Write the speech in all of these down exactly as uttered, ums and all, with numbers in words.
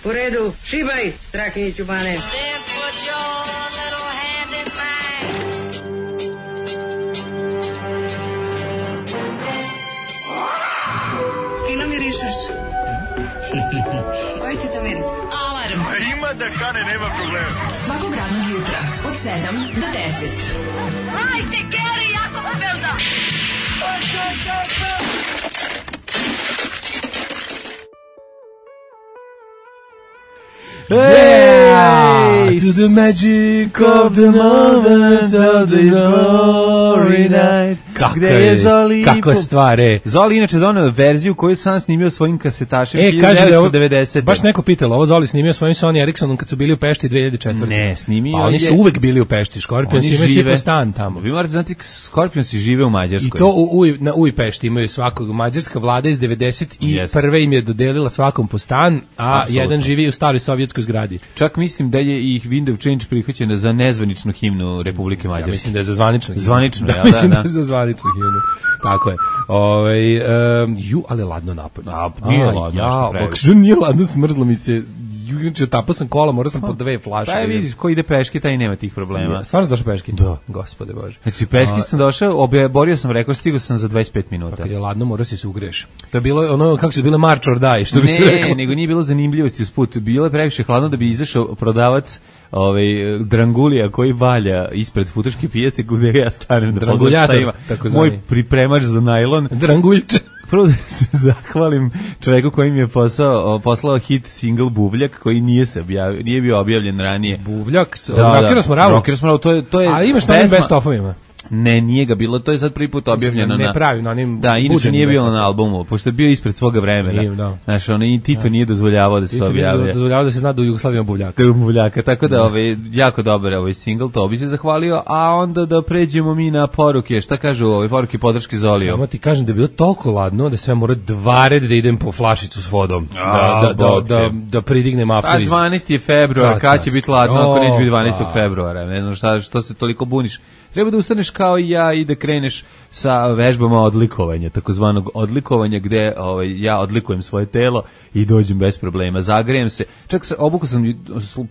U redu, šibaj, Strahinjiću Bane. Fino mirišeš. Koji ti to miris? Alarm. A ima da kane, nema problema. Svakog radnog jutra, od sedam do deset. Hajde, Geri, jako se velda. Hey, to the magic of the moment of the glory night. Kako je Zoli? Kako stvari? Zoli inače doneo verziju koju sam snimio svojim kasetašem e, devetnaeste devedesete. Baš neko pitalo, ovo Zoli snimio svojim Sony Ericssonom kad su bili u Pešti dve hiljade četvrte. Ne, snimio pa, oni su je... uvek bili u Pešti, Scorpions imaju svi po stan tamo. Vi morate znati, Scorpions žive u Mađarskoj. I to u, u, na Uj Pešti imaju svakog. Mađarska vlada iz devedeset prve im je dodelila svakom po stan, a absolutno. Jedan živi u staroj sovjetskoj zgradi. Čak mislim da je ih Window Change prihvaćena za nezvaničnu himnu Republike Mađarske. Ja mislim da je za zvaničnu himnu. Zvanično, da, ja, mislim da, da. da je za zvaničnu himnu. Tako je. Ovaj um, ju, ali ladno napad. A, nije a, ladno. Ja, kako nije ladno, smrzlo mi se. Juče tapao sam kola, morao sam po dve flaše. Pa vidiš, ko ide peške, taj nema tih problema. Ja, stvarno došao peške? Da. Gospode Bože. Znači, peške a, sam došao, borio sam, rekao, stigao sam za dvadeset pet minuta. Pa kad je ladno, morao si se ugreš. To je bilo ono, kako se bilo March or Die, što bi se rekao. Ne, nego nije bilo zanimljivosti usput. Bilo je previše hladno da bi izašao prodavac ovaj drangulija koji valja ispred futoške pijace gde ja stanem da pogledam šta ima. Moj pripremač za najlon. Dranguljiče. Prvo da se zahvalim čoveku koji mi je posao, poslao hit single Buvljak koji nije se objavio, nije bio objavljen ranije. Buvljak, Rockeros Moravu. Rockeros Moravu, to je to je. A imaš na best ofovima. Ne, nije ga bilo, to je sad prvi put objavljeno ne na... pravi, na onim... Da, inače nije bilo na albumu, pošto je bio ispred svoga vremena. Nije, da. Znaš, ono, i Tito da. Nije dozvoljavao da se Tito objavlja. Tito nije dozvoljavao da se zna da u Jugoslaviji ima Buvljaka. Da ima Buvljaka, tako da, da. Ovaj, jako dobar ovaj single, to bi se zahvalio, a onda da pređemo mi na poruke, šta kažu ove poruke podrške Zoliju? Samo ti kažem da je bilo toliko ladno da sve mora dva red da idem po flašicu s vodom, a, da, da, da, da, da pridignem after iz... A dvanaesti je februar, kad će biti ladno ako neće biti dvanaestog februara, ne znam šta, što se toliko buniš. Treba da ustaneš kao i ja i da kreneš sa vežbama odlikovanja, takozvanog odlikovanja gde ovaj, ja odlikujem svoje telo i dođem bez problema, zagrejem se. Čak se obuku sam,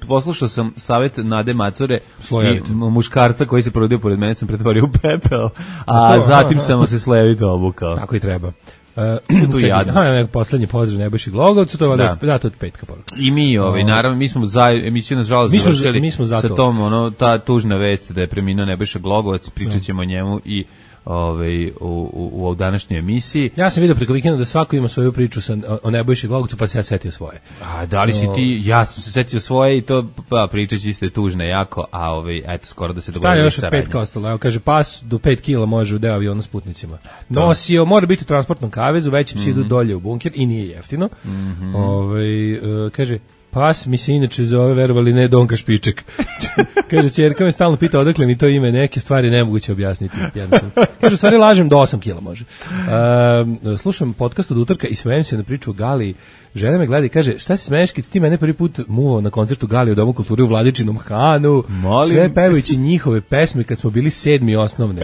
poslušao sam savjet Nade Macore i muškarca koji se provodio pored mene, sam pretvorio u pepeo, a to, zatim aha, sam se slevito obukao. Tako i treba. Uh, tu jadno. Aha, poslednji pozdrav Nebojši Glogovcu, to je da. Da, to je petka poruka. I mi, ovaj, naravno, mi smo za emisiju nažalost završili mi smo sa tom, ono, ta tužna vest da je preminuo Nebojša Glogovac, pričat ćemo o njemu i ovaj u, u, u današnjoj emisiji. Ja sam vidio preko vikenda da svako ima svoju priču sa, o Nebojši Glogovcu, pa se ja setio svoje. A da li si ti, ja sam se setio svoje i to, pa pričać iste tužne jako, a ovaj, eto, skoro da se dogodilo. Šta je još od pet ostalo? Evo, kaže, pas do pet kila može u deo aviona s putnicima. Nosio, mora biti u transportnom kavezu, većim mm -hmm. si idu dolje u bunker i nije jeftino. Mm -hmm. Ovaj, uh, kaže, pas mi se inače zove, verovali ne, Donka Špiček. Kaže, ćerka me stalno pita odakle mi to ime, neke stvari nemoguće objasniti. Kaže, u stvari lažem do osam kila može. Uh, slušam podcast od utorka i smejem se na priču o Gali. Žena me gleda i kaže, šta si smeješ kad si ti mene prvi put muvao na koncertu Gali u Domu kulture u Vladičinom Hanu, molim. Sve pevajući njihove pesme kad smo bili sedmi osnovne.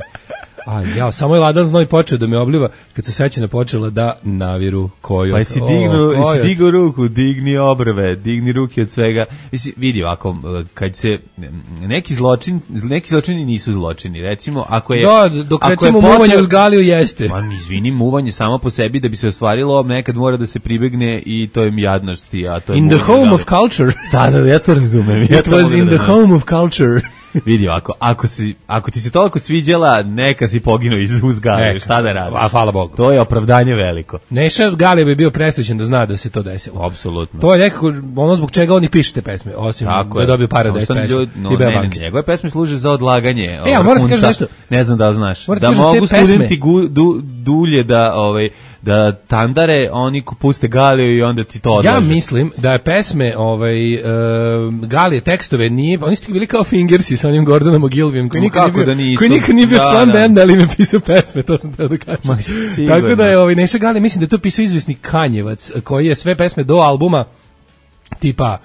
A ja, samo je ladan znoj počeo da me obliva kad se sećanja počela da naviru koju. Pa si dignu, oh, si dignu ruku, digni obrve, digni ruke od svega. Mislim, vidi ovako, kad se neki zločin, neki zločini nisu zločini, recimo, ako je... Da, dok recimo muvanje uz Galiju jeste. Ma, izvini, muvanje samo po sebi da bi se ostvarilo, nekad mora da se pribegne i to je jadnosti, a to je... In the home of culture. Da, da, ja to razumem. Ja It was in the home of culture. Vidi ovako, ako, si, ako ti se toliko sviđala, neka si poginuo iz uzgale, šta da radiš? A hvala Bogu. To je opravdanje veliko. Neša Galija bi bio presrećen da zna da se to desilo. Apsolutno. To je nekako ono zbog čega oni pišete pesme, osim tako da je dobio para da je pesme. No, ne, ne, njegove pesme služe za odlaganje. E, ja moram ti kažem nešto. Ne znam da znaš. Moram da mogu studenti gu, du, dulje da... Ovaj, da tandare, oni puste Galiju i onda ti to odlaže. Ja mislim da je pesme ovaj, uh, Galije tekstove nije, oni su bili kao Fingersi sa onim Gordonom Ogilvijem, koji nikad nije bio, da koji nikad nije bio da, član da. benda, ali im pisao pesme, to sam teo da kažem. Ma, tako da je ovaj, Neša Galija, mislim da je to pisao izvisni Kanjevac, koji je sve pesme do albuma tipa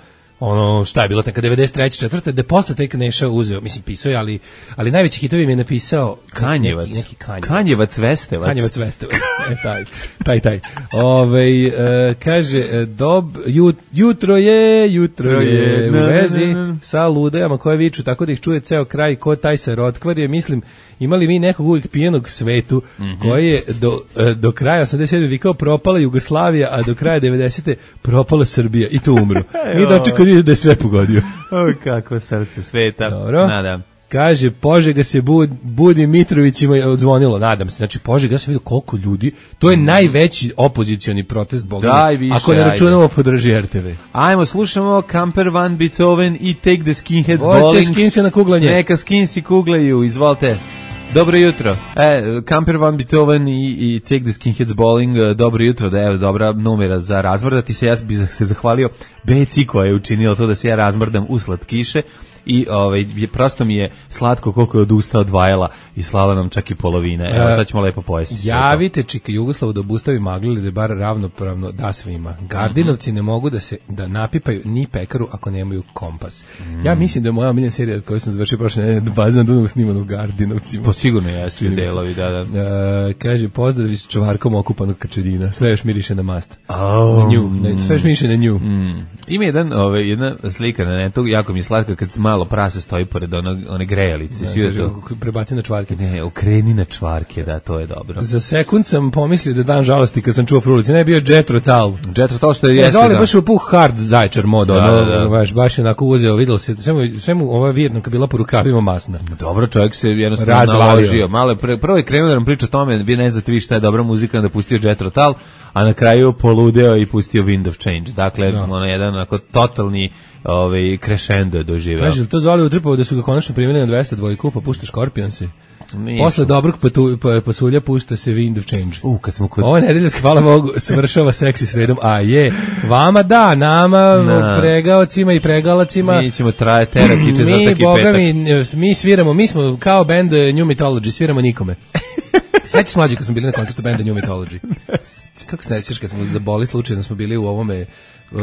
ono šta je bilo neka devedeset treće četvrte da posle tek Neša uzeo, mislim pisao je, ali ali najveći hitovi mi je napisao Kanjevac, neki, neki Kanjevac. Kanjevac Vestevac. Kanjevac Vestevac. E, taj, taj, taj. Ovaj e, kaže dob jut, jutro je, jutro je u vezi sa ludajama koje viču tako da ih čuje ceo kraj, ko taj se rotkvarje, mislim imali mi nekog uvijek pijenog svetu mm-hmm. koji je do, do kraja osamdeset sedme vikao propala Jugoslavija, a do kraja devedesete propala Srbija i tu umru. Mi dočekali da je sve pogodio. O, kako srce sveta. Dobro. Nadam. Kaže, Požega se bud, budi Mitrovićima je odzvonilo, nadam se. Znači, Požega, ja sam vidio koliko ljudi, to je mm. najveći opozicioni protest, Boga mi, ako ne računamo podrži R T V. Ajmo, slušamo Camper Van Beethoven i Take the Skinheads Volite Bowling. Volite skinse na kuglanje. Neka skinsi kuglaju, izvolite. Dobro jutro. E, Camper Van Beethoven i, i Take the Skinheads Bowling, dobro jutro, da je dobra numera za razmrdati se. Ja bih se zahvalio Beci koja je učinila to da se ja razmrdam usled kiše. I ovaj prosto mi je slatko koliko je od usta odvajala i slala nam čak i polovine. Evo sad ćemo lepo pojesti. Javite Čika Jugoslavu da obustavi magli da je bar ravnopravno da svima. Gardinovci mm-hmm. ne mogu da se da napipaju ni pekaru ako nemaju kompas. Mm. Ja mislim da je moja omiljena serija koju sam završio prošle nedelje Bazan Dunav snimana u Gardinovcima. Po sigurno jesu delovi, da, da. Uh, kaže pozdravi s čvarkom okupanog kačerina. Sve još miriše na mast. Oh. Na nju, ne, sve još miriše na nju. Mm. Ima jedan, ovaj, jedna slika na netu, jako mi je slatka kad malo prase stoji pored onog, one grejalice. Ne, to... Prebaci na čvarke. Ne, okreni na čvarke, da, to je dobro. Za sekund sam pomislio da dan žalosti kad sam čuo Frulici. Ne, bio Jethro Tull. Jethro Tull što je jeste, da. Baš u puh hard zajčar mod, da, ono, da, da. Baš, baš je onako uzeo, vidjelo se, sve mu, sve mu ova vjerna kad bila po rukavima masna. Dobro, čovjek se jednostavno naložio. Malo pre, prvo je krenuo da nam priča o tome, vi ne znate vi šta je dobra muzika, da pustio Jethro Tull, a na kraju poludeo i pustio Wind of Change. Dakle, no. ono jedan onako totalni ovaj crescendo je doživeo. Kaže, to Zoli utrpao da su ga konačno primili na dvesta dvojku, pa pušta Scorpionse. Nisu. Posle dobrog patu, pa, pasulja pušta se Wind of Change. U, kad smo kod... Ova nedelja, hvala Bogu, svršava seksi sredom, a je, vama da, nama, na. pregaocima i pregalacima. Mi ćemo traje terakiče za taki petak. Mi, Boga mi, mi sviramo, mi smo kao band New Mythology, sviramo nikome. Sećaš mlađi kad smo bili na koncertu benda New Mythology? Kako se nećeš kad smo zaboli slučajno smo bili u ovome uh,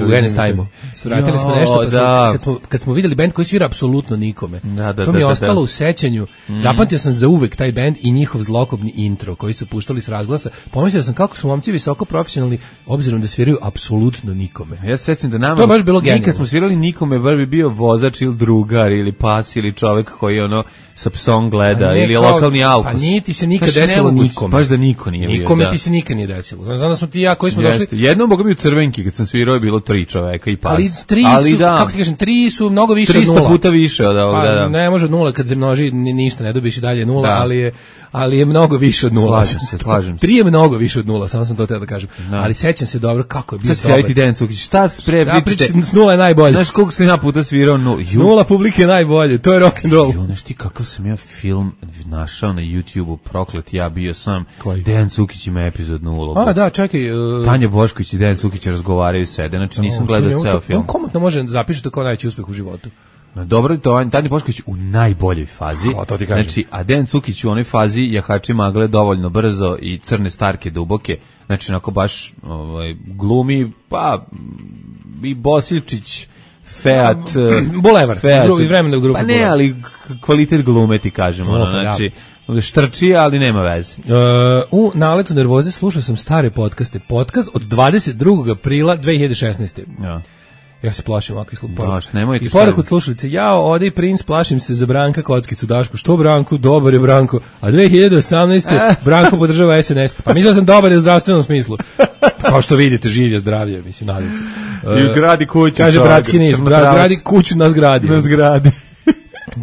u N S Time-u. Svratili smo nešto pa da. Smo, kad, smo, kad smo vidjeli bend koji svira apsolutno nikome. Da, da, to mi je da, ostalo da. u sećanju. Mm. Zapamtio sam za uvek taj bend i njihov zlokobni intro koji su puštali s razglasa. Pomislio sam kako su momci visoko profesionalni obzirom da sviraju apsolutno nikome. Ja se sećam da nama to je baš bilo genijalno. Nikad smo svirali nikome, bar bi bio vozač ili drugar ili pas ili čovek koji ono sa psom gleda ne, ili kao, lokalni alkus. Pa nije ti se nikad znači, desilo nikome. Baš da niko nije bio. Nikome da. ti se nikad nije desilo. Znam, znam da smo ti ja koji smo Jeste. došli. Jednom Boga mi u Crvenki kad sam svirao je bilo tri čoveka i pas. Ali tri ali su, da. kako ti kažem, tri su mnogo više od nula. trista puta više od ovoga, pa, da. Ne može od nula kad se množi ništa ne dobiš i dalje nula, da. ali je ali je mnogo više od nula. Slažem se, slažem se. Tri je mnogo više od nula, samo sam to teo da kažem. Da. Ali sećam se dobro kako je bio dobar. Sad se Dejan Cukić, šta spre pričate? S nula je najbolje. Znaš koliko sam ja puta svirao nula? S nula publike je najbolje, to je rock and roll. Jo, znaš ti kakav sam ja film našao na YouTubeu, proklet, ja bio sam. Koji? Dejan Cukić ima epizod nula. A, da, čekaj. Uh... Tanja Bošković i Dejan Cukić razgovaraju sede, znači nisam gledao ceo film. On komotno može zapišiti kao najveći uspeh u životu. No, dobro, to je Tanja Bošković u najboljoj fazi. O, to ti kažem. Znači, a Dejan Cukić u onoj fazi jahači magle dovoljno brzo i crne starke duboke. Znači, onako baš ovaj, glumi, pa i Bosiljčić, Feat, Bulevar, Feat, i vremena u grupu. Pa ne, Bulevar. Ali kvalitet glume ti kažemo. Ono, znači, štrči, ali nema veze. Uh, u naletu nervoze slušao sam stare podcaste. Podcast od dvadeset drugog aprila dve hiljade šesnaeste. Ja. Ja se plašim ovakvih slupa. I poruku od slušalice, jao, ode i princ, plašim se za Branka Kockicu Dašku. Što Branku? Dobar je Branko. A dve hiljade osamnaeste. Branko podržava S N S. Pa mislio sam dobar je u zdravstvenom smislu. Kao što vidite, živ je zdravlje, mislim, nadam se. Uh, I gradi kuću. Kaže bratski niz, gradi kuću na zgradi. Na zgradi.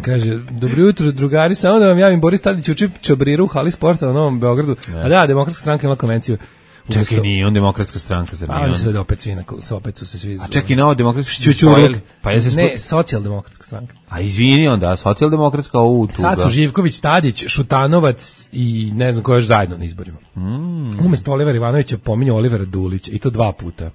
Kaže, dobro jutro, drugari, samo da vam javim, Boris Tadić uči čabriru u hali sporta na Novom Beogradu. Ne. A da, Demokratska stranka ima konvenciju. Čekaj, nije on Demokratska stranka, zar nije on? Ali se da opet svi, opet su se svi... A čekaj, na ovo Demokratska stranka? Pa je se ne, Socijaldemokratska stranka. A izvini onda, Socijaldemokratska u tuga. Sad su Živković, Tadić, Šutanovac i ne znam ko još zajedno na izborima. Mm. Umesto Olivera Ivanovića pominje Olivera Dulića i to dva puta.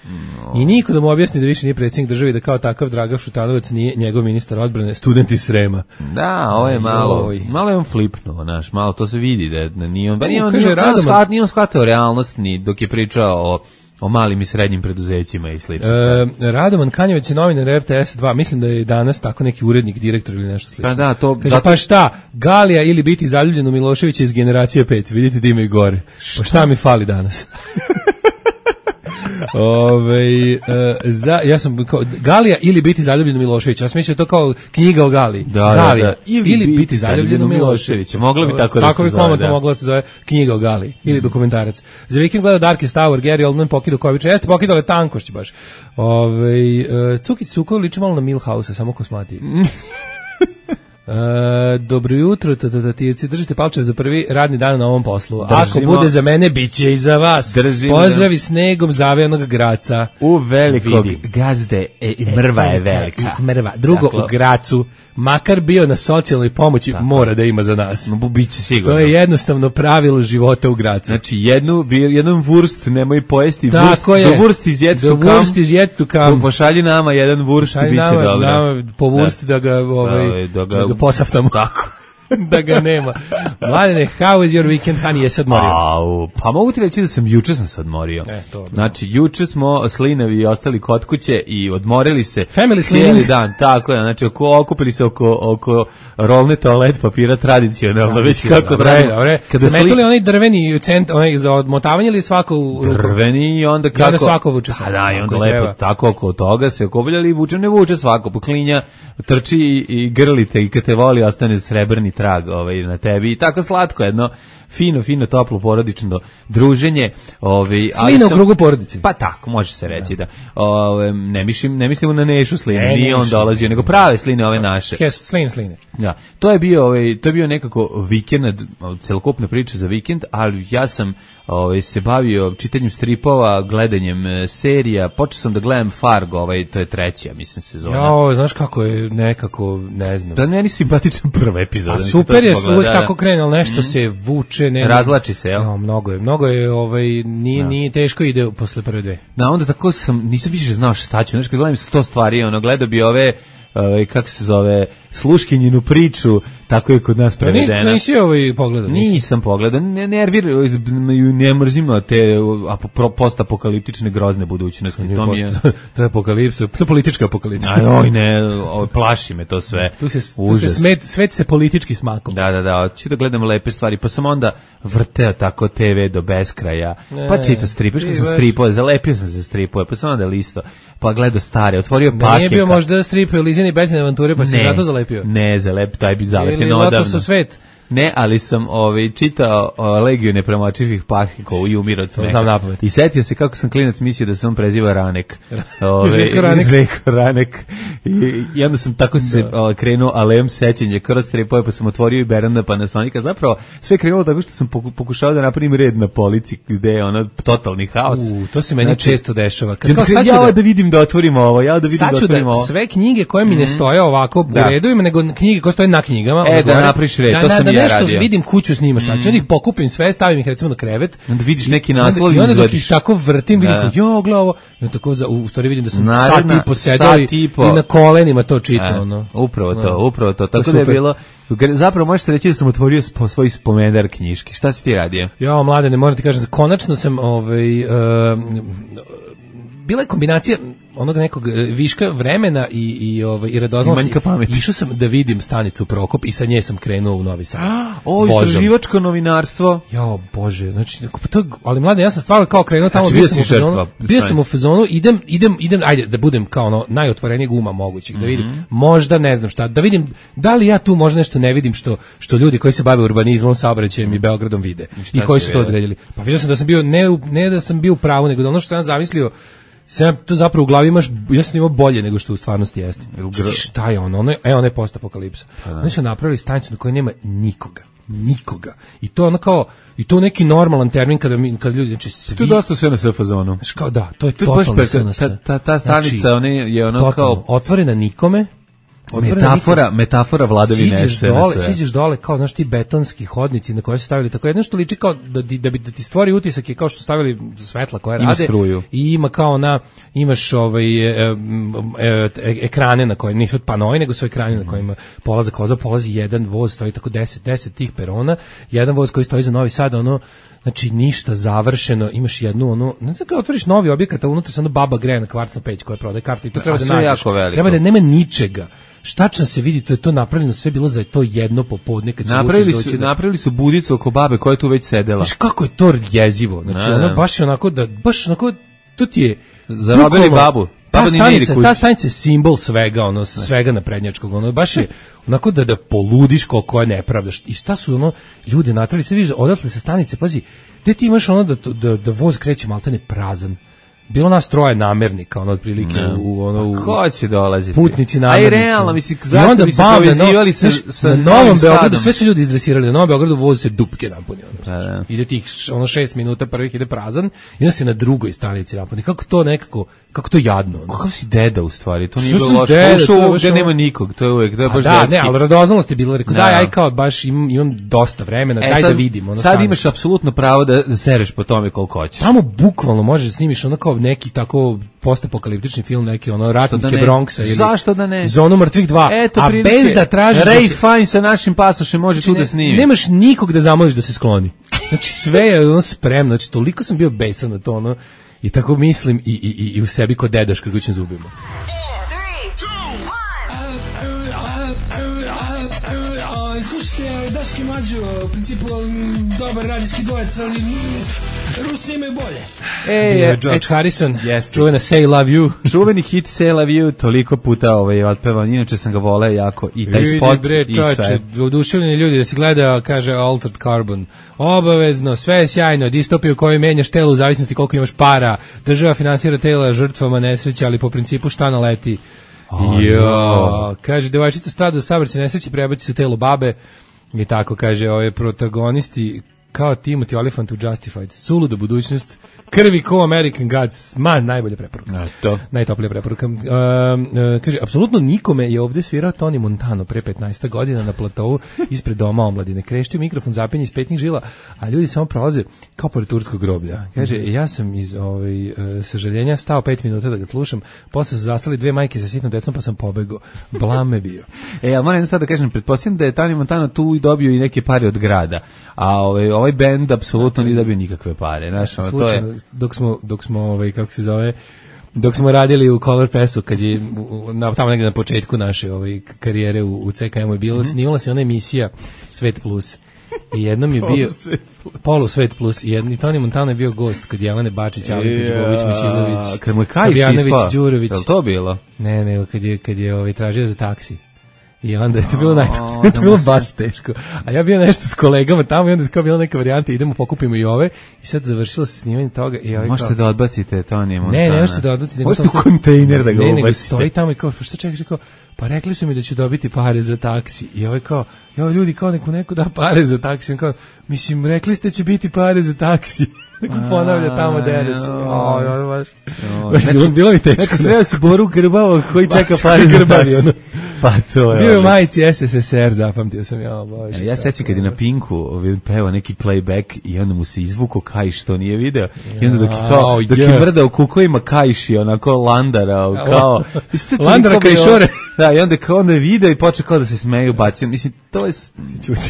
No. I niko da mu objasni da više nije predsjednik države i da kao takav Dragan Šutanovac nije njegov ministar odbrane, student iz Srema. Da, ovo je malo, Oj. malo je on flipnuo, naš, malo to se vidi da nije on, da nije on, kaže, nije on, nije on shvatio realnost ni dok je pričao o o malim i srednjim preduzećima i slično. E, Radovan Kanjevec je novinar R T S dva, mislim da je danas tako neki urednik, direktor ili nešto slično. Pa da, to... Kaže, zato... pa šta, Galija ili biti zaljubljen u Miloševića iz generacije pet, vidite da ima i gore. Šta? Pa šta mi fali danas? Ove, uh, za, ja sam kao, Galija ili biti zaljubljen u Miloševića. Ja sam mislio to kao knjiga o Galiji. Da, Galija, da, da. Ili, ili biti, biti zaljubljen u Miloševića. Moglo bi tako da tako se bi zove. Da. Moglo da se zove knjiga o Galiji. Ili dokumentarac. Za vikend gleda Darkest Hour, Gary Oldman pokidao Kovića. Jeste pokidao je tankošć baš. Ove, uh, Cukić Sukov liči malo na Milhouse, samo kosmatiji. Uh, dobro jutro, tatatirci, držite palčeve za prvi radni dan na ovom poslu. Držimo, ako bude za mene, bit će i za vas. Držimo, pozdravi snegom zavejanog Graca. U velikog Vidim. Gazde e, i mrva je velika. I mrva. Drugo, dakle, u Gracu, makar bio na socijalnoj pomoći, tako, mora da ima za nas. No, biće sigurno. To je jednostavno pravilo života u Gracu. Znači, jednu, jedan vurst nemoj pojesti. Tako vurst, je. Do vurst iz jet do to kam. Vurst iz jet to kam. Pošalji nama jedan vurst i bit će dobro. Nama po vursti da, da ga... Ovaj, da, da ga posaftamo. Tako. Da ga nema. Mladene, how is your weekend, honey, jesi odmorio? Au, pa mogu ti reći da sam juče sam se odmorio. E, to, znači, juče smo slinavi i ostali kod kuće i odmorili se Family cijeli slining. dan. Tako je, znači, oko, okupili se oko, oko rolne toalet papira tradicionalno, već kako treba. Kada sli... metuli onaj drveni cent, onaj za odmotavanje ili svako u ruku? Drveni i onda kako... I onda svako vuče se. A da, i onda lepo treba. Tako oko toga se okupljali i vuče, ne vuče svako, poklinja, trči i, i grlite i kad te voli ostane srebrni trag ovaj, na tebi i tako slatko jedno fino, fino, toplo, porodično druženje. Ovaj, Slina u krugu porodice. Pa tako, može se reći da. da. Ove, ne, mislim, ne mislimo na Nešu Slinu, ne, nije on dolazio, nego prave sline ove naše. Hes, slin, sline. Ja, to je bio, ovaj, to je bio nekako vikend, celokupna priča za vikend, ali ja sam ovaj, se bavio čitanjem stripova, gledanjem e, serija, počeo sam da gledam Fargo, ovaj, to je treća, mislim, sezona. Ja, znaš kako je nekako, ne znam. Da, meni simpatičan prva epizoda. A super je, uvijek tako krene, ali nešto mm. se vuče. Ne, razlači se, jel? No, mnogo je, mnogo je, ovaj, nije, no. nije teško ide posle prve dve. Da, onda tako sam, nisam više znao šta ću, znaš, kad gledam sto stvari, ono, gledao bi ove, ove, kako se zove, sluškinjinu priču, tako je kod nas prevedena. Nis, nisi ovaj pogledao? Nisam pogledao, ne nervir, ne mrzim te postapokaliptične grozne budućnosti. To, to mi je... To je apokalipsa, to je politička apokalipsa. Aj, ne, plaši me to sve. Tu se, tu se smet, svet se politički smakom. Da, da, da, hoću da gledam lepe stvari, pa sam onda vrteo tako te ve do beskraja, e, pa čitao stripove, što sam stripove, zalepio sam se stripove, pa sam onda listo, pa gledao stare, otvorio ne, paket. Nije bio možda stripove Lizine Betine avanture, pa si zato zalepio? Ne, zalep, taj bi zalepio odavno. Ili Lotus u svet? Ne, ali sam ovaj, čitao o, Legiju nepremočivih pahika i umir od smeha. Znam napamet. I setio se kako sam klinac mislio da se on preziva Ranek. Ove, Željko Ranek. Željko Ranek. I, I onda sam tako se o, krenuo alem sećenje kroz stripove, pa sam otvorio i Beranda Panasonica. Zapravo sve krenulo tako što sam pokušao da napravim red na polici gde je ono totalni haos. U, to se meni znači, često dešava. Kad, kao, sad ja da, da vidim da otvorim ovo, ja da vidim sad da otvorim da ovo. Sve knjige koje mi ne stoje ovako u da. Redovima, nego knjige koje stoje na knjigama. E, da napriš red, da, to sam da, ja nešto radio. Vidim kuću snimaš, znači mm. onda ih pokupim sve, stavim ih recimo na krevet. Onda vidiš neki naslov i onda dok ih tako vrtim, vidim kao, jo, glavo, i tako za, u stvari vidim da sam Naredna, sat i po sedao i, i na kolenima to čitao. E, no. Upravo to, no. upravo to. Tako to da je bilo, zapravo možeš se reći da sam otvorio spo, svoj spomendar knjiški. Šta si ti radio? Ja, mlade, ne moram ti kažem, konačno sam ovaj, uh, bila je kombinacija onog nekog viška vremena i i ovaj i radoznalosti. Išao sam da vidim stanicu Prokop i sa nje sam krenuo u Novi Sad. O, istraživačko novinarstvo. Jo, bože, znači to, ali mlade, ja sam stvarno kao krenuo tamo, bio sam u fazonu, bio sam u fazonu, idem idem idem ajde da budem kao ono najotvorenijeg uma mogućeg, da vidim, mm-hmm. možda ne znam šta, da vidim da li ja tu možda nešto ne vidim što što ljudi koji se bave urbanizmom, saobraćajem i Beogradom vide i koji su to odredili. Pa vidio sam da sam bio ne ne da sam bio u pravu, nego da ono što sam zamislio sam to zapravo u glavi imaš, ja sam imao bolje nego što u stvarnosti jeste. Šta je ono? ono je, e, ono je postapokalipsa. Oni su napravili stanicu na kojoj nema nikoga. Nikoga. I to ono kao, i to neki normalan termin kada, mi, kada ljudi, znači svi... To je dosta sve na S F zonu. Kao, da, to je to totalno sve na S F. Ta, ta, ta stanica, znači, one, je ono totalno, kao... otvorena nikome, metafora, metafora vladavine siđeš dole, siđeš dole kao znaš ti betonski hodnici na koje su stavili tako jedno što liči kao da, da bi da ti stvori utisak je kao što su stavili svetla koje rade struju. I ima kao na imaš ovaj e, e, e, ekrane na koje nisu panoji nego su ekrani na kojima polazak voza, polazi jedan voz, stoji tako deset deset tih perona, jedan voz koji stoji za Novi Sad, ono Znači ništa završeno, imaš jednu ono, ne znam kako otvoriš novi objekat, a unutra se ono baba greje na kvarcnu peć koja prodaje karte i to treba A da sve nađeš. jako veliko. Treba da nema ničega. Štačno se vidi, to je to napravljeno sve bilo za to jedno popodne kad se Napravili doći su, da... napravili su budicu oko babe koja je tu već sedela. Znaš kako je to jezivo, znači Da, ono da. baš je onako da, baš onako, to ti je... Zarobili bukvalno- babu. Ta Baba ni ne ide stanica, kući. ta stanica je simbol svega, ono, svega naprednjačkog, ono, baš je onako da da poludiš koliko je nepravda. I šta su ono, ljudi natrali, se vidiš, odatle sa stanice, pazi, gde ti imaš ono da, da, da voz kreće maltene prazan. Bilo nas troje namernika, ono, otprilike, Ne. u, u, ono, u, Ko će dolaziti? putnici A i namernici. realno, mislim, I zašto onda bi se bam, na povezivali no- sa, znaš, sa na Novim Novom Beogradu, Sadom? sve su ljudi izdresirali, na Novom Beogradu voz se dupke napuni. Ono, Da, da. ide tih š- ono šest minuta prvih ide prazan i onda se na drugoj stanici napuni. Kako to nekako, kako to jadno. Ono. Kakav si deda u stvari, to nije Što bilo sam loše. deda, Ušao to je u baš gde ono- nema nikog, to je uvek, to je A baš da, detski. ne, ali radoznalost je bila, rekao, Da. daj, aj kao, baš imam, imam dosta vremena, E, daj sad- da vidim. Ono, sad stani. imaš apsolutno pravo da, da sereš po tome koliko hoćeš. Tamo bukvalno možeš da snimiš ono kao neki tako postapokaliptični film, neki ono ratnike da ne? Bronxa ili Zašto da ne? Zonu mrtvih dva, Eto, a prilike, bez da tražiš da Ray se- Fine sa našim pasošem može tu Znači, da ne- snimi. nemaš nikog da zamoliš da se skloni. Znači sve je ono spremno, znači toliko sam bio besan na to ono i tako mislim i, i, i, i u sebi kod dedaš krgućim zubima. Slušajte, Daški Mađo, u principu m, dobar radijski dvojec, ali m, Rusi imaju bolje. E, Bio je e, George e, Harrison, jeste. čuvena Say Love You. Čuveni hit Say Love You, toliko puta ovaj, otpevan, inače sam ga voleo jako, i taj Vidi, spot bre, i čoveče, sve. oduševljeni ljudi da se gleda, kaže Altered Carbon. Obavezno, sve je sjajno, distopiju u kojoj menjaš telo u zavisnosti koliko imaš para. Država finansira tela žrtvama nesreće, ali po principu šta naleti. Jo, kaže, devojčica strada u saobraćajnoj nesreći, prebaci se u telo babe i tako, kaže, ove protagonisti kao Timothy Olyphant u Justified, suluda budućnost, krvi ko American Gods, ma, najbolja preporuka. A, to. Najtoplija preporuka. Um, uh, kaže, apsolutno nikome je ovde svirao Tony Montano pre petnaest godina na platovu ispred doma omladine. Kreštio mikrofon, zapinje iz petnih žila, a ljudi samo prolaze kao pored turskog groblja. Kaže, ja sam iz ovaj, uh, sažaljenja stao pet minuta da ga slušam, posle su zastali dve majke sa sitnom decom, pa sam pobegao. Blam me bio. E, ali moram sad da kažem, pretpostavljam da je Tony Montano tu i dobio i neke pare od grada, a ovaj, ovaj bend apsolutno nije dobio nikakve pare. Znaš, ono, to Slučajno, je... dok smo, dok smo ovaj, kako se zove, dok smo radili u Color Pressu, kad je u- na, tamo negde na početku naše ovaj, karijere u, u C K M-u je bilo, Mhm. snimala se ona emisija Svet Plus. I jednom je bio Polu Svet Plus i jedni Toni Montano je bio gost kod Jelene Bačić, Alepić, Bović, Misilović, Kad mu je kajš Fabijanović, ispao, Đurović. je li to bilo? Ne, ne, kad je kad je ovaj tražio za taksi. I onda je to bilo naj, O, to je bilo da mu baš teško. A ja bio nešto s kolegama tamo i onda je kao bila neka varijanta, idemo pokupimo i ove i sad završilo se snimanje toga i ovaj Možete kao, da odbacite Tony Montana. ne, ne možete da odluci. Možete u kontejner da ga ne, nego ubacite. stoji tamo i kao, pa šta čekaš, kao, pa rekli su mi da ću dobiti pare za taksi. I ovaj kao, jo, ljudi, kao neku neko da pare za taksi. On kao, mislim, rekli ste će biti pare za taksi. Neko ponavlja tamo dere se. O, jo, baš. Baš bilo, bilo mi teško. Znači, sreo si Boru Grbavo koji čeka Baš pare za Grbavi, taksi. ono. Pa to je. Bio je u odlično. majici S S S R, zapamtio sam, ja, bože. E, Ja sećam kad je na Pinku ovaj, pevao neki playback i onda mu se izvuko kajš što nije video i onda dok je, kao, Jao, dok je je. mrdao kukovima kajši onako landarao kao isto toliko Landara bilo- kajšore. da i onda kao onda je video i počeo kao da se smeju bacio mislim to je s-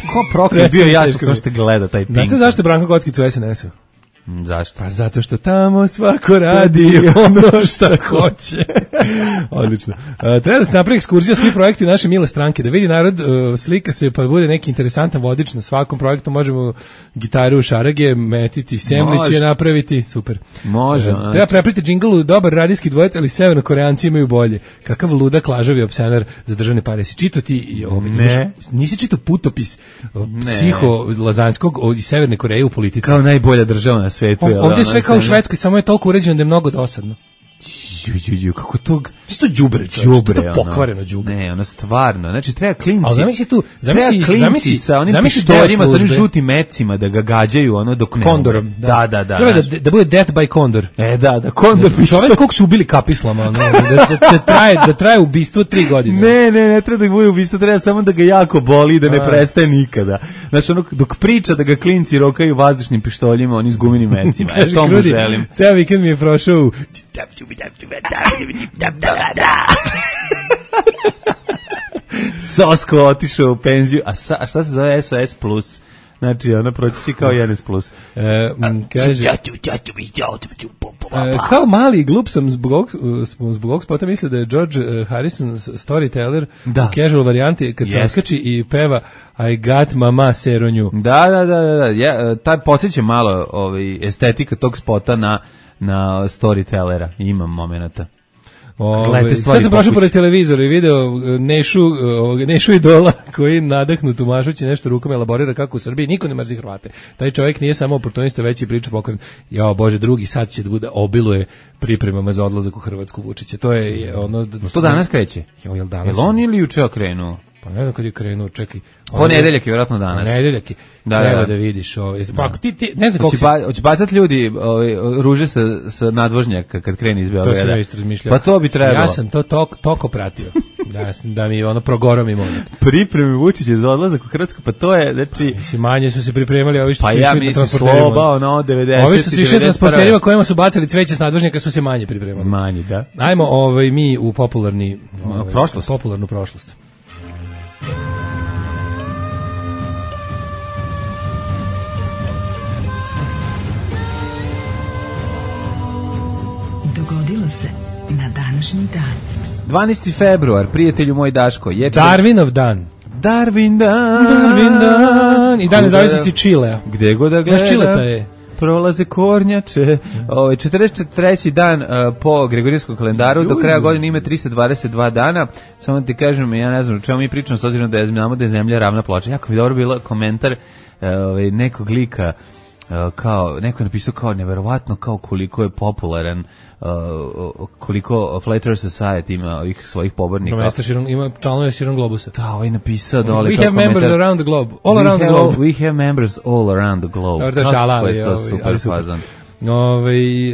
ko proklet bio Presne, ja što teško sam mi. što gleda taj Pink. Znate zašto je Branko Kockić u S N S-u? Mm, zašto? Pa zato što tamo svako radi ono što hoće. Odlično. Uh, treba da se napravi ekskurzija svi projekti naše mile stranke, da vidi narod, uh, slika se pa bude neki interesantan vodič na svakom projektu, možemo gitaru, šarage, metiti, semliće Može. napraviti, super. Može, Uh, znači. treba prepriti džinglu, dobar radijski dvojec, ali severnokoreanci imaju bolje. Kakav ludak, lažavi opsenar za državne pare. Si čitao ti, i ovaj, Ne. imaš- nisi čitao putopis uh, psiho Lazanskog o- iz Severne Koreje u politici? Kao najbolja država na svetu. O- jel da, Ovdje je ono, sve kao u sve- Švedskoj, samo je toliko uređeno da je mnogo dosadno. Ju, ju, ju, kako to Isto đubre, đubre, to pokvareno đubre. Ne, ono stvarno. Znači treba klinci. Ali zamisli tu, zamisli, treba klinci zamisli, sa onim zamisli pištoljima, deo sa onim službe. žutim mecima da ga gađaju ono dok ne. Kondorom. umre. Da, da, da. Treba da, znaš. da bude death by kondor. E, da, da, kondor pištolj. Čovek kog su ubili kapislama, ono, da, da, da, traje, da traje ubistvo tri godine. Ne, ne, ne treba da bude ubistvo, treba samo da ga jako boli i da ne A. prestaje nikada. Znači, ono, dok priča da ga klinci rokaju vazdušnim pištoljima, oni s gumenim mecima. E, Kaže to mu Krudi, želim. ceo vikend mi je prošao u... Sosko otišao u penziju, a, sa, a šta se zove S O S plus? Znači, ona proći će kao N S plus. E, m, kaže, e, kao mali glup sam zbog ovog, zbog ovog spota mislio da je George Harrison storyteller da. u casual varijanti kad se naskači i peva I got mama seronju. Da, da, da, da, da. Ja, taj podsjeća malo ovaj, estetika tog spota na, na storytellera. Imam momenata. Ove, sad sam prošao pored televizora i video Nešu, Nešu idola koji nadahnut umašući nešto rukom elaborira kako u Srbiji niko ne mrzi Hrvate. Taj čovjek nije samo oportunista, već i priča pokren. Jao Bože, drugi sad će da bude obiluje pripremama za odlazak u Hrvatsku Vučića. To je, je ono... To danas kreće? Jo, jel danas? Jel on ili juče krenuo? Pa ne znam kad je krenuo, čekaj. Ponedeljak je vjerojatno danas. Ponedeljak je. Da, treba da, da vidiš ovaj. Pa ti ti ne znam kako će ba, hoće bacati ljudi ovaj ruže sa sa nadvožnjaka kad krene iz Beograda. To sam isto razmišljao. Pa to bi trebalo. Ja sam to tok toko pratio. Da sam da mi ono progoro mi može. Pripremi Vučića za odlazak u Hrvatsku, pa to je znači mislim manje su se pripremali, ovi što pa su ja išli na transporterima. Pa ja mislim sloba ono devedeset. Ovi što su išli na transporterima kojima su bacali cveće s nadvožnjaka su se manje pripremali. Manje, da. Ajmo ovaj mi u popularni ovaj, prošlost, popularnu prošlost. Dogodilo se na današnji dan. dvanaesti februar, prijatelju moj Daško, je Darwinov dan. Darwin dan. Darwin dan. I dan nezavisnosti Čilea. Gde god da gledam. Naš Čileta je. Prolaze kornjače. Ovaj četrdeset treći dan uh, po Gregorijskom kalendaru, do kraja godine ima trista dvadeset dva dana. Samo ti kažem, ja ne znam o čemu mi pričamo, s obzirom da je znamo da je zemlja ravna ploča. Jako bi dobro bilo komentar uh, ovaj nekog lika, uh, kao neko je napisao kao neverovatno kao koliko je popularan, uh, koliko Flat Earth Society ima ovih svojih pobornika. Ima širom, ima članove širom globusa. Da, ovaj napisao dole. We have komentar. members around the globe. All we around have, the globe. We have members all around the globe. Dobro, da šala, ali je to ovaj, super fazan. Ovaj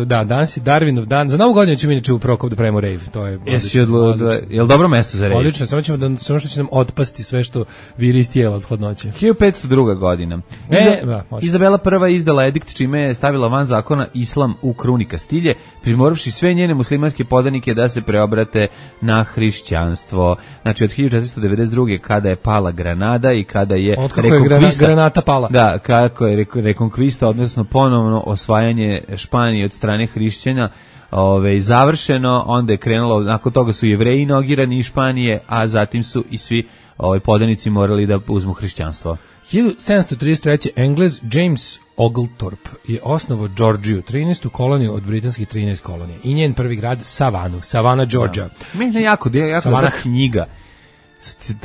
e, da, danas je Darwinov dan. Za Novu godinu ćemo inače u Prokop da pravimo rave. To je Jesi odlučio, jel dobro mesto za rave? Odlično, samo ćemo da samo što će nam otpasti sve što viri iz tijela od hladnoće. hiljadu petsto druga godina. E, Iza, da, Izabela prva izdala edikt čime je stavila van zakona islam u kruni Kastilje, primoravši sve njene muslimanske podanike da se preobrate na hrišćanstvo. Znači od hiljadu četiristo devedeset druge kada je pala Granada i kada je rekonkvista, granata pala. Da, kako je rekonkvista, odnosno ponovno osvajanje Španije od strane hrišćana, ove, završeno, onda je krenulo, nakon toga su Jevreji inogirani iz Španije, a zatim su i svi ove, podanici morali da uzmu hrišćanstvo. hiljadu sedamsto trideset treće. Englez James Oglethorpe je osnovao Georgiju, trinaestu koloniju od britanskih trinaest kolonija, i njen prvi grad Savanu, Savana, Georgia. Da. Meni je jako, jako dobra knjiga.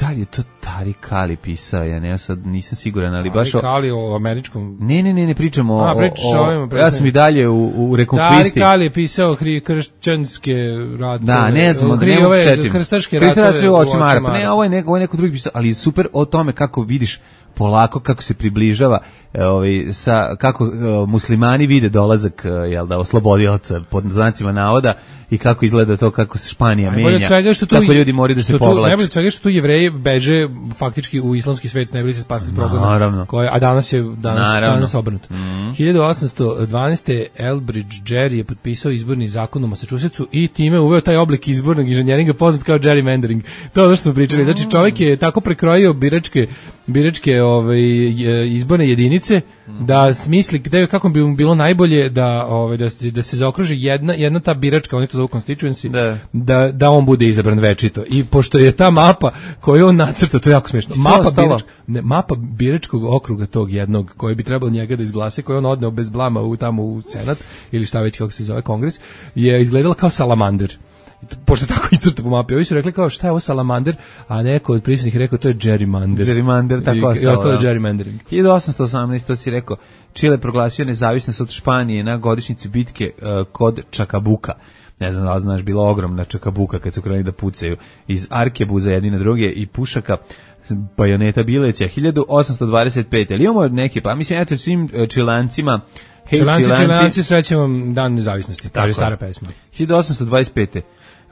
Da li je to Tarik Ali pisao, ja ne, ja sad nisam siguran, ali baš o... Tarik Ali o američkom... Ne, ne, ne, ne pričamo o... A, pričaš o ovim... Ja sam i dalje u, u rekonkvisti. Tarik Ali je pisao hri, kršćanske ratove. Da, ne znam, hri, ne mogu ove, setim. Krstaške ratove, ratove u očima Arapa. Ne, ovo je, neko, ovo je neko drugi pisao, ali super o tome kako vidiš polako, kako se približava, ovaj, sa, kako uh, muslimani vide dolazak, uh, jel da, oslobodioca, pod znacima navoda, i kako izgleda to, kako se Španija menja, kako ljudi moraju da se povlače. Najbolje od svega što tu Jevreji beže faktički u islamski svet, ne bili se spasti problem. Naravno. Koje, a danas je danas, danas obrnuto. Mm. hiljadu osamsto dvanaeste. Elbridge Gerry je potpisao izborni zakon u Massachusettsu i time uveo taj oblik izbornog inženjeringa poznat kao gerrymandering. To je ono što smo pričali. Znači čovjek je tako prekrojio biračke, biračke ovaj, izborne jedinice da smisli gde, kako bi mu bilo najbolje da, ovaj, da, da se zaokruži jedna, jedna ta biračka, oni to zovu constituency, da. Da, da on bude izabran večito. I pošto je ta mapa koju on nacrta, to je jako smiješno, mapa, birač, ne, mapa biračkog okruga tog jednog koji bi trebalo njega da izglase, koji on odneo bez blama u, tamo u Senat, ili šta već kako se zove, Kongres, je izgledala kao salamander. Pošto tako izcrta po mapi, ovi su rekli kao šta je ovo salamander, a neko od prisutnih rekao to je gerrymander. Gerrymander, tako I, ostalo. I ostalo je gerrymandering. hiljadu osamsto osamnaeste. to si rekao, Čile proglasio nezavisnost od Španije na godišnjici bitke uh, kod Čakabuka. Ne znam da li znaš, bila ogromna Čakabuka kad su krenuli da pucaju iz arkebuza jedni na druge i pušaka, bajoneta bileća. hiljadu osamsto dvadeset pete. Ali imamo neke, pa mislim, eto svim uh, Čilancima, hej Čilanci, Čilanci, Čilanci, srećem vam dan nezavisnosti, kaže stara pesma. hiljadu osamsto dvadeset pete.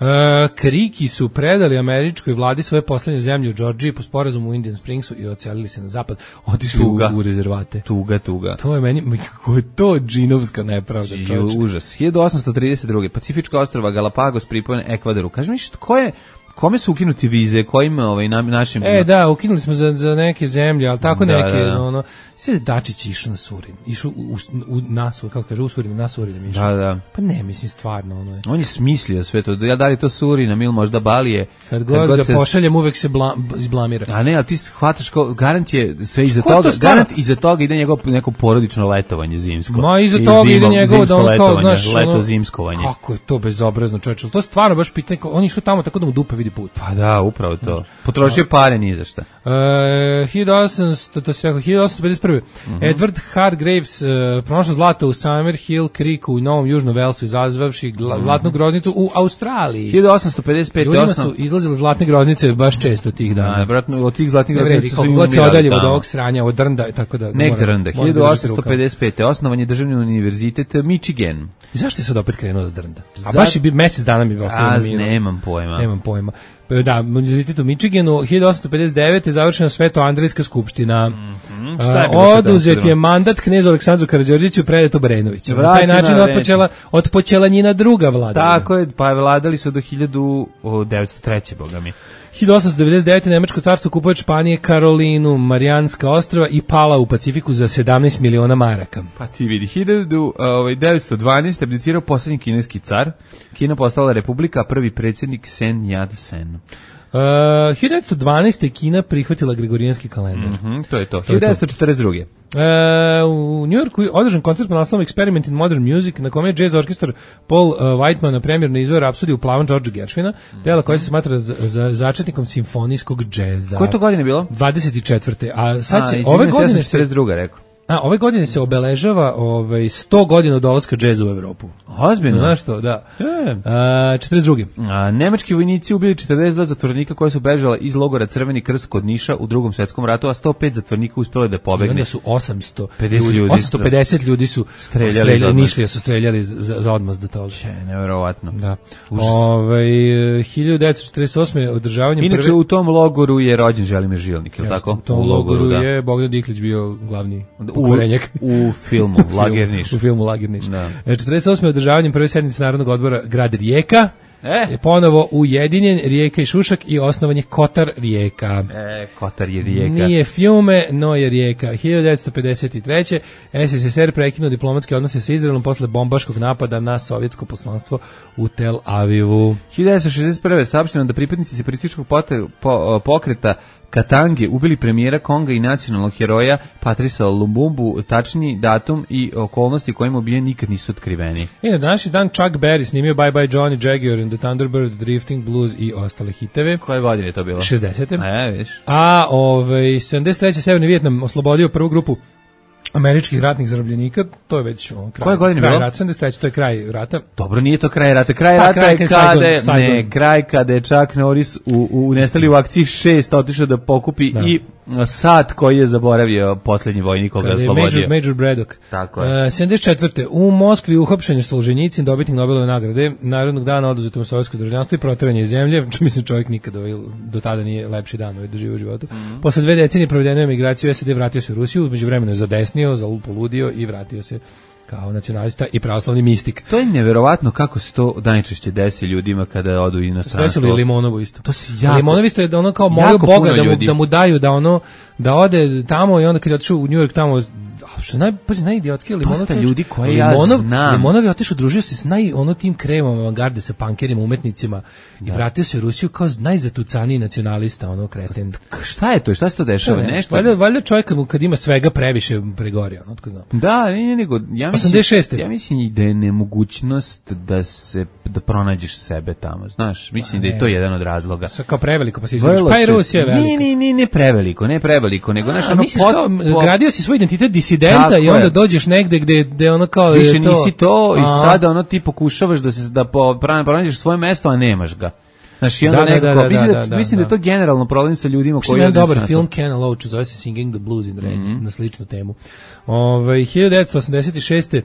Uh, Kriki su predali američkoj vladi svoje poslednje zemlje u Georgiji po sporazumu u Indian Springsu i odselili se na zapad, otišli u, u rezervate. Tuga, tuga. To je meni, kako je to džinovska nepravda, čovječ. Užas. hiljadu osamsto trideset druge. Pacifička ostrva Galapagos pripojene Ekvadoru. Kaži mi, ko je, kome su ukinuti vize, kojim ovaj, na, našim... E, da, ukinuli smo za, za neke zemlje, ali tako da, neke, da, da. ono... Sve Dačić išao na Surin, išao u, u, na Surin, kako kaže, u Surin, na Surin išao. Da, da. Pa ne, mislim, stvarno, ono je. On je smislio sve to, ja da li to Surinam ili možda Balije. Kad god, kad god ga se... pošaljem, uvek se bla, izblamira. A ne, ali ti hvataš, ko, garant je sve iza Ko toga, to garant iza toga ide njegov neko porodično letovanje zimsko. Ma iza toga ide njegovo da on kao, znaš, leto ono, zimskovanje. Kako je to bezobrazno, čoveče. To je stvarno baš pitanje, on je išao tamo tako da mu dupe vidi put. Pa da, upravo to. Potrošio pare ni za šta. E, hiljadu osamsto, to se rekao, hiljadu osamsto pedeset prve. Mm-hmm. Edward Hargreaves uh, pronašao zlato u Summerhill Creeku u Novom Južnom Velsu, izazvavši gla, zlatnu groznicu u Australiji. hiljadu osamsto pedeset pete. Ljudima su izlazile zlatne groznice baš često tih dana. Da, vratno, od tih zlatnih groznica su god se odaljimo od ovog sranja, od drnda, tako da... Nek drnda. hiljadu osamsto pedeset pete. Osnovan je državni univerzitet Michigan. I zašto je sad opet krenuo da drnda? A baš je bi mesec dana mi bi ostalo na miru. Nemam pojma. Nemam pojma. Da, univerzitet u Michiganu, hiljadu osamsto pedeset devete. završena Sveto-Andrejska skupština. Mm-hmm. Oduzet je mandat knezu Aleksandru Karađorđeviću, predat Obrenoviću. Na taj način otpočela, otpočela njena druga vlada. Tako je, pa vladali su do hiljadu devetsto treće. boga mi. hiljadu osamsto devedeset devete. Nemačko carstvo kupuje od Španije Karolinu, Marijanska ostrva i pala u Pacifiku za sedamnaest miliona maraka. Pa ti vidi, hiljadu devetsto dvanaeste. abdicirao posljednji kineski car. Kina postala republika, a prvi predsjednik Sen Yat-sen. Uh, hiljadu devetsto dvanaeste. Kina prihvatila gregorijanski kalendar. Mm-hmm, to je to. hiljadu devetsto četrdeset druge. Uh, u Njujorku je održan koncert pod naslovom Experiment in Modern Music, na kome je jazz orkestar Paul uh, Whiteman na premjerno izveo Rapsodiju u plavom Georgea Gershwina, dela koja se smatra za, za začetnikom simfonijskog džeza. Koje to godine bilo? dvadeset četvrte. A sad će, A, ove godine se... četrdeset druga, rekao. A, ove godine se obeležava ovaj, sto godina od dolaska džeza u Evropu. Ozbiljno? Znaš to, da. E. A, četrdeset druge. A, nemački vojnici ubili četrdeset dva zatvorenika koji su bežali iz logora Crveni krst kod Niša u Drugom svetskom ratu, a sto pet zatvorenika uspjelo da pobegne. I onda su osamsto pedeset ljudi, osamsto pedeset ljudi su streljali, streljali Nišlija su streljali za, za odmaz do toga. Je, nevjerovatno. Da. Ove, hiljadu devetsto četrdeset osme. održavanjem Inače, prve... u tom logoru je rođen Želimir Žilnik, je li tako? U tom u logoru, logoru da. je Bogdan Diklić bio glavni pokvarenjak. U filmu Lager Niš. U filmu Lager Niš. Da. četrdeset osme. održavanjem prve sednice Narodnog odbora grad Rijeka. E. Je ponovo ujedinjen Rijeka i Šušak i osnovan je Kotar Rijeka. E, Kotar je Rijeka. Nije Fiume, no je Rijeka. hiljadu devetsto pedeset treće. es es es er prekinuo diplomatske odnose sa Izraelom posle bombaškog napada na sovjetsko poslanstvo u Tel Avivu. hiljadu devetsto šezdeset prve. saopšteno da pripadnici separatističkog po, pokreta Katange ubili premijera Konga i nacionalnog heroja Patrisa Lumumbu, tačni datum i okolnosti kojima ubijen nikad nisu otkriveni. I na današnji dan Chuck Berry snimio Bye Bye Johnny, Jaguar and the Thunderbird, Drifting Blues i ostale hiteve. Koje godine je to bilo? šezdesete. A, viš. A ovaj, sedamdeset treće. Severni Vijetnam oslobodio prvu grupu američkih ratnih zarobljenika, to je već on, kraj, Koje godine kraj bilo? rata, sedamdeset treće. to je kraj rata. Dobro, nije to kraj rata. Kraj Pa, rata kraj je kad kada, Saigon, Saigon. ne, kraj kada je Chuck Norris u, u nestali u akciji šest otišao da pokupi Da. i sat koji je zaboravio posljednji vojnik koga je Kada je oslobodio. Major, Major Braddock. Tako je. Uh, sedamdeset četvrte. U Moskvi uhapšen je Solženjicin, dobitnik Nobelove nagrade, Narodnog dana oduzeto mu sovjetsko državljanstvo i proteranje iz zemlje. Mislim, čovjek nikad ovaj, do tada nije lepši dan ovaj doživio u životu. Mm-hmm. Posle dve decenije provedene emigraciju u S A D vratio se u Rusiju, među vremenu je zadesnio, zalupoludio i vratio se kao nacionalista i pravoslavni mistik. To je neverovatno kako se to najčešće desi ljudima kada odu u inostranstvo. Desilo i Limonovo isto. To se jako, Limonovo isto je da ono kao molio Boga da mu, da mu daju da ono da ode tamo i onda kad je otišao u New York tamo što naj pazi najidiotski Limonov. Dosta ljudi koje ja Limonov, znam. Limonov je otišao, družio se s naj ono tim kremom avangarde sa pankerima, umetnicima i da. vratio se u Rusiju kao najzatucaniji nacionalista, ono kreten. Šta je to? Šta se to dešava? Ne, Nešto. Valjda, valjda čovjek kad ima svega previše pregori, ono tko zna. Da, nije nego ja mislim osamdeset šeste. Ja mislim da je nemogućnost da se da pronađeš sebe tamo, znaš. Mislim ne. da je to jedan od razloga. Sa kao preveliko pa se izvučeš. Pa i Rusija je velika. Nije, nije, nije, ne preveliko, ne preveliko, nego naš ono misliš kao, pot, gradio si svoj identitet disidenta i onda je. dođeš negde gde gde ono kao više je to, nisi to i a. sada ono ti pokušavaš da se da pronađeš svoje mesto, a nemaš ga. Znaš, i onda da, neko, da, da, mislim, da, da, da, mislim da, da je to generalno problem sa ljudima koji... Što je dobar film Ken Loach, zove se Singing the Blues in Red, mm-hmm. na sličnu temu. Ove, hiljadu devetsto osamdeset šeste.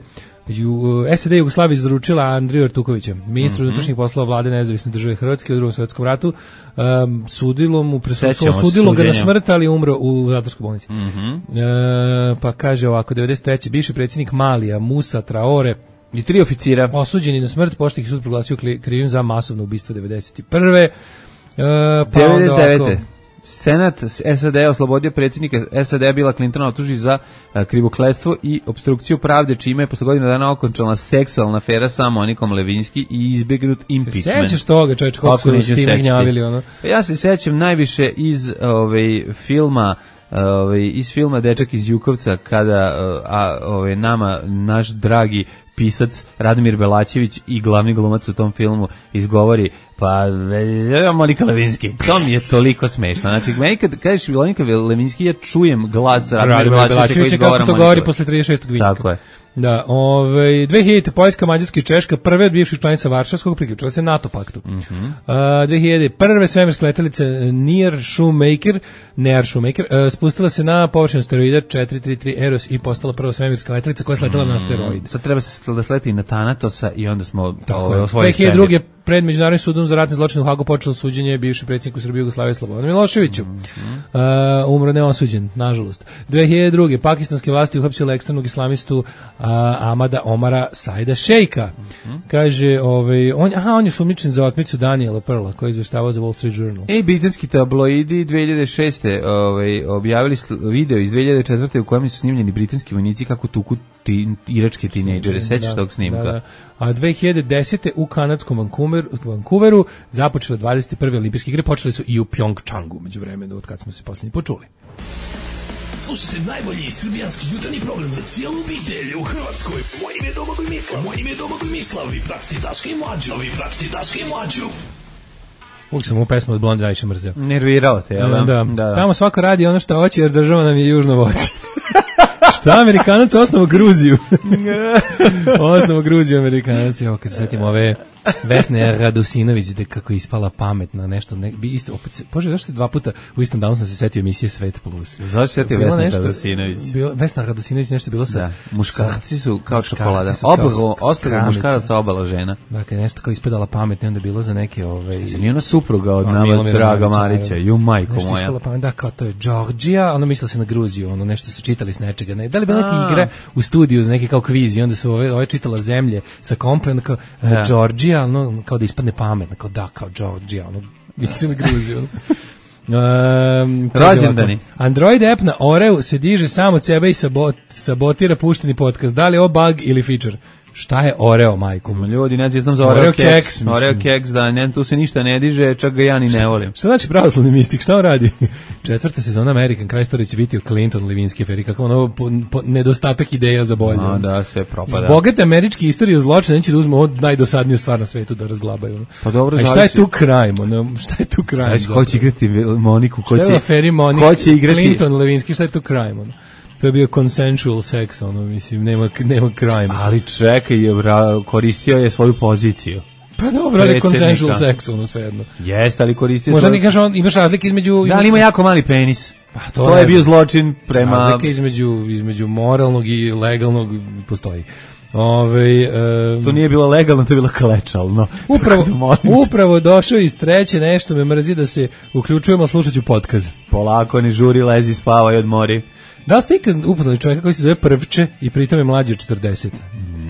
S A D Jugoslavija izručila Andriju Artukovića, ministru mm-hmm. unutrašnjih poslova vlade Nezavisne države Hrvatske u Drugom svjetskom ratu, um, sudilo mu presuđeno, sudilo ga na smrt, ali umro u zatvorskoj bolnici. Mm-hmm. E, pa kaže ovako, devedeset treće. bivši predsjednik Malija Musa Traore i tri oficira osuđeni na smrt, pošto ih sud proglasio krivim za masovno ubistvo devedeset prve. Uh, pa devedeset devete. ovako. Senat S A D oslobodio predsjednika S A D Bila Clintona optuži za uh, krivokletstvo i opstrukciju pravde, čime je posle godina dana okončala seksualna afera sa Monikom Levinsky i izbegnut impeachment. Sećaš toga, čovječ, kako su s tim gnjavili, ono? Ja se sećam najviše iz ovaj, filma ovaj, iz filma Dečak iz Jukovca, kada a, ovaj, nama, naš dragi pisac Radomir Belačević i glavni glumac u tom filmu izgovori pa Monika Levinsky. To mi je toliko smešno. Znači, meni kad kažeš Monika Levinsky, ja čujem glas Radomir Belačevića koji izgovara kako to govori posle trideset šestog vinjaka. Tako je. Da, ovaj dve hiljadite Poljska, Mađarska i Češka, prve od bivših članica Varšavskog, priključile se NATO paktu. Mm -hmm. uh, dve hiljade prve svemirske letelice Near Shoemaker, Near Shoemaker, uh, spustila se na površinu asteroida četiri tri tri Eros i postala prva svemirska letelica koja je sletela mm -hmm. na asteroid. Sad treba se da sleti na Tanatosa i onda smo ovaj, osvojili dve hiljade druge pred Međunarodnim sudom za ratne zločine u Hagu počelo suđenje bivšem predsjedniku Srbije Jugoslavije Slobodanu Miloševiću. Mm -hmm. uh, umro neosuđen, nažalost. dve hiljade druge pakistanske vlasti uhapsile ekstremnog islamistu uh, Amada Omara Saida Šejka. Mm -hmm. Kaže, ovaj, on, aha, on je sumnjičen za otmicu Daniela Pearla, koji je izveštavao za Wall Street Journal. E, britanski tabloidi dve hiljade šeste ovaj, objavili video iz dve hiljade četvrte u kojem su snimljeni britanski vojnici kako tuku ti, iračke tinejdžere. Sećaš da, tog snimka? Da, da. A dve hiljade desete u kanadskom Vancouveru, Vancouveru započele dvadeset prve olimpijske igre, počeli su i u Pjongčangu, među vremenu, od kad smo se posljednji počuli. Slušajte najbolji srbijanski jutarnji program za cijelu obitelj u Hrvatskoj. Moje ime je Domagoj Mislav. Moje ime je Domagoj Mislav. Vi pratite Daška i Mlađu. Vi pratite Daška i Mlađu. Uvijek sam u pesmu od Blonde najviše mrzeo. Nervirao te, jel? Da, da, da. Tamo svako radi ono što hoće, jer država nam je južno voće. Šta, Amerikanac osnovu Gruziju? Osnovu Gruziju Amerikanac. Evo, kad se setim ove Vesne Radosinović, da kako je ispala pametna nešto. Ne, bi isto, opet, Bože, zašto se dva puta u istom danu sam se setio emisije Svet Plus? Zašto se setio Vesna Radosinović? Vesna Radosinović nešto bilo sa... Da, muškarci su kao čokolada. Obalo, ostalo muškaraca, obala žena. Dakle, nešto kao ispadala pametna, onda bilo za neke... Ove, nije ona supruga od nama Draga Marića, ju majko moja. Nešto ispala da, kao to je Georgija, ono mislila se na Gruziju, ono nešto su čitali s nečega. Ne, da li bila neka igra u studiju, za neki kao kviz, i onda su ove, ove čitala zemlje sa komplem, kao uh, Georgija, ono, kao da ispadne pametna, kao da, kao Georgija, ono, mislim na Gruziju. Um, Rođendani. Android app na Oreu se diže sam od sebe i sabot, sabotira pušteni podcast. Da li je ovo bug ili feature? Šta je Oreo, majko? Ljudi, ne znam za Oreo, Oreo keks. Oreo keks, da, ne, tu se ništa ne diže, čak ga ja ni ne volim. Šta znači pravoslavni mistik? Šta on radi? Četvrta sezona American Crime Story će biti o Clinton Levinsky aferi, kako ono po, po, nedostatak ideja za bolje. No, da, sve propada. Bogate američke istorije zločina, neće da uzme od najdosadniju stvar na svetu da razglabaju. Pa dobro, a šta je tu crime? Ono, šta je tu crime? Znači, ko će igrati Moniku? Ko šta će, je aferi Monika? Ko će igrati? Clinton Levinsky, šta je tu crime? Ono? To je bio consensual sex, ono, mislim, nema, nema crime. Ali čekaj, koristio je svoju poziciju. Pa dobro, ali consensual sex, ono, svejedno. Jeste, ali koristio možda svoju... Možda on, imaš razlike između... Da, ali ima jako mali penis. Pa to to je bio zločin prema... Razlike između, između moralnog i legalnog postoji. Ove, um, to nije bilo legalno, to je bilo klečalno. Upravo, upravo došao iz treće, nešto me mrzi da se uključujemo, slušat ću podcast. Polako, ne žuri, lezi, spavaj, odmori. Da li ste ikad upoznali čovjeka koji se zove Prvče i pritom je mlađi od četrdeset?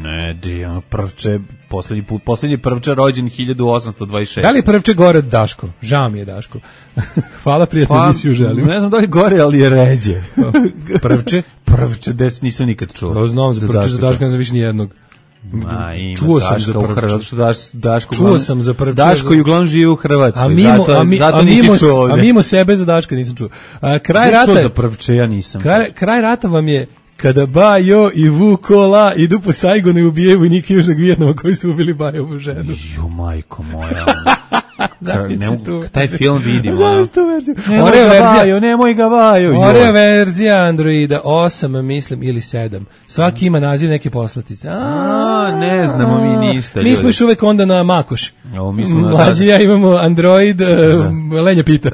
Ne, di, ono, Prvče, poslednji put, poslednji Prvče rođen hiljadu osamsto dvadeset šeste. Da li je Prvče gore od Daško? Žao mi je Daško. Hvala, prijatnu pa, emisiju želim. Ne znam da li gore, ali je ređe. Prvče? Prvče, des nisam nikad čuo. Ja znam za Prvče, za Daško ne znam više nijednog. Ma, ima čuo sam Daška za Prvče. Što Daš, Daško, čuo sam za Prvče. Daško i uglavnom živi u Hrvatskoj. A mimo, zato, a mi, zato a nisi mimo, čuo ovdje. A mimo sebe za Daška nisam čuo. A, kraj rata... Čuo za Prvče, ja nisam. Kraj, kraj rata vam je kada Bajo i Vukola idu po Saigonu i ubijaju vojnike Južnog Vijetnama koji su ubili Bajovu ženu. Ju, majko moja. Ne mogu, taj film vidim. Nemoj ga Bajo, nemoj ga Bajo. Oreo verzija Androida osam, mislim, ili sedam. Svaki ima naziv neke poslatice. A, ne znamo mi ništa. Mi smo još uvek onda na Makoš. O, mi smo mlađi ja imamo Android, Lenja pita.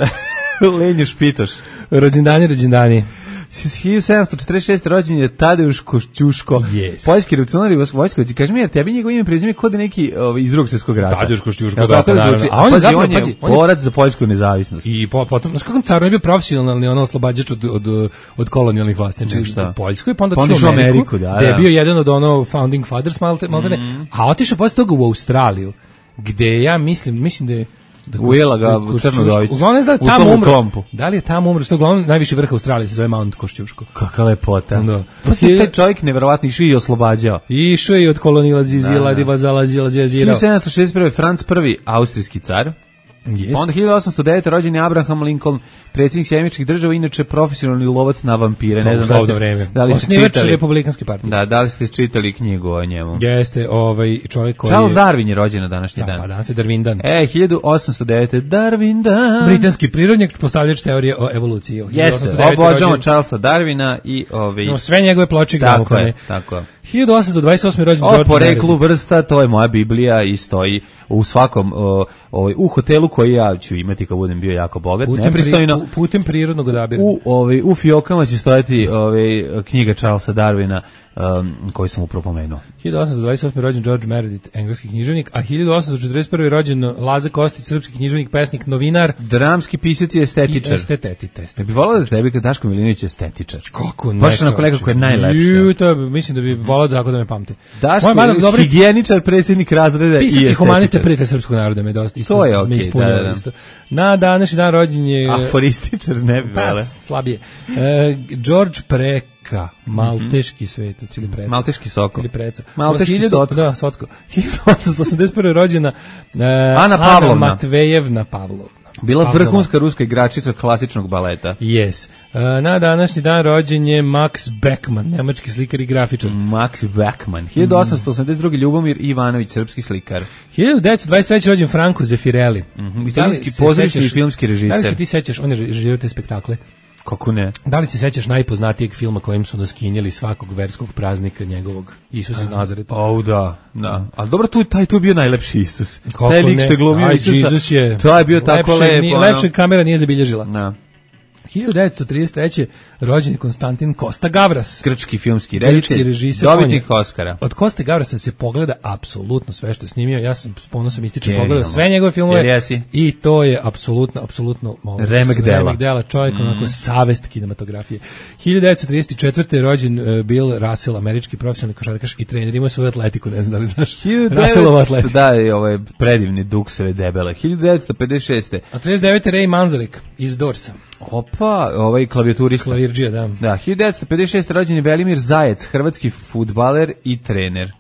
Lenju špitaš. Rođendani, rođendani. hiljadu sedamsto četrdeset šeste rođen je Tadeusz Košćuško, yes. Poljski revolucionar i vojsko. Kaži mi, tebi njegov ime prezime kod neki ovaj, iz Drugog svjetskog rata. Tadeusz Košćuško, da, da, naravno. A on je zapravo, on je, pazi, on je borac za poljsku nezavisnost. I po, potom, znaš kako car je bio profesionalni ono oslobađač od, od, od kolonijalnih vlasti. Znači, u Poljskoj, pa onda otišao u Ameriku, Ameriku da, da. je bio jedan od ono founding fathers, malte, malte, mm. a otišao posle toga u Australiju, gde ja mislim, mislim da je Ujela ga u Crnodovicu. Uglavnom da je tamo umro. Da li je tamo umro? Što uglavnom najviši vrh Australije se zove Mount Košćuško. Kakva lepota. Da. Posle taj čovjek neverovatno išao i oslobađao. Išao je od kolonila Zizila, Diva Zalazila, Zizirao. hiljadu sedamsto šezdeset prve. Franc prvi, austrijski car. Yes. Onda hiljadu osamsto devete. rođen je Abraham Lincoln, predsjednik Sjedinjenih Američkih Država, inače profesionalni lovac na vampire. Ne znam da ste, vreme. da li ste Osnivač čitali Republikanske partije. Da, da li ste čitali knjigu o njemu? Jeste, ovaj čovjek koji Charles Darwin je rođen na današnji da, dan. Pa danas je Darwin dan. E, hiljadu osamsto devete. Darwin dan. Britanski prirodnjak, postavljač teorije o evoluciji. Jeste, obožavamo Charlesa Darwina i ovi... No, sve njegove ploče tako je, tako je. hiljadu osamsto dvadeset osme. rođen o George poreklu vrsta, to je moja Biblija i stoji u svakom o, o, u hotelu koji ja ću imati kad budem bio jako bogat, putem, nepristojno. Pri, putem prirodnog odabira. U, ovaj, u fiokama će stojati ovaj, knjiga Charlesa Darwina um, koji sam upravo pomenuo. hiljadu osamsto dvadeset osme. rođen George Meredith, engleski književnik, a hiljadu osamsto četrdeset prve. rođen Laza Kostić, srpski književnik, pesnik, novinar, dramski pisac i estetičar. I estetetitet. Ne bi volao da tebi kad Daško Milinović je estetičar. Kako ne? Baš onako nekako je najlepše. Ju, to bi, mislim da bi volao da tako da me pamti. Daško Milinović, dobri... higijeničar, predsjednik razreda i estetičar. Pisac i humanista, prijatelj srpskog naroda me dosta isto. To je okej, okay, da, da, da. Na današnji dan rođen je... Aforističar, ne bi vele. Pa, slabije. E, George Preka, malteški svetac ili preca. Malteški soko. Ili preca. Malteški socko. Da, socko. hiljadu osamsto osamdeset prve. rođena e, Ana Pavlovna. Ana Matvejevna Pavlovna. Bila Pavlova. Vrhunska ruska igračica klasičnog baleta. Yes. E, na današnji dan rođen je Max Beckmann, nemački slikar i grafičar. Max Beckmann. hiljadu osamsto osamdeset druge. Ljubomir Ivanović, srpski slikar. hiljadu devetsto dvadeset treće. rođen Franco Zeffirelli. Mm-hmm. Italijanski pozorišni i filmski režiser. Da li se ti sećaš, on je režirao te spektakle? Kako ne? Da li se sećaš najpoznatijeg filma kojim su nas kinjeli svakog verskog praznika njegovog, Isus iz Nazareta? O, da, da. Ali dobro, tu, taj tu je bio najlepši Isus. Kako taj lik ne? što je glumio Aj, Isusa. Jesus je... To je bio tako lepše, lepo. Nije, lepše kamera nije zabilježila. Da. hiljadu devetsto trideset treće. rođen je Konstantin Kosta Gavras. Grčki filmski reditelj, režiser, dobitnik Oscara. Od Koste Gavrasa se pogleda apsolutno sve što je snimio. Ja sam s ponosom ističem Genijalno. pogledao sve njegove filmove. Jesi? I to je apsolutno, apsolutno remek dela. Remek dela, čovjek mm. onako savest kinematografije. hiljadu devetsto trideset četvrte. rođen uh, Bill Russell, američki profesionalni košarkaš i trener, imao svoju atletiku, ne znam da li znaš. Russellova atletika. Da, je ovaj predivni dukseve debele. hiljadu devetsto pedeset šeste. A trideset devete. Ray Manzarek iz Dorsa. Opa, ovaj klavijaturista. Klavirđija, da. Da, hiljadu devetsto pedeset šeste. rođen je Velimir Zajec, hrvatski fudbaler i trener.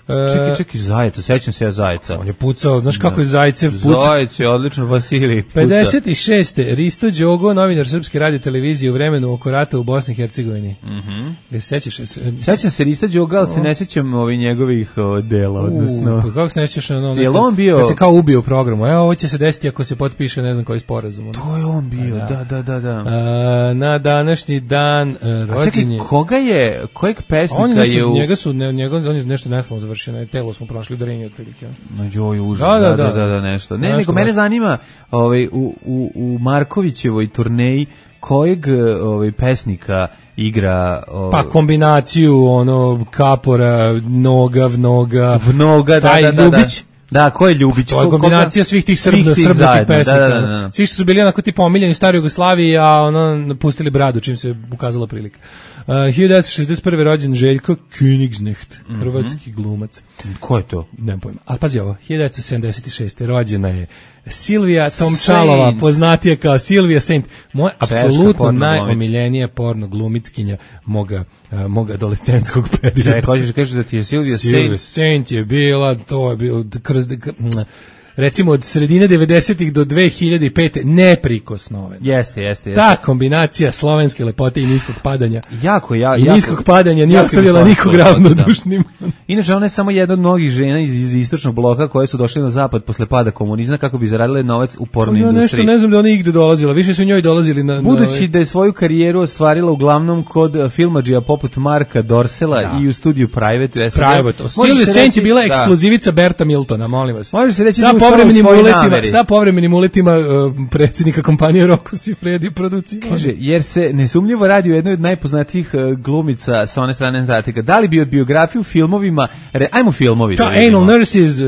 E, čekaj, čekaj, Zajeca, sećam se ja Zajeca. On je pucao, znaš kako je Zajcev pucao? Zajec je odlično, Vasilij puca. pedeset šeste. Risto Đogo, novinar Srpske radio televizije u vremenu oko rata u Bosni i Hercegovini. Mhm. Gde se sećaš? Sećam se Risto Đoga, ali se ne sećam ovih njegovih o, dela, odnosno. Pa kako se ne sećaš ono? Je on bio? Kad se kao ubio u programu. Evo, ovo će se desiti ako se potpiše ne znam koji sporazum. To je on bio, da, da, da, da. A, na današnji dan rođen je... koga je, kojeg pesnika on je, nešto, je u... njega su, ne, njega, on je nešto neslavno završio, na telo smo prošli udarenje otprilike. Joj, užas, da, da, da, da, da, da, nešto. Ne, nešto nego mene baš. zanima ovaj, u, u, u Markovićevoj turneji kojeg ovaj, pesnika igra... Ovaj, pa kombinaciju, ono, kapora, noga, vnoga, vnoga, taj da, da, Ljubić. Da, da, ko je Ljubić? To je kombinacija svih tih srbna, srbnatih pesnika. Da, da, da, da. Svi što su bili onako tipa omiljeni u staroj Jugoslaviji, a ono napustili bradu čim se ukazala prilika. Uh, hiljadu devetsto šezdeset prve. rođen Željko Königsnecht, mm-hmm. hrvatski glumac. Ko je to? Nemam pojma. Ali pazi ovo, hiljadu devetsto sedamdeset šeste. rođena je Silvija Tomčalova, poznatija kao Silvija Saint. Moja apsolutno najomiljenija porno glumickinja moga, uh, moga adolescentskog perioda. Čekaj, hoćeš da kažeš da ti je Silvija Saint? Silvija Saint je bila, to je bilo, kroz, recimo od sredine devedesetih do dve hiljade pete neprikosnoven. Jeste, jeste, jeste. Ta kombinacija slovenske lepote i niskog padanja. Jako, ja, I jako, niskog padanja nije ostavila nikog ravnodušnim. Da. Inače, ona je samo jedna od mnogih žena iz, iz istočnog bloka koje su došle na zapad posle pada komunizma kako bi zaradile novac u porno ja industriji. Nešto ne znam da ona igde dolazila, više su njoj dolazili na... Budući na... da je svoju karijeru ostvarila uglavnom kod filmadžija poput Marka Dorsela da. i u studiju Private. U Private. Silvia Saint je bila da. ekskluzivica Berta Miltona, molim vas. Može se reći sa povremenim uletima, sa povremenim uletima uh, predsjednika kompanije Rocco Siffredi produkcije. Kaže, jer se nesumnjivo radi o jednoj od najpoznatijih uh, glumica sa one strane Antarktika. Da li bi od biografiju filmovima, re, ajmo filmovi. Ta, da Anal Nurses, uh,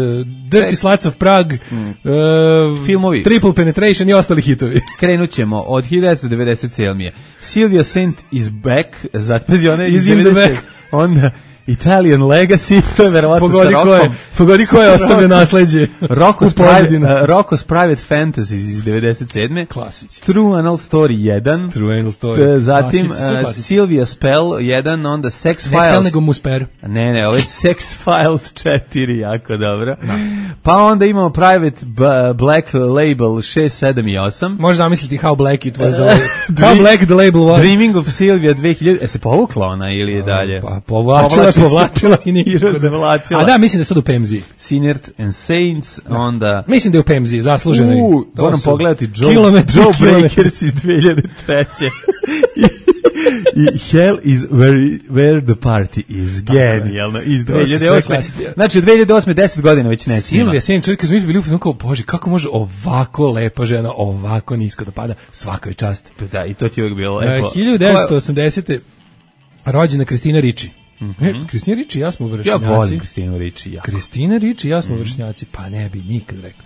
Dirty Sluts of Prague, mm. uh, filmovi. Triple Penetration i ostali hitovi. Krenut ćemo od hiljadu devetsto devedeset sedme. Silvia Saint is back, zatpezi ona iz devedeset. Onda Italian Legacy, to je verovatno Pogodi sa ko je, Rokom. pogodi ko je ostavio nasleđe. Rocko's u pozadini. Private, uh, Rocko's Private Fantasy iz devedeset sedme Klasici. True Anal Story jedan. True Anal Story. T- Zatim Klasici, sve uh, klasici. Sylvia Spell jedan, onda Sex Ne spell Files. nego Musper. Ne, ne, ovo je Sex Files četiri, jako dobro. Pa onda imamo Private B- Black Label šest, sedam i osam. Možeš zamisliti how black it was the label. How black the label was. Dreaming of Sylvia dve hiljade. E se povukla ona ili je dalje? Pa povlačila, Povlači se. povlačila i I nikako da. razvlačila. A da, mislim da je sad u Pemzi. Sinners and Saints, onda... Mislim da je u Pemzi, zasluženo. je. U, To moram su pogledati Joe, kilometri, Joe kilometri. Breakers iz dve hiljade treće. I, I Hell is where, where the party is. Genijalno. Iz To su sve dve hiljade osme. klasici. Znači, od dve hiljade osme deset godina već ne snima. Silvija Sainz, čovjek, kad smo mi bili u fazonu kao, bože, kako može ovako lepa žena, ovako nisko da pada, svakoj časti. Da, i to ti je uvijek bilo E, lepo. hiljadu devetsto osamdesete. rođena Kristina Riči. E, Kristina Riči i ja smo Ja vršnjaci. volim Kristinu Riči, ja. Kristina Riči i ja smo vršnjaci, pa ne bi nikad rekao.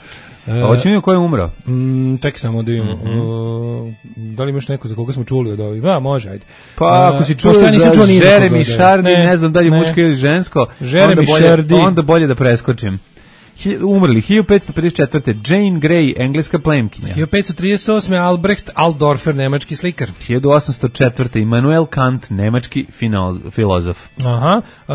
A hoćemo vidjeti ko je umro? Mm, čekaj samo da imamo. Uh, da li imaš neko za koga smo čuli od ovih? A, može, ajde. Pa ako Uh, si čuo pošto ja nisam za čuo ni za koga, Jeremy da. Shardy, ne, Ne, znam da li je ne. muško ili žensko, Jeremy onda bolje, Shardy. onda bolje da preskočim. Hi- Umrli, hiljadu petsto pedeset četvrte. Jane Grey, engleska plemkinja. hiljadu petsto trideset osme. Albrecht Aldorfer, nemački slikar. hiljadu osamsto četvrte. Immanuel Kant, nemački fino- filozof. Aha. Uh,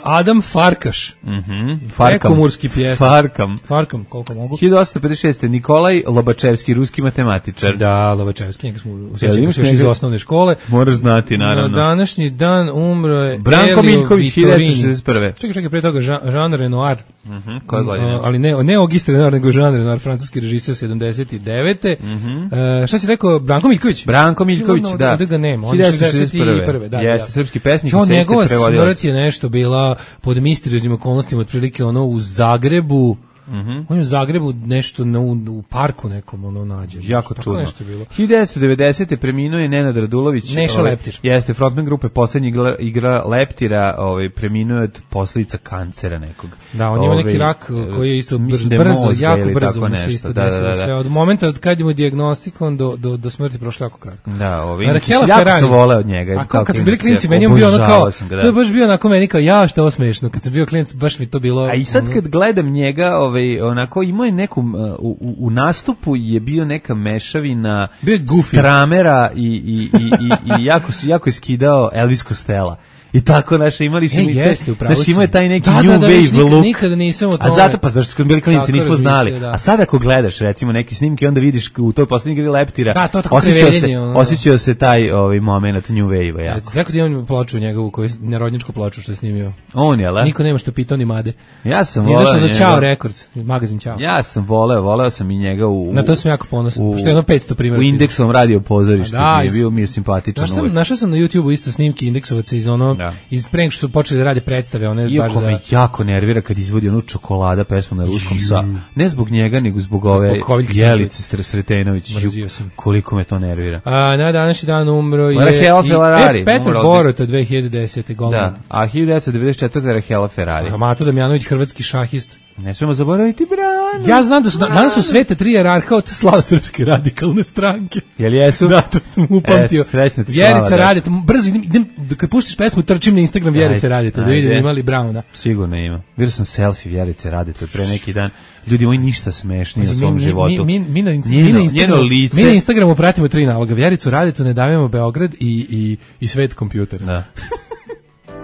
Adam Farkaš. Mhm. Farkam. Prekomurski pjesnik. Farkam. Farkam, koliko mogu? hiljadu osamsto pedeset šeste. Nikolaj Lobačevski, ruski matematičar. Da, Lovačevski, njega smo u Jel sjećanju imaš još iz njega? osnovne škole. Moraš znati, Na naravno. današnji dan umro je Branko Elio Miljković, hiljadu Vittorini. devetsto šezdeset prve. Čekaj, čekaj, pre toga Jean, Jean Renoir. Mhm. Koje godine? Uh, ali ne, ne Auguste Renoir, nego Jean Renoir, francuski režiser sedamdeset devete. Mhm. Uh, šta si rekao, Branko Miljković? Branko Miljković, Ovdje- da. ovdje ga nema, on je hiljadu šezdeset šezdeset prve. prve. Da, Jeste, da. srpski pesnik i Jo, srpski njegova prevodilac. smrt je nešto bila pod misterioznim okolnostima, otprilike ono u Zagrebu. Mhm. On je u Zagrebu nešto na, u, u parku nekom ono nađe. Jako Tako čudno. nešto je bilo. hiljadu devetsto devedesete. preminuo je Nenad Radulović. Neša ovaj, Leptir. Jeste, frontman grupe Poslednji igra, igra Leptira, ovaj, preminuo je od posljedica kancera nekog. Da, on ima Ovaj, neki rak koji je isto brzo, mislim da je brzo mozga jako ili brzo tako mu se nešto. isto Da, da, desilo da, sve. da. Od momenta od kad je mu dijagnostikovan do, do, do smrti prošlo jako kratko. Da, ovaj, A inače, Rakela jako Ferrari. sam voleo od njega. A kao kad smo bili klinac, klinci, jako meni je on bio ono kao, obožavao sam ga, da. to je baš bio onako meni kao, ja, što je ovo smešno. Kad sam bio klinac, baš mi to bilo... A i sad ono- kad gledam njega, ovaj, onako, imao je neku, uh, u, u, u nastupu je bio neka mešavina Bio je goofy. Stramera i, i, i, i, i jako, su- jako je skidao Elvis Costello. I tako, naše, imali su E, mi te- jeste, upravo znaš, si. imao je taj neki Da, new da, da, viš, wave nikad- look. nikada nisam o A tome. zato, pa zašto smo bili klinci, Tako nismo znali. razmišljao, da. A sad ako gledaš, recimo, neki snimke, onda vidiš u toj poslednji igri Leptira, Da, to tako osjećao se, kreveljenje, ono. osjećao se taj ovaj, moment new wave-a. Ja. jako. Rekao ti imam ploču njegovu, koju, narodnjačku ploču što je snimio. On je, le? Niko nema što pitao ni Made. Ja sam voleo Izašao za njega. Ćao Records, magazin Ćao. Ja sam voleo, voleo sam i njega u... Na to sam jako ponosan, u- pošto je jedno petsto primjera. U indeksovom radio pozorištu, A da, mi je iz- bio mi je simpatičan Našao sam, uvek. našao sam na YouTubeu isto snimke indeksovaca iz ono, Da. iz pre nego što su počeli da rade predstave, one baš Iako za... me jako nervira kad izvodi onu čokolada pesmu na ruskom sa, ne zbog njega, nego zbog ove Zbog Koviljke Jelice Str- Sretenović. Mrzio Ju, sam. koliko me to nervira. A, na današnji dan umro je... Rahela i- Ferrari, E, Petar umro od- Borota, dve hiljade desete. golman. Da, a hiljadu devetsto devedeset četvrte. Rahela Ferrari. A Mato Damjanović, hrvatski šahist. Ne smemo zaboraviti Branu. Ja znam da su, danas su svete tri jerarha od slava srpske radikalne stranke. Jel jesu? Da, to sam upamtio. Eto, srećna ti slava, Vjerica Daško. Radeta, brzo idem, idem, kad puštiš pesmu, trčim na Instagram Vjerice Ajde, Radeta, da ajde. vidim imali Brauna. Sigurno ima. Vidio sam selfie Vjerice Radeta pre neki dan. Ljudi moji ništa smešnije u Pazi, svom mi, životu. mi, mi, mi, na, mi, Njeno- na Instagramu, njeno lice. mi na Instagramu pratimo tri naloga. Vjericu Radetu, Ne davimo Beograd i, i, i Svet kompjuter. Da.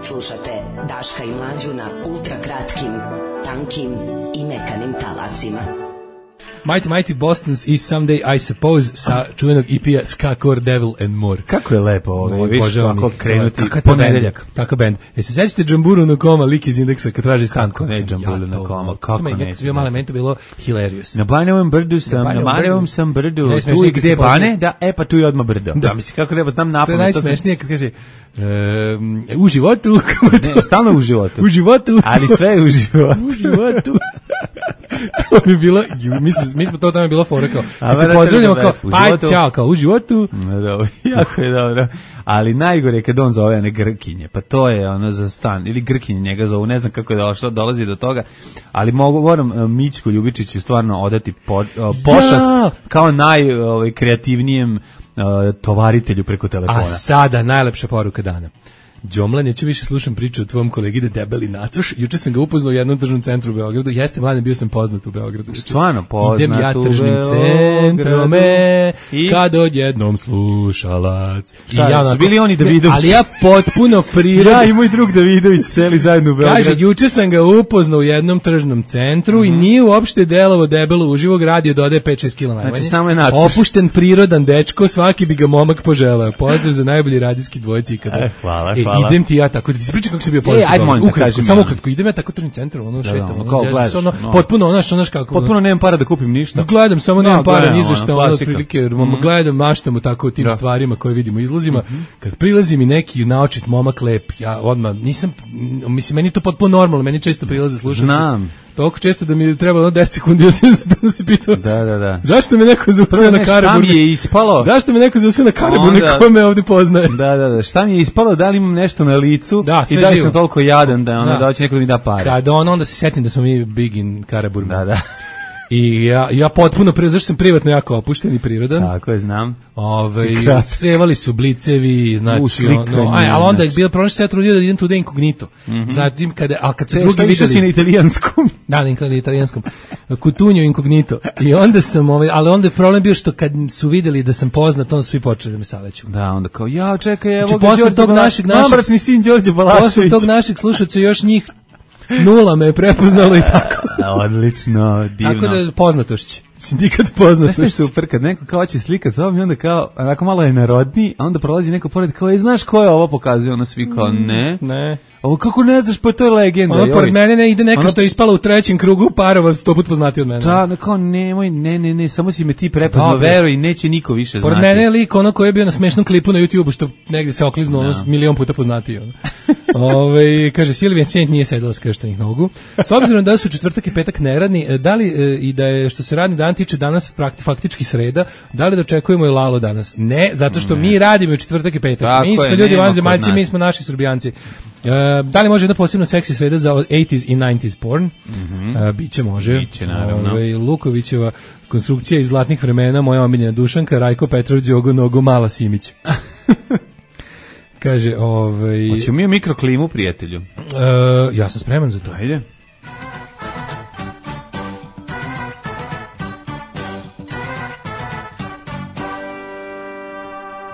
Slušate Daška i Mlađu na ultra kratkim, tankim i mekanim talasima. Mighty Mighty Bostons i Someday I Suppose sa čuvenog E P-a Skakor, Devil and More. Kako je lepo ovo, viš, Obožavam ovako ih. krenuti Kakav je to ponedeljak. bend? Kakav bend? E se sećate Džamburu na koma, lik iz indeksa kad traži stan? Kako ne Džamburu na koma, kako ne? ne? Kad sam bio mali, meni to bilo hilarious. Na Banjovom brdu sam, Na na Banjovom Banjovom brdu. sam brdu, Najsmešnije tu i kad gde se Bane, poznaje. da, e pa tu je odmah brdo. Da. Da, mislim, kako treba znam To je napamet. to sam- najsmešnije kad kaže um, u životu, kako je to? Ne, stalno u životu. U životu. Ali sve je u životu. U životu. To bi bilo, ju, mi smo, mi smo to tamo je bilo fora kao, A kad se vrati pozdravljamo da kao, u aj, životu. čao, kao, u životu. No, dobro, jako je dobro. Ali najgore je kad on zove one Grkinje, pa to je ono za stan, ili Grkinje njega zovu, ne znam kako je došlo, dolazi do toga, ali mogu, moram uh, Mićku Ljubičiću stvarno odati po, uh, pošast Ja! kao najkreativnijem uh, tovaritelju preko telefona. A sada najlepša poruka dana. Đomla, neću više slušam priču o tvom kolegi da debeli nacuš. Juče sam ga upoznao u jednom tržnom centru u Beogradu. Jeste, mladen, bio sam poznat u Beogradu. Stvarno poznat Idem ja u tržnim centrome, I... kad odjednom slušalac. Šta, I ja su onako, bili oni Davidović? Ali ja potpuno prirodno. Ja i moj drug Davidović seli zajedno u Beograd. Kaže, juče sam ga upoznao u jednom tržnom centru mm-hmm. i nije uopšte delovo debelo uživo, radio dodaje pet šest kilograma. Znači, samo je nacuš. Opušten, prirodan dečko, svaki bi ga momak poželeo. Pozdrav za najbolji radijski dvojci ikada. E, hvala, e, hvala. Idem ti ja tako, da ti se pričam kako sam bio poznat. E, ajde, molim, ukratko, kažem, samo ja. ukratko, idem ja tako tržnim centrom, ono da, šetam, da, ono, kao ono, gledaš, ono, no. potpuno, ono, znaš kako. Potpuno nemam para da kupim ništa. Gledam, samo no, nemam para, gledam, ni za što, ono, otprilike, mm. gledam, maštamo tako o tim da. stvarima koje vidimo u izlozima. Mm-hmm. Kad prilazi mi neki naočit momak lep, ja odmah, nisam, mislim, meni je to potpuno normalno, meni često prilaze slušam. Znam. Toliko često da mi je trebalo deset sekundi da se pitao. Da, da, da. Zašto me neko zaustavio na Karaburmi? Šta mi je ispalo? Zašto me neko zaustavio na Karaburmi ko me ovdje poznaje? Da, da, da. Šta mi je ispalo? Da li imam nešto na licu? Da, sve i da li živo. sam toliko jadan da, ono, da. da hoće neko da mi da pare? Kada on, onda se setim da smo mi big in Karaburmi. Da, da. I ja, ja potpuno, pre, zašto sam privatno jako opušten i prirodan. Tako je, znam. Ove, sevali su blicevi, znači, Uslikanje, ono, aj, ali onda je znači. bilo prošlo se ja trudio da idem tude inkognito. Mm-hmm. Zatim, kada, a kad su Te, drugi videli... si na italijanskom. Da, na italijanskom. Kutunjo inkognito. I onda sam, ovaj, ali onda je problem bio što kad su videli da sam poznat, onda su svi počeli da me saleću. Da, onda kao, ja, čekaj, evo znači, ga posle Đorđe tog Balašević, našeg, našeg, mambračni sin Đorđe Balašević. Posle tog našeg slušaca još njih nula me je prepoznalo i tako. Odlično, divno. Tako da poznatošće. Sindikat poznatošće. Znaš što je super, kad neko kao će slikat to, mi onda kao, onako malo je narodni, a onda prolazi neko pored kao, e, znaš ko je ovo pokazuje, ono svi kao, ne. Ne. Ovo kako ne znaš, pa to je legenda. Ono, pored mene ne ide neka ono, što je ispala u trećem krugu parova, sto put poznati od mene. Da, no, kao nemoj, ne, ne, ne, samo si me ti prepoznao, veruj, neće niko više pored znati. Pored mene je lik ono koji je bio na smešnom klipu na YouTubeu, što negde se okliznuo, ono, milion puta poznati. Ono. Ove, kaže, Silvijan Sjent nije sedela skrštenih nogu. S obzirom da su četvrtak i petak neradni, da li e, i da je, što se radni dan tiče danas prakti, faktički sreda, da li dočekujemo i Lalo danas? Ne, zato što ne. Mi radimo u četvrtak i petak. Tako mi smo je, ljudi vanzemaljci, mi smo naši Srbijanci. Uh, da li može jedna posebno seksi sreda za eighties i nineties porn? Mm-hmm. Uh, biće može. Biće, naravno. Ove, Lukovićeva konstrukcija iz zlatnih vremena, moja omiljena Dušanka, Rajko Petrović, Đogo Nogu, Mala Simić. Kaže, ovaj... Hoćemo mi u mikroklimu, prijatelju? Uh, ja sam spreman za to. Ajde.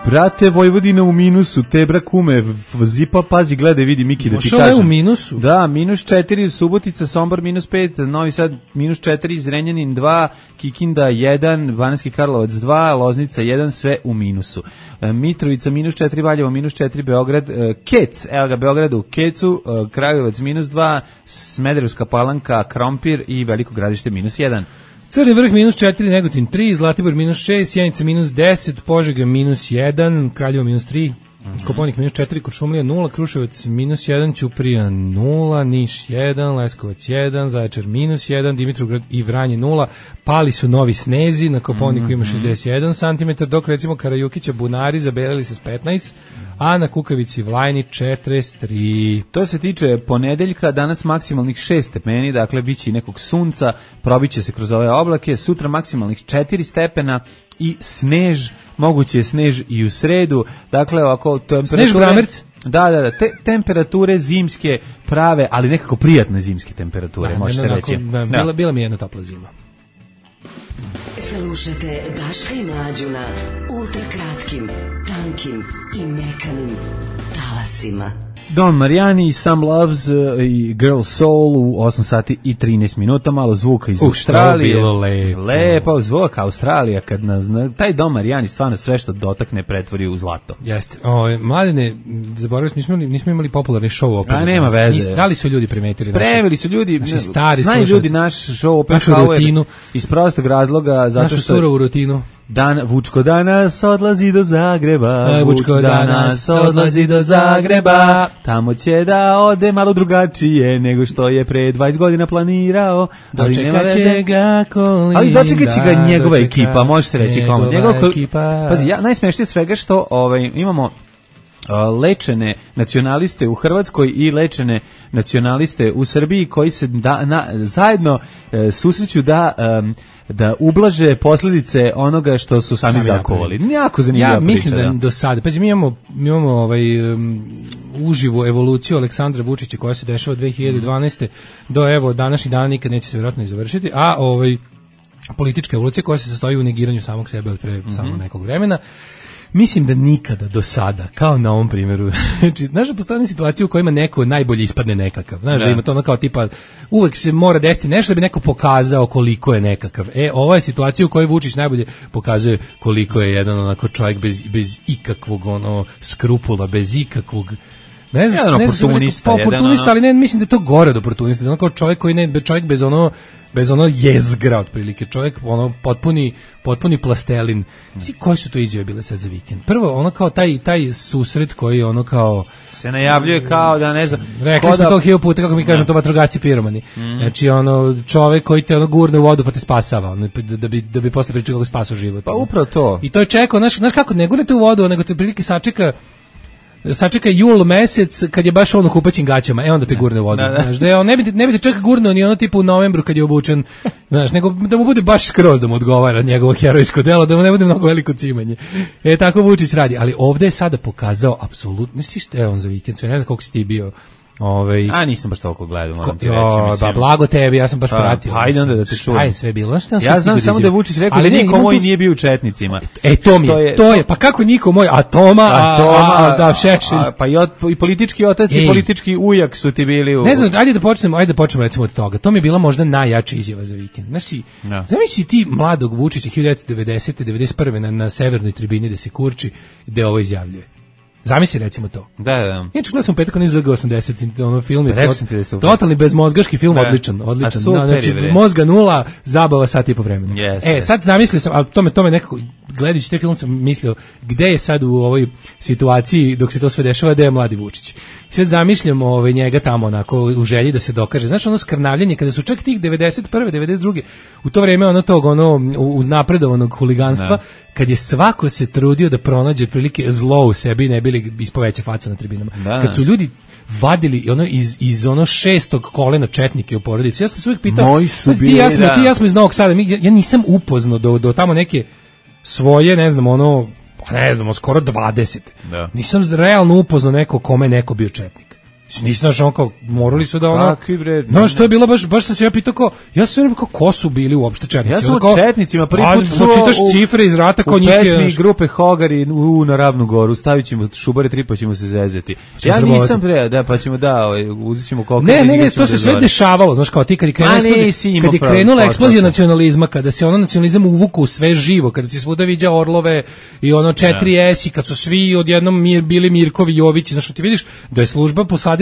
Brate, Vojvodina u minusu, Tebra kume, Zipa, pazi, gledaj, vidi, Miki, da ti kažem. Mošao je u minusu? Da, minus četiri, Subotica, Sombor, minus pet, Novi Sad, minus četiri, Zrenjanin dva, Kikinda jedan, Banatski Karlovac dva, Loznica jedan, sve u minusu. Mitrovica, minus četiri, Valjevo, minus četiri, Beograd, Kec, evo ga, Beograd u Kecu, Kragujevac, minus dva, Smederevska Palanka, Krompir i Veliko Gradište, minus jedan. Crni vrh minus četiri, Negotin tri, Zlatibor minus šest, Sjenica minus deset, Požega minus jedan, Kraljevo minus tri, mm-hmm. Koponik minus četiri, Kuršumlija nula, Kruševac minus jedan, Ćuprija nula, Niš jedan, Leskovac jedan, Zaječar minus jedan, Dimitrovgrad i Vranje nula, pali su novi snezi, na Koponiku mm-hmm. ima šezdeset jedan santimetara, dok recimo Karajukića Bunari zabelili se s petnaest, a na Kukavici Vlajni četrdeset tri. To se tiče ponedeljka, danas maksimalnih šest stepeni, dakle biće i nekog sunca, probiće se kroz ove oblake, sutra maksimalnih četiri stepena i snež, moguće je snež i u sredu, dakle ovako temperature... Snež Bramerc? Da, da, da, te, temperature zimske prave, ali nekako prijatne zimske temperature, da, može se reći. Da, bila, da. Bila mi jedna topla zima. Slušajte Daška i Mlađu na ultrakratkim, tankim i mekanim talasima. Don Marijani, Some Loves uh, i Girl Soul u osam sati i trinaest minuta, malo zvuka iz uh, Australije. Bilo lepo. Lepo zvuk Australija, kad nas, taj Don Marijani stvarno sve što dotakne pretvori u zlato. Jeste. O, mladine, zaboravili smo, nismo, nismo imali popularni show opet. A nema veze. Nis, da li su ljudi primetili? Preveli su ljudi, naši stari znaju slušalci. Ljudi naš show opet našu rutinu. Iz prostog razloga. Zato našu što surovu rutinu. Dan, Vučko danas odlazi do Zagreba, Vučko danas odlazi do Zagreba, tamo će da ode malo drugačije nego što je pre dvadeset godina planirao, ali nema veze. Ga Kolinda, ali dočekat će ga njegova ekipa, može se reći komu. Njegova ekipa. Pazi, ja, najsmešnije svega što ovaj, imamo lečene nacionaliste u Hrvatskoj i lečene nacionaliste u Srbiji koji se da, na, zajedno e, susreću da um, da ublaže posljedice onoga što su sami, sami zakovali. Jako zanimljiva ja priča. Mislim da, da do sada, pa mi imamo, mi imamo ovaj, um, uživu evoluciju Aleksandra Vučića koja se dešava od dve hiljade dvanaeste do evo današnji dan nikad neće se vjerojatno i završiti, a ovaj politička evolucija koja se sastoji u negiranju samog sebe od pre mm-hmm. samo nekog vremena. Mislim da nikada do sada, kao na ovom primjeru, znači, znaš da postoje situacije u kojima neko najbolje ispadne nekakav, znaš da, da ima to ono kao tipa, uvek se mora desiti nešto da bi neko pokazao koliko je nekakav. E, ova je situacija u kojoj Vučić najbolje pokazuje koliko je jedan onako čovjek bez, bez ikakvog ono skrupula, bez ikakvog ne znam, jedan ne znam, oportunista, pa, oportunista ono... ali ne, mislim da je to gore od oportunista, da ono kao čovjek koji ne, čovjek bez ono bez ono jezgra otprilike, čovjek ono potpuni potpuni plastelin. Svi koji su to izjave bile sad za vikend? Prvo ono kao taj taj susret koji ono kao se najavljuje kao da ne znam. Rekli smo da... to hiljadu puta kako mi kažemo, to vatrogasci piromani. Mm. Znači ono čovjek koji te ono gurne u vodu pa te spasava, ono, da bi da bi posle pričao kako spasao život. Pa upravo to. I to je čekao, znaš, znaš kako ne gurnete u vodu, nego te prilike sačeka sačeka jul mesec kad je baš ono kupaćim gaćama, e onda te gurne u vodu. Da, da. Znaš, da je on ne bi ne bi te čak gurnuo ni ono tipa u novembru kad je obučen, znaš, nego da mu bude baš skroz da mu odgovara njegovo herojsko delo, da mu ne bude mnogo veliko cimanje. E tako Vučić radi, ali ovde je sada pokazao apsolutno, ne si šta je on za vikend, sve ne znam koliko si ti bio. Ovaj a nisam baš toliko gledao, moram ti reći, mislim. Ba blago tebi, ja sam baš pratio. Hajde onda da te čujem. Aj sve bilo, šta ja znam samo da je Vučić rekao da niko moj nije bio u četnicima. E to mi je, to je, pa kako niko moj, a Toma, a, Toma, a, a da Šešelj. Pa i, od, i politički otac i politički ujak su ti bili u... Ne znam, ajde da počnemo, ajde da počnemo recimo od toga. To mi je bila možda najjača izjava za vikend. Znači, no. Zamisli ti mladog Vučića hiljadu devetsto devedesete devedeset prve na, na severnoj tribini da se kurči, gde ovo izjavljuje. Zamisli recimo to. Da, da. Inače gledao sam petak onaj Z G osamdeset, ono film je tot, totalni bezmozgaški film, da. odličan, odličan. Da, znači, mozga nula, zabava sat i po vremena. Yes, e, sad zamislio sam, ali to me, to me nekako, gledajući te film sam mislio, gde je sad u ovoj situaciji, dok se to sve dešava, gde je mladi Vučić. Sad zamišljam ovaj, njega tamo onako u želji da se dokaže. Znači ono skrnavljanje, kada su čak tih devedeset prve, devedeset druge u to vreme ono tog, ono, uznapredovanog huliganstva, da. Kad je svako se trudio da pronađe prilike zlo u sebi, ne bili ispoveća faca na tribinama. Da. Kad su ljudi vadili ono iz, iz ono šestog kolena četnike u porodici. Ja sam se uvijek pitao, moji su bili, ti, ja smo, da. ti ja smo iz Novog Sada, mi, ja, ja nisam upoznao do, do tamo neke svoje, ne znam, ono, pa ne znam, skoro dvadeset. Da. Nisam realno upoznao neko kome neko bio četnik. Nisi znaš, on kao, morali su da ono... No, što je bilo, baš, baš sam se ja pitao kao, ja sam rekao, ko su bili uopšte četnici? Ja sam o četnicima prvi put čuo... Čitaš cifre iz rata kao njih je... U pesmi grupe Hogari u na Ravnu Goru, stavit ćemo šubare tri pa ćemo se zezeti. Ja nisam pre, da, pa ćemo da, uzet ćemo koliko... Ne, ne, ne, to se sve dešavalo, znaš kao ti, kad je krenula eksplozija, kad je krenula eksplozija nacionalizma, kada se ono nacionalizam uvuku u sve živo, kada se svuda viđa Orlove i ono četiri S i kad su svi odjednom bili Mirkovi Jovići, znaš, ti vidiš da je služba posadila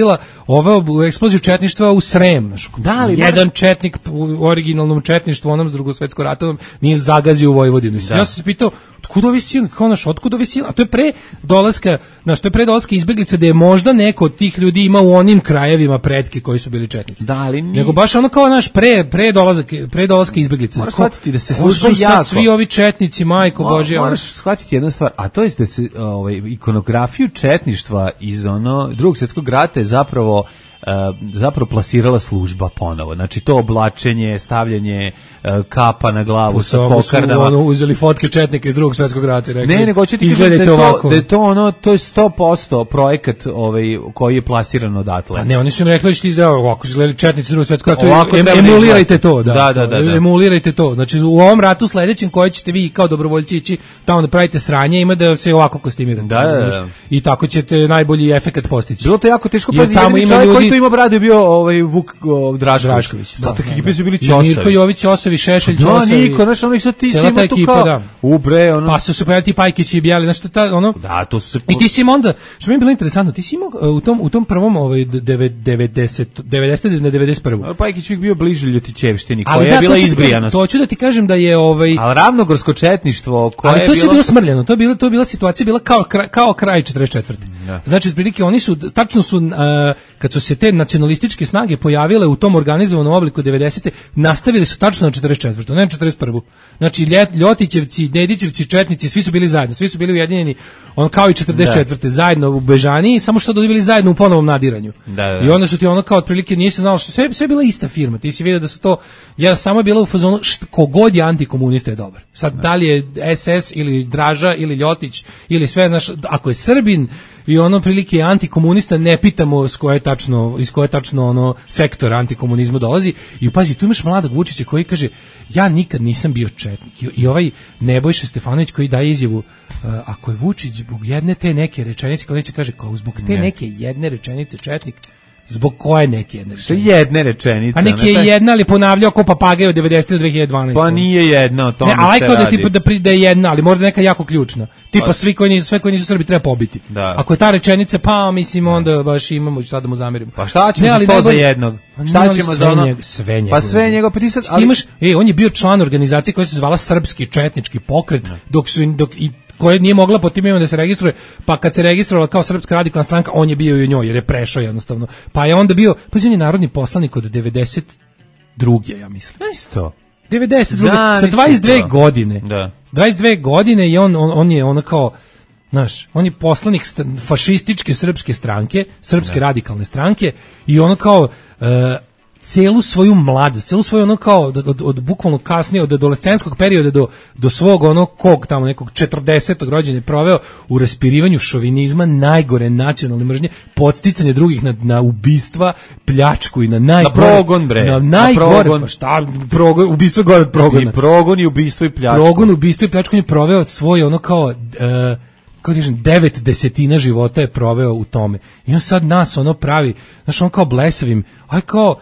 ovo eksploziju četništva u Srem. Da li jedan četnik u originalnom četništvu, onom s drugosvetskom ratom, nije zagazio u Vojvodinu. Da. Ja sam se pitao, otkud ovi silni, kao naš, otkud ovi silni? A to je pre dolaska, znaš, to je pre dolaska izbeglica da je možda neko od tih ljudi ima u onim krajevima pretke koji su bili četnici. Da, ali nije. Nego baš ono kao naš pre, pre, dolazak, pre dolaska izbeglica. Moraš shvatiti da se služba jako... svi ovi četnici, majko Mo, Božja. Moraš shvatiti jednu stvar, a to je da se ovaj, ikonografiju četništva iz ono drugog svjetskog rata je zapravo Uh, zapravo plasirala služba ponovo. Znači to oblačenje, stavljanje uh, kapa na glavu sa kokardama. Ono, uzeli fotke četnika iz drugog svjetskog rata i rekli, ne, nego ću ti kažem da je to, da je to ono, to je sto posto projekat ovaj, koji je plasiran odatle. A ne, oni su im rekli da ćete izdeo ovako, izgledali četnici iz drugog svjetskog rata, em, emulirajte to. Da, da, da, da, da. Emulirajte to. Znači u ovom ratu sledećem koji ćete vi kao dobrovoljci ići tamo da pravite sranje, ima da se ovako kostimirate. Da, da, da. I tako ćete najbolji efekat postići. Bilo to jako teško, pa ljudi ima brade bio ovaj Vuk o, Drašković. Drašković. Da, tako ekipe su bili Ćosavi. Mirko Jović, Ćosavi, Šešelj, Ćosavi. Da, niko, znaš, ono i sad ti si ima tu kao... Da. U bre, ono... Pa su se pojavili ti Pajkić i Bijali, znaš, ta, ono... Da, to su se... I ti si im onda, što mi je bilo interesantno, ti si imao u tom, u tom prvom, ovaj, devedeset, devedeset na devedeset prvu. Pajkić uvijek bio bliže Ljotićevštini, koja je bila izbrijana. To ću da ti kažem da je, ovaj... Ali ravnogorsko četništvo, koje je bilo... Ali to je bilo smrljeno, to je bilo, to je bila situacija, bila kao, kao kraj četrdeset četvrte. Znači, otprilike, oni su, tačno su, kad su se te nacionalističke snage pojavile u tom organizovanom obliku devedesete, nastavili su tačno na četrdeset četvrtu, ne na četrdeset prvu. Znači Ljotićevci, Nedićevci, četnici, svi su bili zajedno, svi su bili ujedinjeni, on kao i četrdeset četvrte zajedno u Bežaniji, samo što dobili zajedno u ponovnom nadiranju. Da, da. I onda su ti ono kao otprilike nisi znao što sve sve bila ista firma. Ti si vidio da su to ja samo je bila u fazonu kogod je antikomunista je dobar. Sad da li je S S ili Draža ili Ljotić ili sve, znaš, ako je Srbin i ono prilike antikomunista, ne pitamo s koje tačno, iz koje tačno ono sektor antikomunizma dolazi. I pazi, tu imaš mladog Vučića koji kaže, ja nikad nisam bio četnik. I, i ovaj Nebojša Stefanović koji daje izjavu, uh, ako je Vučić zbog jedne te neke rečenice, kao neće kaže, kao zbog te ne. neke jedne rečenice četnik, zbog koje neke jedne rečenice? Jedne rečenice. Pa neke je jedna, ali ponavljao ko papagaj od devedesete do dve hiljade dvanaeste. Pa nije jedna, o tome ne, se radi. Ne, da tipa da, da je jedna, ali možda neka jako ključna. Tipa, svi koji nisu, sve koji nisu Srbi treba pobiti. Da. Ako je ta rečenica, pa mislim, onda baš imamo šta da mu zamerimo. Pa šta ćemo ne, za sto za jednog? Šta ćemo za ono? Njeg, sve njegov. Pa sve njegov, pa ti sad... Ali... Imaš, ej, on je bio član organizacije koja se zvala Srpski četnički pokret, ne. dok su, dok i koja nije mogla po tim imenom da se registruje, pa kad se registrovala kao Srpska radikalna stranka, on je bio i u njoj, jer je prešao jednostavno. Pa je onda bio, pa on je narodni poslanik od devedeset druge ja mislim. Isto. devedeset druge sa dvadeset dve godine. Da. dvadeset dve godine i on, on, on je ono kao, znaš, on je poslanik fašističke srpske stranke, Srpske da. radikalne stranke i ono kao... Uh, celu svoju mladost, celu svoju ono kao od, od, od bukvalno kasnije, od adolescenskog perioda do, do svog ono kog tamo nekog četrdesetog rođenja proveo u raspirivanju šovinizma, najgore nacionalne mržnje, podsticanje drugih na, na ubistva, pljačku i na najgore... Na progon, bre. Na najgore, na progon. Pa šta, progon, ubistvo gore od progona. I progon i ubistvo i pljačku. Progon, ubistvo i pljačku je proveo svoj ono kao... Uh, kako kažem, devet desetina života je proveo u tome. I on sad nas ono pravi, znaš, on kao blesavim, aj kao...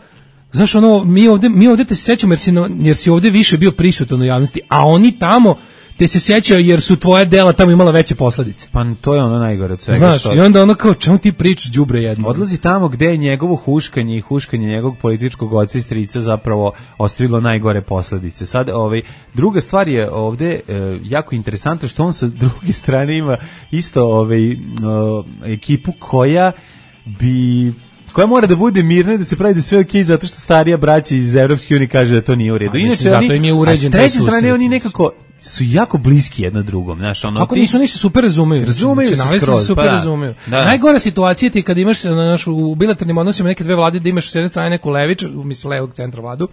Znaš, ono, mi ovde, mi ovde te se sećamo jer si, no, jer si ovde više bio prisutan u javnosti, a oni tamo te se sećaju jer su tvoje dela tamo imala veće posledice. Pa to je ono najgore od svega. Znaš, što... i onda ono kao, čemu ti pričaš đubre jedno? Odlazi tamo gde je njegovo huškanje i huškanje njegovog političkog oca i strica zapravo ostavilo najgore posledice. Sad, ovaj, druga stvar je ovde e, jako interesantno što on sa druge strane ima isto ovaj, e, ekipu koja bi... koja mora da bude mirna, da se pravi da sve okej, okay, zato što starija braća iz Evropske unije kaže da to nije u redu. Inače, mislim, zato im je uređen. A s treće strane, oni nekako su jako bliski jedno drugom, znaš, ono. Kako ti... nisu, oni se super razumeju. Razumeju se skroz, super pa da. razumeju. Da. Najgora situacija ti kad imaš naš, u bilateralnim odnosima neke dve vlade da imaš s jedne strane neku levičar, mislim levog centra vladu,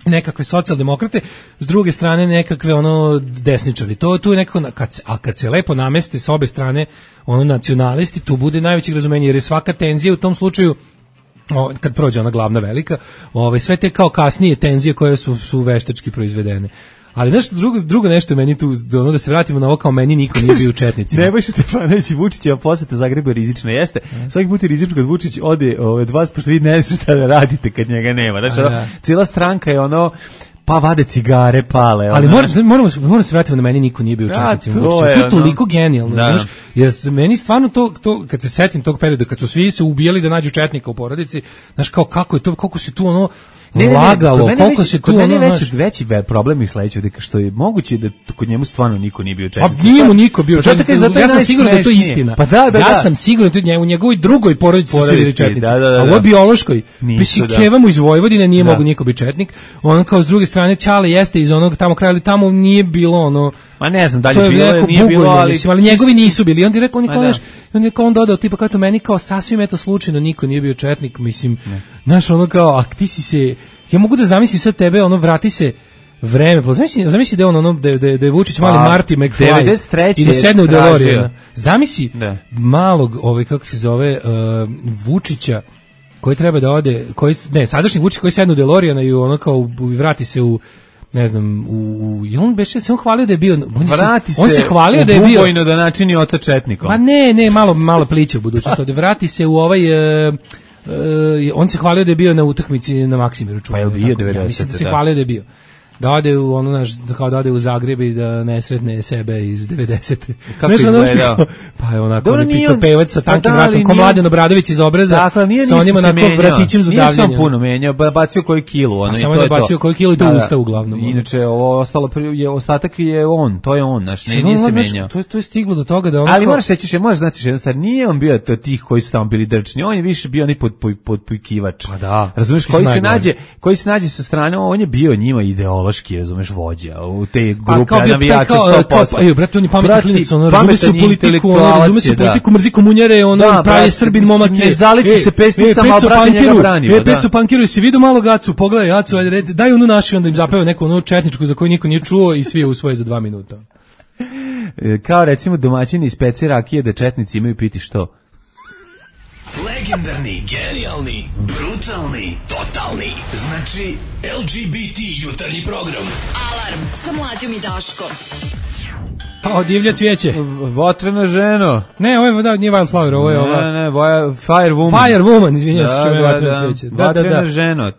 nekakve socijaldemokrate, s druge strane nekakve ono desničari. To tu je nekako kad se, a kad se lepo nameste s obe strane ono nacionalisti, tu bude najveće razumenje jer je svaka tenzija u tom slučaju o, kad prođe ona glavna velika, ovaj sve te kao kasnije tenzije koje su su veštački proizvedene. Ali znaš, drugo, drugo nešto meni tu, ono da se vratimo na ovo kao meni niko nije bio u četnicima. Nebojša Stefanović i Vučićeva poseta Zagrebu rizična jeste. Svaki put je rizično kad Vučić ode od vas, pošto vi ne znate šta da radite kad njega nema. Znaš, ono, cijela stranka je ono, pa vade cigare, pale. Ali mora, moramo, moramo se vratiti na meni niko nije bio u četnicima. To, to je toliko ono genijalno. Da. Znaš, jer meni stvarno to, to, kad se setim tog perioda, kad su svi se ubijali da nađu četnika u porodici, znaš, kao kako je to, kako se tu ono, Ne, lagalo, ne, koliko se tu ono... Kod meni je veći problem i sledeće, što je moguće da kod njemu stvarno niko nije bio četnik. A nije mu niko bio četnik, ja sam siguran da je to istina. Pa da, da, ja da. sam siguran da je u njegovoj drugoj porodici su bili četnici, da, da, da, a u ovoj biološkoj, mislim, da. Keva mu iz Vojvodine nije da. mogu niko biti četnik, on kao s druge strane Ćale jeste iz onog tamo kraja, ali tamo nije bilo ono... Ma ne znam, dalje bilo je, nije bilo, ali... ali njegovi nisu bili, on je rekao, on je kao, znaš, on je kao on dodao, tipa kao to meni kao sasvim eto slučajno niko nije bio četnik, mislim, znaš, ono kao, a ti si se... Ja mogu da zamislim sad tebe, ono, vrati se vreme, pa zamisli, zamisli da je on, ono, da, da, da je Vučić mali Marty McFly i da sedne u DeLorean. Zamisli da. malog, ovaj, kako se zove, uh, Vučića, koji treba da ode, koji, ne, sadašnji Vučić koji sedne u DeLorean i ono kao vrati se u ne znam, u, u i on beše se on hvalio da je bio on vrati se, on se hvalio da je bio ubojno da načini oca četnikom. Pa ne, ne, malo malo pliće u budućnosti, da vrati se u ovaj uh, Uh, on se hvalio da je bio na utakmici na Maksimiru. Pa je bio devedesete. Ja mislim da se da. hvalio da je bio. Da ode u ono naš, kao da ode u Zagreb i da ne sretne sebe iz devedesete. Kako izgledao? Pa je onako on pico pevac sa tankim pa vratom, ko Mladen Obradović iz Obreza, dakle, sa onima onako vratićem za davljanje. Nije sam puno menjao, bacio koju kilu. Ono, samo je bacio koju kilu i do usta uglavnom. Inače, ovo ostalo, je, ostatak je on, to je on, naš, ne, nije se menjao. To, to je stiglo do toga da on... Ali moraš reći, možeš znati što jednostavno, nije on bio to tih koji su tamo bili drčni, on je više bio ni podpojkivač. Pa da. Razumeš, koji se nađe, koji se nađe sa strane, on je bio njima ideološki, razumeš, vođa u te grupe navijača sto posto. Ej, brate, on je pametan klinac, on razume se u politiku, on razume se u politiku, mrzi komunjare, on pravi Srbin momak je. Ne zaliči se pesnicama, a brate njega branio. E, Peco Pankiru, si vidio malo Gacu, pogledaj Gacu, ajde, daj onu našu, onda im zapeva neku onu četničku za koju niko nije čuo i svi je usvoje za dva minuta. Kao recimo domaćini iz pece rakije da četnici imaju piti što? Legendarni, genijalni, brutalni, totalni. Znači, L G B T jutarnji program. Alarm sa Mlađom i Daškom. Pa, divlja cvijeće. Votrena ženo. Ne, ovo je, da, nije Wildflower, ovo je ova... Ne, ne, boja, Fire Woman. Fire Woman, izvinjam se, da, što je da, Votrena da. cvijeće. Da, da, Votrena da. ženo.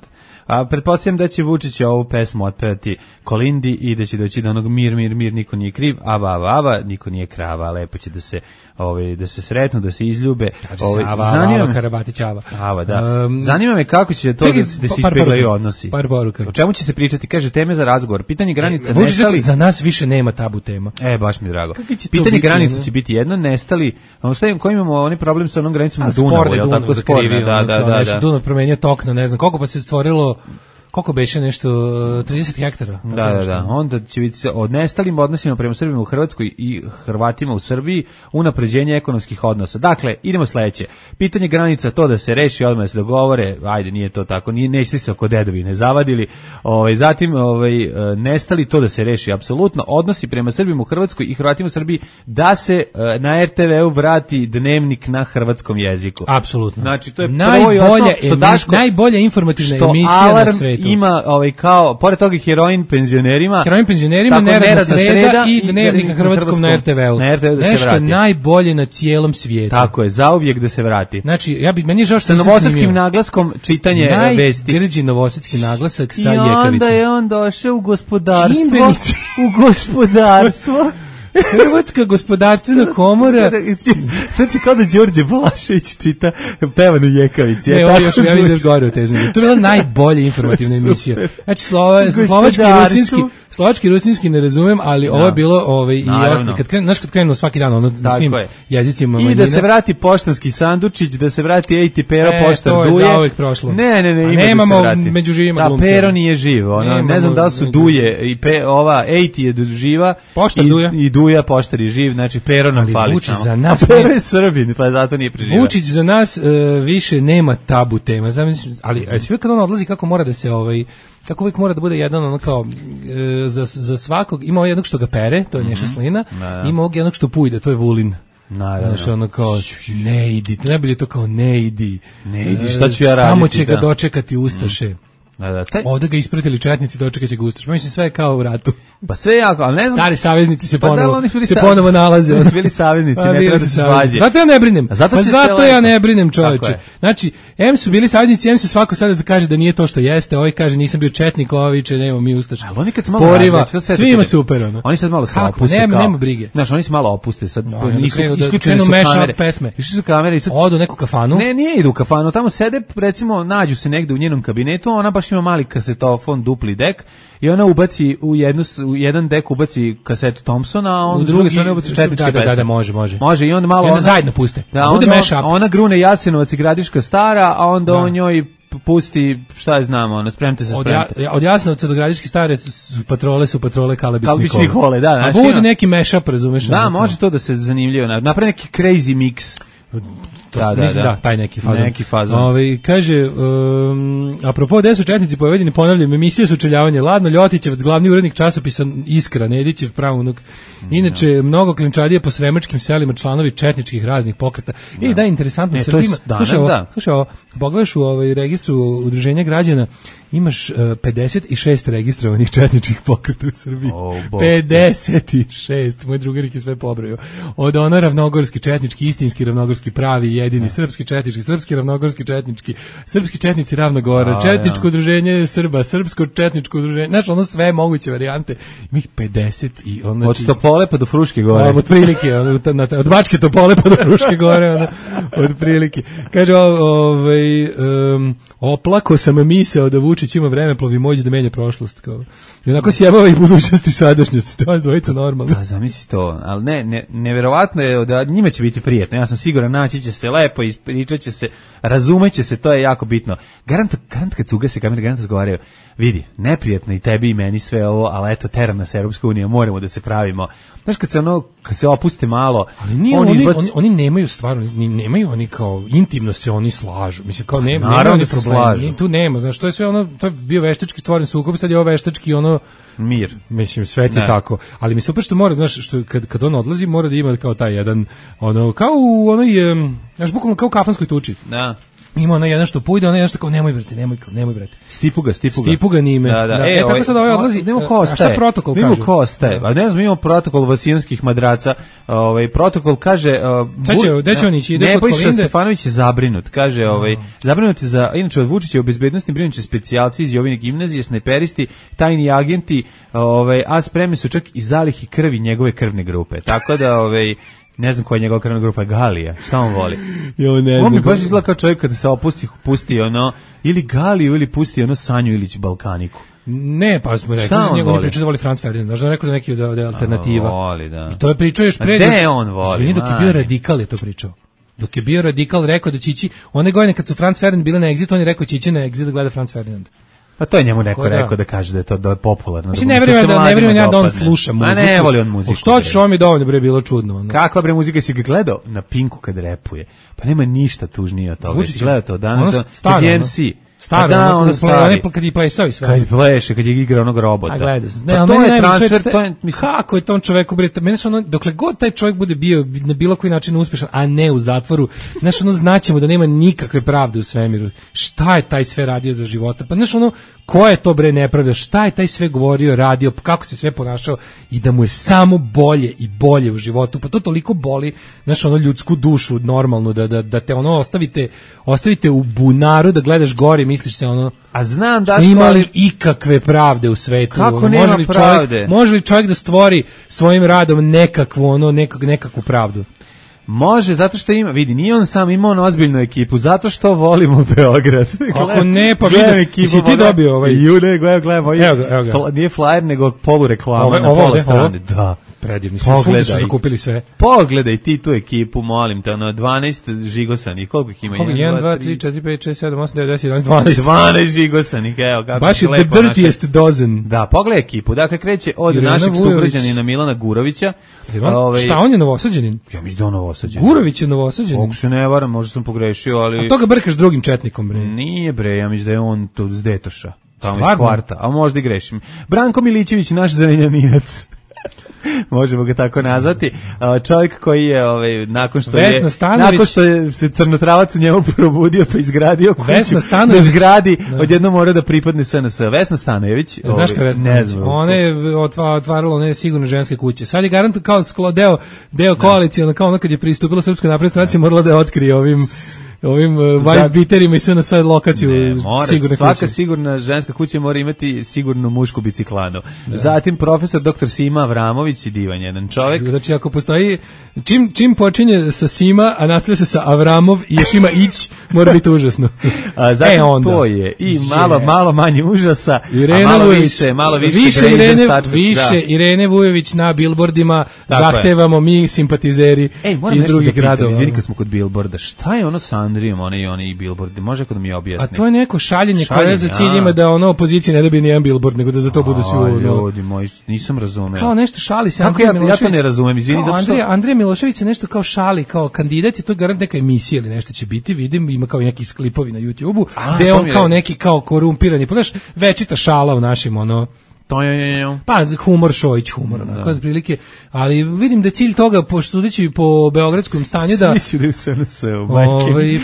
A pretpostavljam da će Vučić ovu pesmu otpevati Kolindi i da će doći do onog mir, mir, mir, niko nije kriv, ava, ava, ava, niko nije krava, lepo će da se, ovaj, da se sretnu, da se izljube. Kaže ovaj, se ava, zanima, ava, Karabatić, ava. Ava, da. Um, zanima me kako će to čekaj, da, da se par ispeglaju poruka. odnosi. Par poruka. O čemu će se pričati? Kaže, teme za razgovor. Pitanje granica, Vučić nestali... rekao, za nas više nema tabu tema. E, baš mi je drago. Će Pitanje biti, granica ne? će biti jedno, nestali, ono šta im, koji imamo oni problem sa onom granicom na Dunavu, Sporne je li Dunav tako sporna? zakrivio, Da, da, da, nešto da. Dunav promenio tok na ne znam koliko, pa se stvorilo koliko beše nešto trideset hektara. Tako Da, da, nešto. da. Onda će biti se o nestalim odnosima prema Srbima u Hrvatskoj i Hrvatima u Srbiji, unapređenje ekonomskih odnosa. Dakle, idemo sledeće. Pitanje granica, to da se reši, odmah da se dogovore, ajde, nije to tako, nije, neće se oko dedovine zavadili. Ovaj, zatim, ovaj, nestali, to da se reši apsolutno. Odnosi prema Srbima u Hrvatskoj i Hrvatima u Srbiji, da se na R T V-u vrati dnevnik na hrvatskom jeziku. Apsolutno. Znači, to je najbolja, prvo i osnovno, što emi, Daško, najbolja informativna što emisija Alarm na svetu. Ima ovaj kao pored toga heroin penzionerima. Heroin penzionerima, tako, neradna neradna sreda, sreda i dnevnik na hrvatskom na R T V-u. Na R T V-u da se Nešto vrati. najbolje na cijelom svijetu. Tako je, zauvijek da se vrati. Znači, ja bi meni je žao što Sa nisam novosadskim snimio. naglaskom čitanje vesti. Najgrđi novosadski naglasak sa I Jekavice. onda je on došao u gospodarstvo. Čimbenici. U gospodarstvo. Hrvatska gospodarstvena komora. Znači kao da Đorđe Balašević čita pevanu Jekavici. Ne, Ja, ovo tako još ja zvuči. vidim gore u teznu. To je bila najbolja informativna emisija. Znači, slova, slovački i Gospodarstvo. rusinski, slovački i rusinski ne razumem, ali ovo je bilo ovaj, i Naravno. ostali. Kad krenu, znaš kad krenu svaki dan, ono, na Tako svim je. jezicima I manjina. da se vrati poštanski sandučić, da se vrati ej ti Pero E, poštar to je Duje. zauvek prošlo. Ne, ne, ne, A ima nemamo da se vrati. među živima Da, glumca. Pero nije živ, ono, Nemamo ne znam da li su među- Duje i pe, ova ej ti je živa. Poštar i, Duja. I Duja poštar je živ, znači Pero nam Ali fali Vučić samo. za nas A Pero nije- je Srbin, pa zato nije preživa. Vučić za nas uh, više nema tabu tema. Znam, mislim, ali a sve kad on odlazi kako mora da se ovaj kako uvijek mora da bude jedan ono kao e, za, za svakog, ima ovaj jednog što ga pere, to je Nješa Slina, Da, da. ima ovog jednog što pujde, to je Vulin. Naravno. Znaš, ono kao, ne idi, najbolje je to kao ne idi. Ne idi, E, šta ću ja Tamo raditi, će ga da. dočekati Ustaše. Da, da, taj, Ovdje ga ispratili četnici, dočekat će ga Ustaše. Mislim, sve je kao u ratu. pa sve je jako, ali ne znam. Stari saveznici se Pa da, ponovo, oni su bili se sa- ponovo nalaze. oni su bili saveznici, Pa, ne bili treba su da se saveznici. svađe. Zato ja ne brinem. A zato pa će se zato ja lepo. ne brinem, Tako čoveče. je. Znači, em su bili saveznici, em se svako sada da kaže da nije to što jeste, ovaj kaže nisam bio četnik, ovaj viče nema mi Ustaša. Ali oni kad se malo Poriva, različe, to sve svima čekaj. super, ono. Oni sad malo se Kako? opuste Nema- kao. nema brige. Znaš, oni se malo opuste sad. Da, i onda nisu krenu da- isključene krenu su mash-up kamere. pesme. Išli su kamere i sad Odu u neku kafanu. Ne, nije idu u kafanu, tamo sede, recimo, nađu se negde u njenom kabinetu, ona baš ima mali kasetofon, dupli dek, i ona ubaci u, jednu, s- u jedan dek ubaci kasetu Thompsona, a on U u drugi drugi- strane ubaci četničke da, da, da, pesme. da, može, može. Može, i onda malo I onda ona- zajedno puste. Da, Bude onda on- mash-up. ona grune Jasenovac i Gradiška stara, a onda Da. on njoj p- pusti, šta je znamo, ona, spremte se, Od, spremte. ja, od Jasnovca do Gradiške stare su, su patrole, su patrole Kalabić Kalabić Nikole. Nikole, da, A znaš, bude ima- neki mashup, razumeš? Da, ono, može to da se zanimljivo napravi. Napravi neki crazy mix. To, Da, da, da, mislim, da. da, taj neki fazon. Neki fazon. Ovaj, kaže, um, apropo, gde su četnici povedeni, ponavljam, emisije sučeljavanje, Ladno Ljotićevac, glavni urednik časopisa Iskra, Nedićev, pravunuk. Inače, mnogo klinčadije po sremačkim selima, članovi četničkih raznih pokreta. I da, interesantno, Ne, to Srbima, je danas, slušaj ovo, da. slušaj ovo, pogledaš u ovaj registru udruženja građana, imaš uh, pedeset šest registrovanih četničkih pokreta u Srbiji. O, Bog. pedeset šest, moj drugarik je sve pobrojao. Od ono ravnogorski četnički, istinski ravnogorski, pravi, jedini, srpski četnički, srpski ravnogorski četnički, srpski četnici Ravnogora, A, četničko ja. udruženje Srba, srpsko četničko udruženje, znači ono sve moguće varijante. Ima ih pedeset i ono... Od Topole pa do Fruške gore. Od prilike, ono, ta- na- od Bačke Topole pa do Fruške gore, ono, od prilike. Kaže, o- ovaj, um, oplako sam misao da Vučić ima vreme plovi moć da menja prošlost. Kao. I onako sjebava i budućnost i sadašnjost. To je dvojica normalno. Pa zamisli to, ali ne, ne, neverovatno je da njima će biti prijetno, ja sam siguran, naći će se lepo, ispričat će se, razumeće se, to je jako bitno. Garant, garant kad se ugase kamere, garant razgovaraju, vidi, neprijetno i tebi i meni sve ovo, ali eto, teram nas Europska unija, moramo da se pravimo. Znaš, kad se ono, kad se opuste malo, Ali nije, on oni, izbaci- oni, oni nemaju stvarno, ni, nemaju oni kao, intimno se oni slažu. Mislim, kao ne, Naravno nemaju oni da se problema. slažu. Ni- Tu nema, znaš, to je sve ono, ono, to je bio veštački stvoren sukob, sad je ovo veštački ono mir. Mislim, sve ti tako. Ali mi se opet što mora, znaš, što kad, kad on odlazi, mora da ima kao taj jedan, ono, kao u onoj, znaš, bukvalno kao u kafanskoj tuči. Da. Ima ona jedan što pojde, ona jedan što kao nemoj brate, nemoj, nemoj brate. Stipuga, stipuga. Stipuga nime. Da, da. da. E, E, tako sad ovaj odlazi. Nemo ko ostaje. A šta protokol kaže? Nemo ko ostaje. A ne znam, imamo protokol vasijanskih madraca. Ovaj protokol kaže Sad će, gde će on ići? Ide kod Kolinde. Nebojša Stefanović je zabrinut. Kaže, ovaj zabrinut je za, inače od Vučića u bezbednosni brinuće specijalci iz Jovine gimnazije, snajperisti, tajni agenti, ovaj a spremni su čak i zalihi krvi njegove krvne grupe. Tako da ovaj ne znam koja je njegova krvna grupa, Galija, šta on voli? Jo, ne znam. On mi baš izgleda kao čovjek kada se opusti, pusti ono, ili Galiju, ili pusti ono Sanju Ilić Balkaniku. Ne, pa smo rekli da njegov priča da voli Franz Ferdinand, znači rekao da neki da je alternativa. Voli, da. I to je pričao još pre. Gde on voli? Izvini, dok je bio radikal je to pričao. Dok je bio radikal rekao da će ići, one godine kad su Franz Ferdinand bile na Exitu, on je rekao će ići na Exit da gleda Franz Ferdinand. Pa to je njemu neko da. rekao da kaže da je to da je popularno. Znači ne vjerujem da ne vjerujem ja da on sluša muziku. A ne voli on muziku. Što će on mi dovoljno bre bilo čudno. Ono. Kakva bre muzika si ga gledao na Pinku kad repuje? Pa nema ništa tužnije od toga. Si gledao to danas ono staro, M C. Staro, da, ono, stari. Kad je plesao i sve. Kad pleše, kad je igrao onog robota. A gleda se. Ne, pa ali to meni je transfer, čovječ, to je, mislim... Kako je tom čoveku, bre, meni ono, dokle god taj čovjek bude bio na bilo koji način uspješan, a ne u zatvoru, znaš, ono, znaćemo da nema nikakve pravde u svemiru. Šta je taj sve radio za života? Pa, znaš, ono, ko je to, bre, nepravda? Šta je taj sve govorio, radio, kako se sve ponašao i da mu je samo bolje i bolje u životu? Pa to toliko boli, znaš, ono, ljudsku dušu, normalno, da, da, da te, ono, ostavite, ostavite u bunaru, da gledaš gore i misliš se, ono, a znam da ima li ikakve pravde u svetu? Kako ono, nema može li pravde? Čovjek, može li čovjek da stvori svojim radom nekakvu, ono, nekak, nekakvu pravdu? Može, zato što ima, vidi, nije on sam, ima on ozbiljnu ekipu, zato što volimo Beograd. Kako ne, pa vidiš, si ti dobio ovaj... Ju, ne, gledam, gledam, ovaj, evo ga, evo ga. Fla, nije flyer, nego polureklama Ove, na ovo, pola ovde, strane. ovo? Da. Predivni, svuda su zakupili sve. Pogledaj ti tu ekipu, molim te, ono, dvanaest žigosanih, koliko ih ima? jedan, dva, tri, četiri, pet, šest, sedam, osam, devet, deset, jedanaest, dvanaest. dvanaest žigosanih, evo, kako baš je the dirtiest dozen. Da, pogledaj ekipu, dakle, kreće od Irena našeg sugrađanina Milana Gurovića. Ove, šta, on je Novosađanin? Ja mislim da on Novosađanin. Gurović je Novosađanin. Ako se ne varam, možda sam pogrešio, ali... A to ga brkaš drugim četnikom, bre. Nije, bre, ja mislim da je on tu s Detoša. Tamo iz kvarta, a možda i grešim. Branko Milićević, naš zrenjaninac. Možemo ga tako nazvati. Čovjek koji je ovaj nakon što Vesna je Stanović, nakon što je se crnotravac u njemu probudio pa izgradio kuću. Vesna Stanović, da zgradi, da. Odjednom mora da pripadne S N S. Vesna Stanojević, znaš ovaj, Vesna, ne znam. Ona je otvarala one sigurno ženske kuće. Sad je garant kao deo deo koalicije, kao ono kad je pristupila Srpskoj naprednoj stranci, morala da je otkrije ovim ovim uh, white beaterima i sve na sad lokaciju ne, mora, sigurne svaka kuće. Sigurna ženska kuća mora imati sigurnu mušku biciklanu. Da. Zatim profesor doktor Sima Avramović i divan jedan čovjek. Znači ako postoji čim čim počinje sa Sima, a nastavlja se sa Avramov i još ima ić, mora biti užasno. A zatim e, onda, to je i malo malo manje užasa, Irene a malo Vujović, više, malo više, više Irene, stačka, više da. Irene Vujović na billboardima. Tako zahtevamo je. Mi simpatizeri Ej, iz drugih da gradova. Izvini kad smo kod billboarda, šta je ono sa Andrijom, oni i oni billboardi, može kod mi objasni. A to je neko šaljenje, šaljenje koje za cilj ima da ono opoziciji ne dobije ni jedan billboard, nego da za to bude svi ono. Ljudi moji, nisam razumeo. Kao nešto šali se Andrija ja, Milošević. Ja to ne razumem, izvini, zato što Andrija Andrija Milošević se nešto kao šali, kao kandidat, i to je garant neka emisija ili nešto će biti, vidim, ima kao neki klipovi na YouTubeu, gde on kao neki kao korumpirani, pa znaš, večita šala u našim ono To je, je, pa humor Šojić humor onako da. Prilike, ali vidim da cilj toga pošto sudeći po beogradskom stanju da mislim da se na se ovaj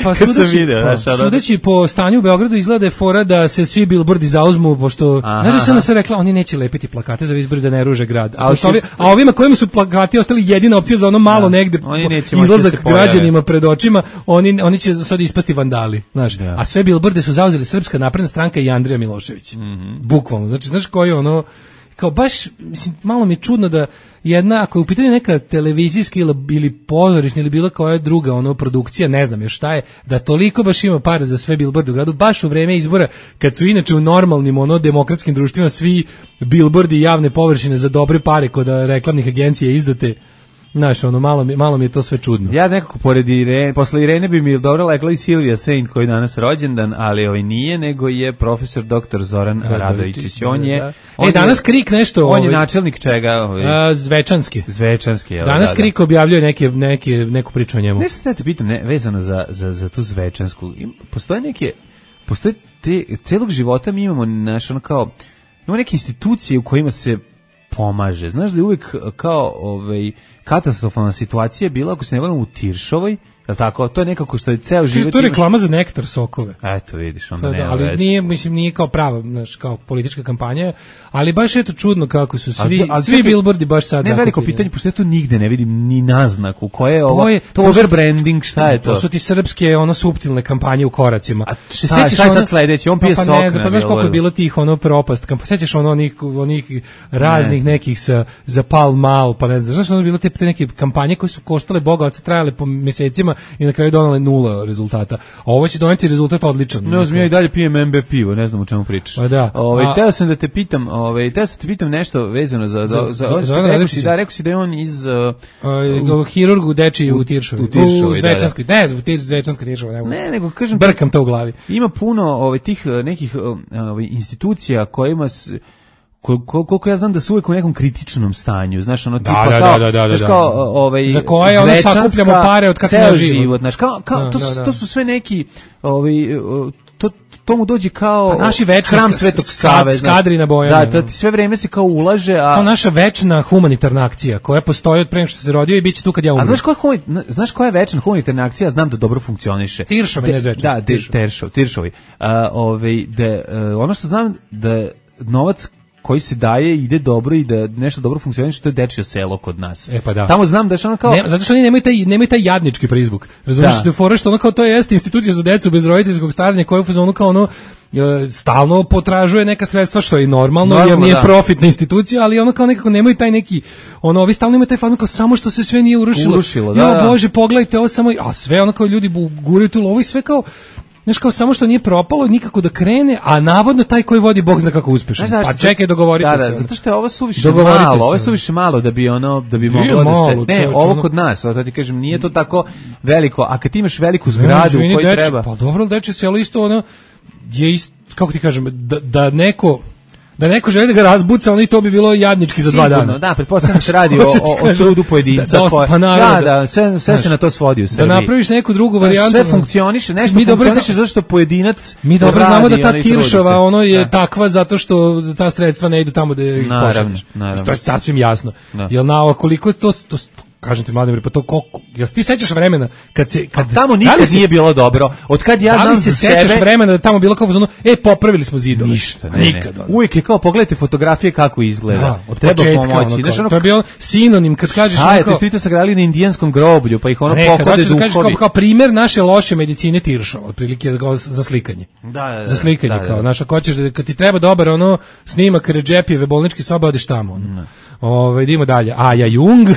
pa sudeći, video, pa, da, sudeći po stanju u Beogradu izgleda je fora da se svi billboardi zauzmu pošto znaš da se se rekla oni neće lepiti plakate za izbore da ne ruže grad. A, ovi, a ovima kojima su plakati ostali jedina opcija za ono malo da. Negde izlazak građanima pred očima, oni oni će sad ispasti vandali, znaš. Da. A sve billboarde su zauzeli Srpska napredna stranka i Andrija Milošević. Mm -hmm. Bukvalno. Znači znaš koji je ono kao baš, mislim, malo mi je čudno da jedna, ako je u pitanju neka televizijska ili, ili pozorišna ili bila koja druga ono produkcija, ne znam još šta je, da toliko baš ima para za sve billboarde u gradu, baš u vreme izbora, kad su inače u normalnim ono demokratskim društvima svi billboardi i javne površine za dobre pare kod reklamnih agencija izdate. Znaš, ono, malo mi, malo mi je to sve čudno. Ja nekako pored Irene, posle Irene bi mi dobro lekla i Silvija Saint koji je danas rođendan, ali ovaj nije, nego je profesor doktor Zoran Radovičić. On je... Da. On e, danas je, Krik nešto... On ovaj, je načelnik čega? Ovaj, a, Zvečanski. Zvečanski, evo. Danas da, Krik da. objavljuje neke, neke, neku priču o njemu. Nešto te pitam, ne, vezano za, za, za tu Zvečansku. Postoje neke... postoje te, celog života mi imamo naš, ono kao, imamo neke institucije u kojima se pomaže. Znaš da je uvijek kao ovaj, katastrofalna situacija bila, ako se ne varam, u Tiršovoj, je tako? To je nekako što je ceo život. To je reklama za nektar sokove. Eto, vidiš, onda da, nema ali veze. nije, mislim, nije kao prava, znaš, kao politička kampanja, ali baš je to čudno kako su svi, Ali- ali svi čekaj, billboardi baš sad Ne, veliko zakupljeni. pitanje, pošto ja tu nigde ne vidim ni naznaku. Koje je ovo? je- To, to su- overbranding, šta je to? To su ti srpske, ono, suptilne kampanje u koracima. A šta- šta je sad sledeće? On pije pa, pa sok ne znam, na pa znaš koliko je billboardu. bilo tih, ono, propast. Kampa, sećaš ono, onih, onih raznih nekih sa, za pal mal, pa ne znam, znaš, ono je bilo te, te neke kampanje koje su koštale boga, od trajale po mesecima i na kraju donale nula rezultata. A ovo će doneti rezultat odličan. Ne znam, ja i dalje pijem M B pivo, ne znam o čemu pričaš. Pa da. Ovaj, A- teo sam da te pitam, ovaj, teo sam te pitam nešto vezano za... za, za, Za- za, za Ivana rekao Radojčića? si, da, rekao si da je on iz... Uh, Uh, hirurg u Dečiji u Tiršovoj. u Tiršovoj, U da, Zvečanskoj. Ne znam, u Tir- Zvečanska Tiršova. Ne, ne, nego kažem... Brkam to u glavi. Ima puno ovaj, tih uh, nekih uh, ovaj, institucija kojima... S, kol- kol- koliko ja znam da su uvijek u nekom kritičnom stanju, znaš, ono Da, tipa da, kao, da, da, da, znaš, da. kao, ovaj, Za koje, ono, Zvečanska, sakupljamo pare od kad sam ceo ja živ. život, znaš, kao, kao, Da, to, da, su, da. to su sve neki, ovaj, uh, to, to mu dođe kao Pa naši večni hram sk- Svetog sk- Save, znaš. skadri na Bojane, Da, da, ono. ti sve vreme se kao ulaže, a... To naša večna humanitarna akcija koja postoji od pre nego što se rodio i bit će tu kad ja A umrem. znaš koja, je humani- znaš koja je večna humanitarna akcija? Znam da dobro funkcioniše. Tiršovi, De- ne Zvečanski, Da, de, Tiršovi. Teršov, Tiršovi. A, ovaj, da, uh, ono što znam da novac koji se daje ide dobro i da nešto dobro funkcioniše, to je dečje selo kod nas. E, pa da. Tamo znam da je ono kao... Ne, zato što oni nemaju taj, nemaju taj jadnički prizvuk. Razumiješ Da. da je fora što ono kao to jeste institucija za decu bez roditeljskog staranja koja u fazonu kao ono e, stalno potražuje neka sredstva što je i normalno, Normalno, jer nije da. profitna institucija, ali ono kao nekako nemaju taj neki ono ovi stalno imaju taj fazon kao samo što se sve nije urušilo. Urušilo, da, Jo, da. bože, pogledajte ovo samo, a sve ono kao ljudi bu- guraju tu lovu i sve kao znaš kao samo što nije propalo nikako da krene, a navodno taj koji vodi Bog zna kako uspešan. Znaš Pa zašto? čekaj, dogovorite da, se. da, ono. zato što je ovo suviše Dogovorite malo, se, ovo je ono. suviše malo da bi ono da bi Nije moglo da se malo, ne, čoveče, ovo ono- kod nas, a to ti kažem, nije to tako veliko, a kad ti imaš veliku Ne, zgradu izvini, u kojoj deče, treba. Pa dobro, deče selo isto ono je isto, kako ti kažem, da, da neko da neko želi da ga razbuca, ono i to bi bilo jadnički za dva Sigurno, dana. da, pretpostavljam da se radi Hoću o, ti o, o kažem, trudu pojedinca. da, dosta, koje- pa naravno, da, da, sve, sve se na to svodi u Da Srbiji. napraviš neku drugu Znaš, varijantu. sve funkcioniše, nešto Mi dobro funkcioniše zna- zato što pojedinac Mi dobro radi, znamo da ta ono, i trudi se. Tiršova ono je Da. takva zato što ta sredstva ne idu tamo da ih Naravno, pošalješ. naravno. To je sasvim jasno. Da. Jel na koliko je to, to kažem ti Vladimir, pa to koliko, jel se ti sećaš vremena kad se kad A tamo da li nikad se- nije bilo dobro. Od kad ja da li znam se za sećaš sebe, vremena da je tamo bilo kao ono, e popravili smo zidove. ništa, ne, nikad. ne. ono. Uvijek je kao pogledajte fotografije kako izgleda. Da, od Treba početka, pomoći. ono, Znaš, kao, ono, to je bio sinonim kad kažeš šta ono je, kao, te ste vi to sagradili na indijanskom groblju, pa ih ono ne, kad pokode hoćeš da kažeš kao, duhovi. kao primjer naše loše medicine Tiršova, otprilike kao za slikanje. Da, da, da, Za slikanje, da, da. kao, znaš, ako hoćeš da, kad ti treba dobar ono snimak Redžepijeve bolničke sobe, odeš tamo. Ono. Ove, idemo dalje. Aja Jung.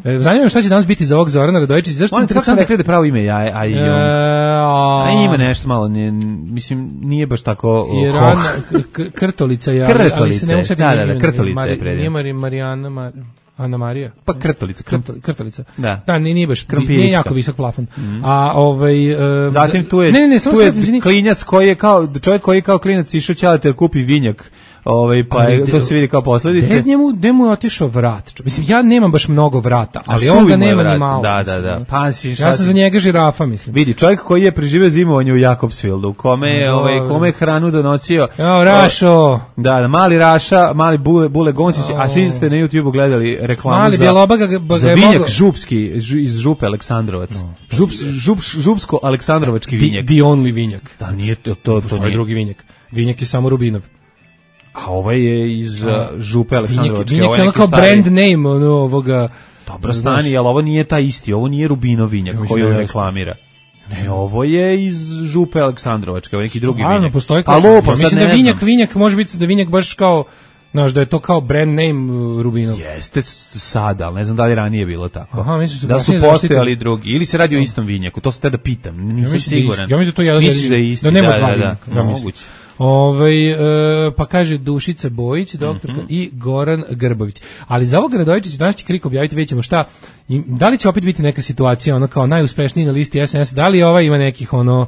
E, zanima me šta će danas biti za ovog Zorana Radojičića. Zašto je Molim te, kako sam interesantno? rekli da je pravo ime, ja, a i E, Jung. a, A ima nešto malo, nije, mislim, nije baš tako... o, Jer hoh. Ana, k- k- Krtolica je, ali, ali se Krtolica ne je, mogu setiti da, da, ime, da, Krtolica Mari- je predivno. Nije Mari, Marijana, Mar, Ana Marija. Pa krtolica, krt, Krtoli- Krtolica. Da. Da, nije, nije baš, Krompirićka. nije jako visok plafon. A ovaj e, Zatim za- tu je, ne, ne, ne, samo tu je sad, izvini. klinjac koji je kao, čovjek koji je kao klinac išao ćalate jer kupi vinjak, ovaj, pa Ali je, de- to se vidi kao posledice. Gde njemu, gde mu je otišao vrat? čo- Mislim, ja nemam baš mnogo vrata, ali A on ga suvi mu je nema vrat. ni malo. Da, mislim, da, da. ono. Pa si, šta Ja sam si- za njega žirafa, mislim. Vidi, čovjek koji je preživio zimovanje u Jakobsfieldu, u kome je, ovaj, Dobro. kome je hranu donosio. Evo, Rašo, Da, da, mali Raša, mali Bule, Bule Goncić, a svi ste na YouTubeu gledali reklamu Mali za, Bjelobaga ga- ba ga za je vinjak mogao- župski, žu- iz Župe Aleksandrovac. Žups, žups, župsko-aleksandrovački the, vinjak. the only vinjak. Da, nije to, to, to Postoji nije. drugi vinjak. Vinjak je samo Rubinov. A ovaj je iz uh, Župe Vinjak, Aleksandrovačke. vinjak ovo je ono neki kao stari- brand name ono, ovoga... Dobro stani, ali ovo nije taj isti, ovo nije Rubinov vinjak Ja mislim koji da on jeste. reklamira. Ne, ovo je iz Župe Aleksandrovačke, ovo je neki drugi Stvarno, vinjak. postoji Pa kao... lupam, ja sad mislim ne da vinjak, znam. vinjak može biti da vinjak baš kao... Znaš, da je to kao brand name uh, Rubinov. Jeste s- sada, ali ne znam da li je ranije bilo tako. Aha, mislim su da su kasnije postojali zaštitili. drugi. Ili se radi o istom vinjaku, to se te da pitam, nisam Ja mislim da je siguran. isti. Ja mislim da to je jedan Misliš jedini- da je isti, da nema da, dva da, da, vinjaka, ja mislim. moguće. Ovaj e, pa kaže Dušica Bojić, doktorka, Mhm. i Goran Grbović. Ali za ovog Radojičića danas će Krik objaviti, vidjet ćemo šta. I da li će opet biti neka situacija, ono kao najuspešniji na listi S N S, da li ovaj ima nekih ono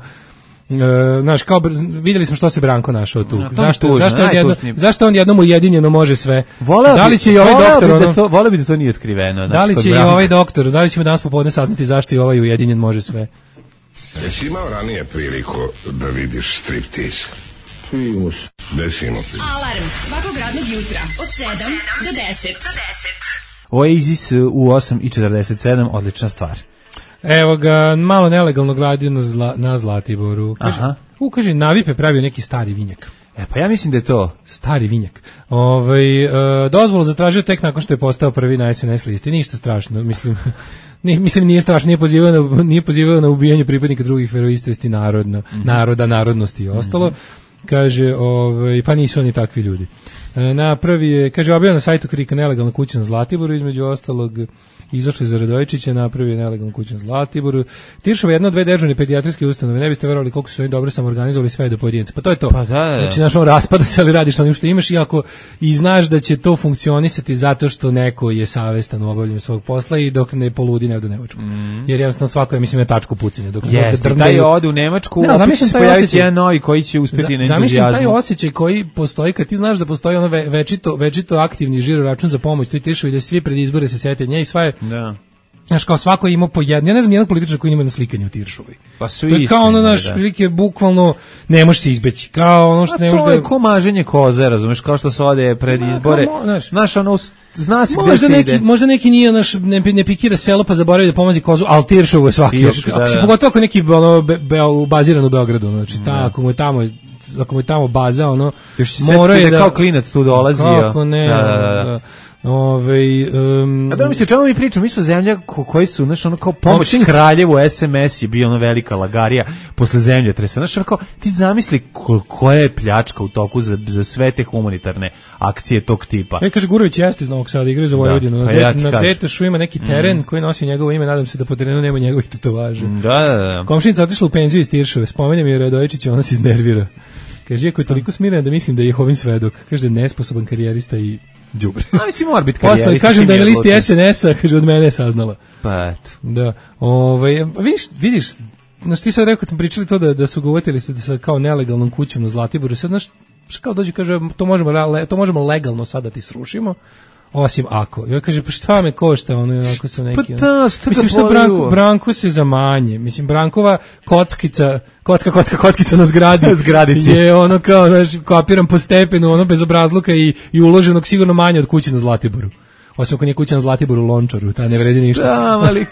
E, znaš, kao br- videli smo što se Branko našao tu. No, to je zašto, tužno, zašto, on jedno, najtužnije. zašto on jednom ujedinjeno može sve? Voleo da li bi- će i ovaj voleo doktor bi ono, da to, voleo bi da to nije otkriveno. da znači, li kod će i Branka. ovaj doktor, da li ćemo danas popodne saznati zašto i ovaj ujedinjen može sve? Jesi imao ranije priliku da vidiš striptiz? Primus. Desimo se. Alarm svakog radnog jutra od sedam do deset. Oasis u osam i četrdeset sedam, odlična stvar. Evo ga, malo nelegalno gradio na, zla, na Zlatiboru. Kaže, Aha. U, kaže, Navipe pravio neki stari vinjak. E, pa ja mislim da je to Stari vinjak. Ovaj e, dozvolu zatražio tek nakon što je postao prvi na S N S listi. Ništa strašno, mislim. Nije, mislim nije strašno, nije pozivao na, nije pozivao na ubijanje pripadnika drugih veroispovesti narodno, mm-hmm. naroda, narodnosti i ostalo. Mm-hmm. Kaže, ovaj, pa nisu oni takvi ljudi. E, napravi je, kaže, objavio na sajtu Krika nelegalna kuća na Zlatiboru, između ostalog izašli za Radojičića, napravio nelegalnu kuću na Zlatiboru. Tiršova je jedna od dve dežurne pedijatrijske ustanove. Ne biste verovali koliko su oni dobro samoorganizovali sve do pojedinca. Pa to je to. Pa da, da. Znači, znaš, on raspada se, ali radiš onim što imaš i ako i znaš da će to funkcionisati zato što neko je savestan u obavljanju svog posla i dok ne poludi ne ode u Nemačku. Mm. Jer jednostavno svako je, mislim, na tačku pucanja. Dok Jeste, dok taj ode u Nemačku, ne, opet će se pojaviti jedan novi koji će uspeti na entuzijazmu. Zamišljam taj osjećaj koji postoji kad ti znaš da postoji ono ve, večito, večito aktivni žiro račun za pomoć, to i Tiršovi da svi pred izbore se sete nje i sva je. Da. Znaš, kao svako ima po jedno, ja ne znam jednog političara koji ima na slikanje u Tiršovoj. Pa su to je kao ono, naš, da. Prilike, bukvalno, ne možeš se izbeći. Kao ono što a ne možeš da... to je ko maženje koze, razumeš, kao što se ode pred izbore. Kao, znaš, znaš, ono, zna se gde se neki, ide. Možda neki nije, naš, ne, ne pikira selo pa zaboravi da pomozi kozu, ali Tiršovo je svaki. Tirš, da, da. Pogotovo ako neki ono, be, be, baziran u Beogradu, znači, ta, da. Ako mu je tamo... ako mu je tamo baza, ono, mora je da... kao klinac tu dolazio. Kako ne, da, da, da. da. Ove, um, a da mi se čemu mi pričamo, mi smo zemlja ko, koji su, znaš, ono kao pomoć opštinci. Kraljevu S M S je bio ono velika lagarija posle zemljotresa, znaš, ono kao, ti zamisli koja je pljačka u toku za, za sve te humanitarne akcije tog tipa. E, kaže, Gurović jeste iz Novog Sada, igra za Vojvodinu, da, pa ja na Detešu ima neki teren mm. koji nosi njegovo ime, nadam se da po terenu nema njegovih tetovaža. Da, da, da. Komšinica otišla u penziju iz Tiršove, spomenjem je Radojičić, ona se iznervira. Kaže, iako je toliko smirena da mislim da je Jehovin svedok, kaže da je nesposoban karijerista i đubre. A mislim mora biti karijerista. Posle kažem da je na listi S N S-a, kaže od mene je saznala. Pa eto. Da. Ovaj vidiš, vidiš, znaš ti sad rekao kad smo pričali to da da su govorili se da sa kao nelegalnom kućom na Zlatiboru, sad znaš kao dođe kaže to možemo to možemo legalno sad da ti srušimo. Osim ako. Ja kaže, pa šta me košta, ono, ako su neki... Pa da, šta mislim, što Branko, Branko se zamanje. Mislim, Brankova kockica, kocka, kocka, kockica na zgradi. Zgradici. Je ono kao, znaš, kapiram po stepenu, ono, bez obrazluka i, i uloženog sigurno manje od kuće na Zlatiboru. Osim ako nije kuća na Zlatiboru u Lončaru, ta ne vredi ništa. Da, ali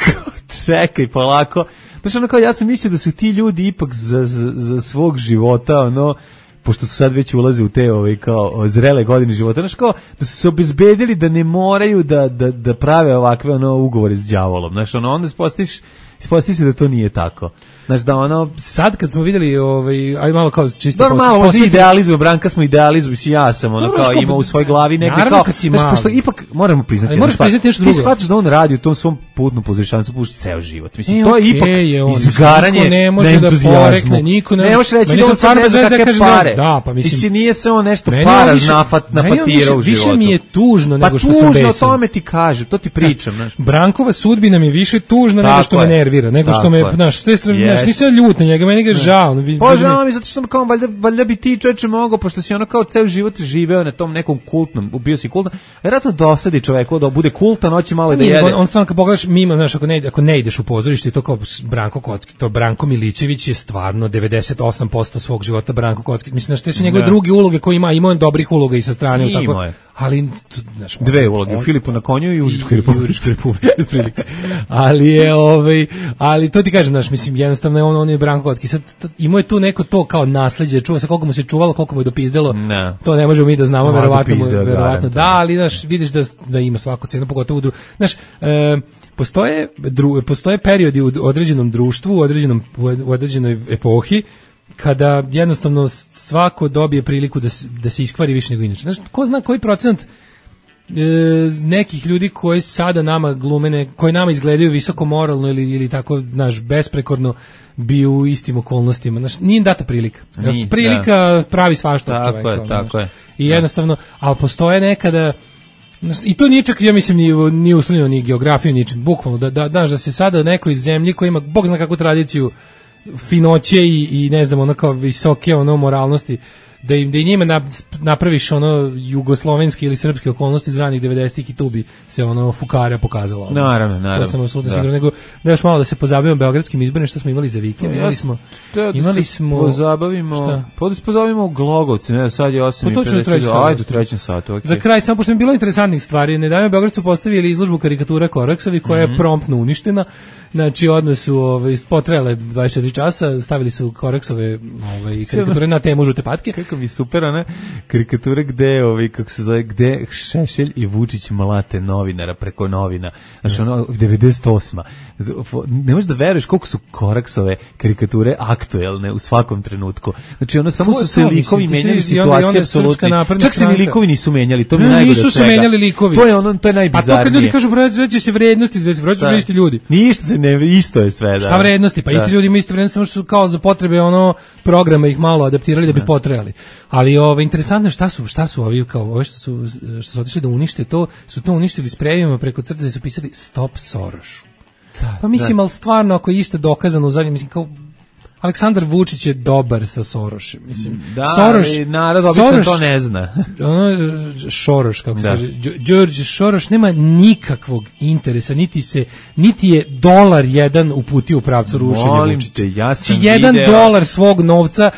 čekaj, polako. Znaš, ono kao, ja sam mislio da su ti ljudi ipak za, za, za svog života, ono, pošto su sad već ulaze u te ovaj kao zrele godine života, znači kao da su se obezbedili da ne moraju da da da prave ovakve ono ugovore s đavolom. Znači ono onda ispostiš isposti se da to nije tako. Znači da ono sad kad smo videli ovaj aj malo kao čisto normalno posle idealizujemo Branka smo idealizuju i ja sam ono kao ima u svojoj glavi neke kao znači pošto ipak moramo priznati moraš priznati nešto drugo. Ti shvataš da on radi u tom svom putnom pozorištancu pušta ceo život. Mislim e, to je okay, ipak je on, izgaranje ne može da porekne niko ne. Ne može reći da on stvarno bez veze kaže pare. Da, pa mislim mislim nije se on nešto para nafat nafatira u životu. Više mi je tužno nego što sam besan. Pa tužno tome ti kaže, to ti pričam, znaš. Brankova sudbina mi više tužna nego što me nervira, nego što me znaš, sve strane, nisam ljut na njega, meni ga žao. Pa žao mi zato što kao valjda, valjda bi ti čoveče mogao, pošto si ono kao ceo život živeo na tom nekom kultnom, bio si kultan, vjerojatno dosadi čoveku da bude kultan, hoće malo da jede. On, on samo kad pogledaš mimo, znaš, ako ne, ako ne ideš u pozorište i to kao Branko Kocki, to Branko Milićević je stvarno devedeset osam posto svog života Branko Kocki. Mislim, znaš, te su njegove druge uloge koje ima, ima on dobrih uloga i sa strane. I tako, ali, znaš, dve uloge, u Filipu na konju i u Užičkoj republici. ali je, ovaj, ali to ti kažem, znaš, mislim, jednostavno je on, on je Branko Kocki. Sad, imao je tu neko to kao nasleđe, čuva se koliko mu se čuvalo, koliko mu je dopizdelo, ne. To ne možemo mi da znamo, verovatno, verovatno da, ali, znaš, vidiš da, da ima svaku cenu, pogotovo u dru... Znaš, e, postoje, dru, postoje periodi u određenom društvu, u, određenom, u određenoj epohi, kada jednostavno svako dobije priliku da se, da se iskvari više nego inače. Znaš, ko zna koji procenat e, nekih ljudi koji sada nama glumene, koji nama izgledaju visoko moralno ili, ili tako, znaš, besprekorno bi u istim okolnostima. Znaš, nije im data prilika. Nije, prilika da. Pravi svašta od čoveka. Tako je, tako je. I jednostavno, ali postoje nekada, i to nije čak, ja mislim, ni, ni uslovljeno, ni geografiju, ničim, bukvalno, da, da, da, da se sada neko iz zemlji koji ima, bog zna kakvu tradiciju, finoće i, i ne znam, ono kao visoke ono moralnosti, da im da i njima na, napraviš ono jugoslovenski ili srpske okolnosti iz ranih devedesetih i tu bi se ono fukara pokazalo. Naravno, naravno. To sam apsolutno siguran, nego da još malo da se pozabavimo beogradskim izborima, što smo imali za vikend. Imali smo da, imali smo pozabavimo, pozabavimo Glogovci, ne, sad je osam i pedeset. Ajde, u trećem satu, okej. Za kraj samo pošto je bilo interesantnih stvari, Nedavno Beograd su postavili izložbu karikatura Koraksovi koja mm-hmm. je promptno uništena. Znači odmah su ovaj potrajale dvadeset četiri časa, stavili su Koraksove ovaj karikature na temu žute patke. Kako mi super ona karikatura gde ovaj kako se zove gde Šešelj i Vučić mlate novinara preko novina. Znači ono devedeset osma. Ne možeš da veruješ koliko su Koraksove karikature aktuelne u svakom trenutku. Znači ono samo su se likovi menjali, situacije apsolutno. Čak se ni likovi nisu menjali, to mi najgore svega. Nisu se menjali likovi. To je ono, to je najbizarnije. A to kad ljudi kažu vraćaju se vrednosti, vraćaju se isti ljudi. Ništa se ne, isto je sve, da. Šta vrednosti? Pa da. Isti ljudi imaju isto vrednosti, samo što su kao za potrebe ono programa ih malo adaptirali da bi da. potrajali. Ali ovo interesantno šta su, šta su ovi kao ove što su što su otišli da unište to, su to uništili sprejevima preko crte i su pisali Stop Sorošu. Da, pa mislim, da. ali stvarno ako je ište dokazano u zadnjem, mislim kao Aleksandar Vučić je dobar sa Sorošem, mislim. Da, Soroš, narod obično to ne zna. Ono, Šoroš, kako se da. kaže, Đorđe Šoroš nema nikakvog interesa, niti se, niti je dolar jedan uputio u pravcu rušenja Vučića. Te, ja sam Či jedan video... dolar svog novca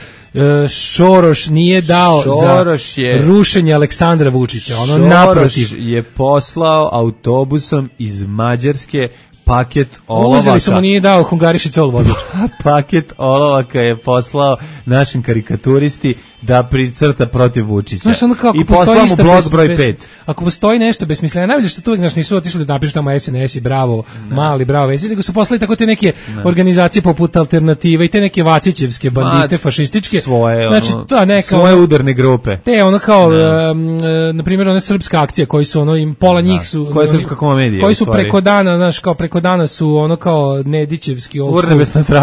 Šoroš nije dao Šoroš za je, rušenje Aleksandra Vučića, ono Šoroš naprotiv. Je poslao autobusom iz Mađarske paket olovaka. Uzeli su mu, nije dao Hungariši col vozač. Paket olovaka je poslao našim karikaturisti da pricrta protiv Vučića. Znaš, ono kao, i poslao mu blog broj pet. Ako postoji nešto besmisleno, najbolje što tu uvijek, znaš, nisu otišli da napišu tamo S N S i bravo, ne. mali, bravo, vesi, nego su poslali tako te neke ne. organizacije poput Alternative i te neke vacićevske bandite, Ma, fašističke. Svoje, znači, ono, to neka, svoje udarne grupe. Te, ono kao, um, na primjer, ona srpska akcija, koji su, ono, im pola njih su... Koja je srpska komedija? Koji su preko dana, znaš, kao preko dana su, ono kao Nedićevski old school,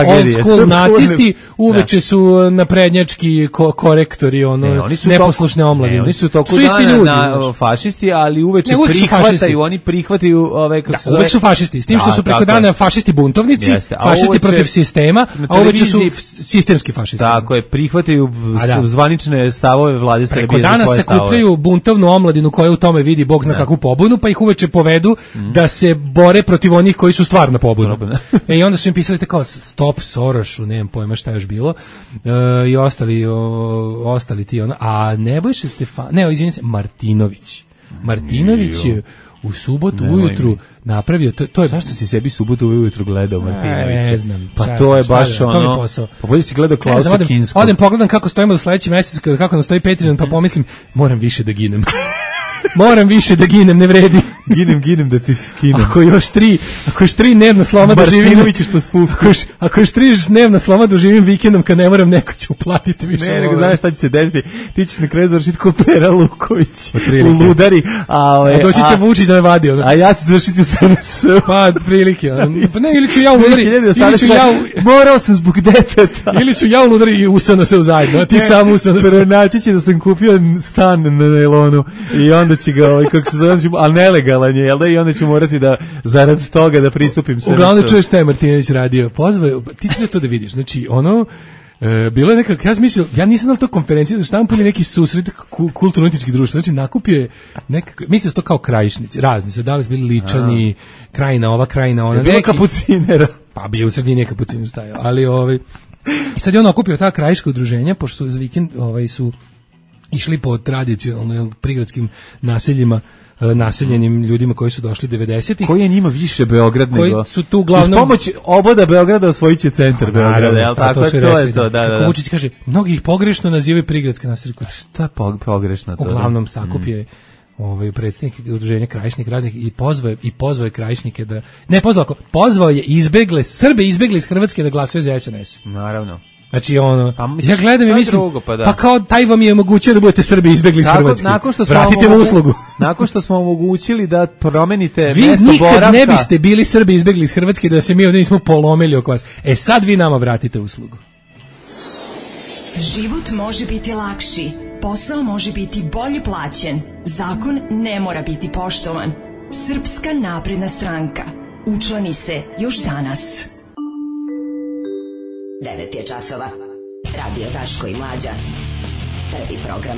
old school nacisti, uveče su naprednjački ko korektori, ono, neposlušne omladine. Oni su toku dana na fašisti, ali uveče prihvataju, oni prihvataju ove kako se zove. Uvek su fašisti, s tim što su preko dana fašisti buntovnici, fašisti protiv sistema, a uveče su sistemski fašisti. Tako je, prihvataju zvanične stavove vlade Srbije za svoje stavove. Preko dana se kupljaju buntovnu omladinu koja u tome vidi bog zna kakvu pobunu, pa ih uveče povedu da se bore protiv onih koji su stvarno pobunu. E, i onda su im pisali tako Stop Sorošu, nemam pojma šta je još bilo, i ostali ostali ti ono, a Nebojša Stefan, ne, izvinim se, Martinović. Martinović je u subotu ne, ujutru napravio, to, to je... Zašto si sebi subotu ujutru gledao Martinovića? Ne znam. Pa to je baš ono... To mi posao. Pa bolje si gledao Klausa Kinskog. Odem, pogledam kako stojimo za sledeći mesec, kako nam stoji Patreon, pa pomislim, moram više da ginem. Moram više da ginem, ne vredi. Ginem, ginem da ti skinem. Ako još tri, ako još tri dnevna sloma doživim, ako još, ako još tri dnevna sloma doživim vikendom kad ne moram, neko će uplatiti više. Ne, nego znaš šta će se desiti. Ti ćeš na kraju završiti ko Pera Luković u Ludari. A, ove, a doći će Vučić da me vadi. Ono. A ja ću završiti u S N S. Pa, prilike. Pa ne, ili ću ja u Ludari, ili ću ja u... Morao sam zbog deteta. Ili ću ja u Ludari i U S N S zajedno, a ti sam U S N S. Pronaći će da sam kupio stan na najlonu i onda će ga, ovaj, kako se zove, ali nelegalan je, jel da, i onda ću morati da, zarad toga da pristupim S N S. Uglavnom čuješ šta je Martinović radio. Pozvao, ti treba to da vidiš, znači, ono, e, bilo je nekak, ja sam mislio, ja nisam znao to konferencije za štampu ili neki susret kulturno-umjetničkih društva, znači nakupio je nekak, mislio to kao krajišnici, razni, sad da li su bili Ličani, a. krajina ova, krajina ona. Je bilo kapucinera. Pa bio u sredini je kapuciner stajao, ali ovaj, i sad je on okupio ta krajiška udruženja, pošto su za vikend ovaj, su išli po tradicionalno prigradskim naseljima, naseljenim ljudima koji su došli devedesetih. Koji je njima više Beograd koji nego... su tu uglavnom... Uz pomoć oboda Beograda osvojit će centar Beograda, jel tako? To, to je to, da, da. Kako Vučić kaže, mnogi ih pogrešno nazivaju prigradske naselje. Šta pogrešno to? Uglavnom sakupio ovaj predsjednik udruženja krajišnika raznih i pozvao i pozvao je krajišnike da ne pozvao, pozvao je izbegle Srbe izbegle iz Hrvatske da glasaju za S N S. Naravno. Znači ono, pa, misliš, ja gledam i mislim, drugo, pa, da. pa kao taj vam je omogućio da budete Srbi izbegli iz nakon, Hrvatske. Nakon što smo vratite mu uslugu. Nakon što smo omogućili da promenite vi mesto boravka. Vi nikad ne biste bili Srbi izbegli iz Hrvatske da se mi ovdje nismo polomili oko vas. E sad vi nama vratite uslugu. Život može biti lakši, posao može biti bolje plaćen, zakon ne mora biti poštovan. Srpska napredna stranka. Učlani se još danas. devet je časova. Radio Daško i Mlađa. Prvi program.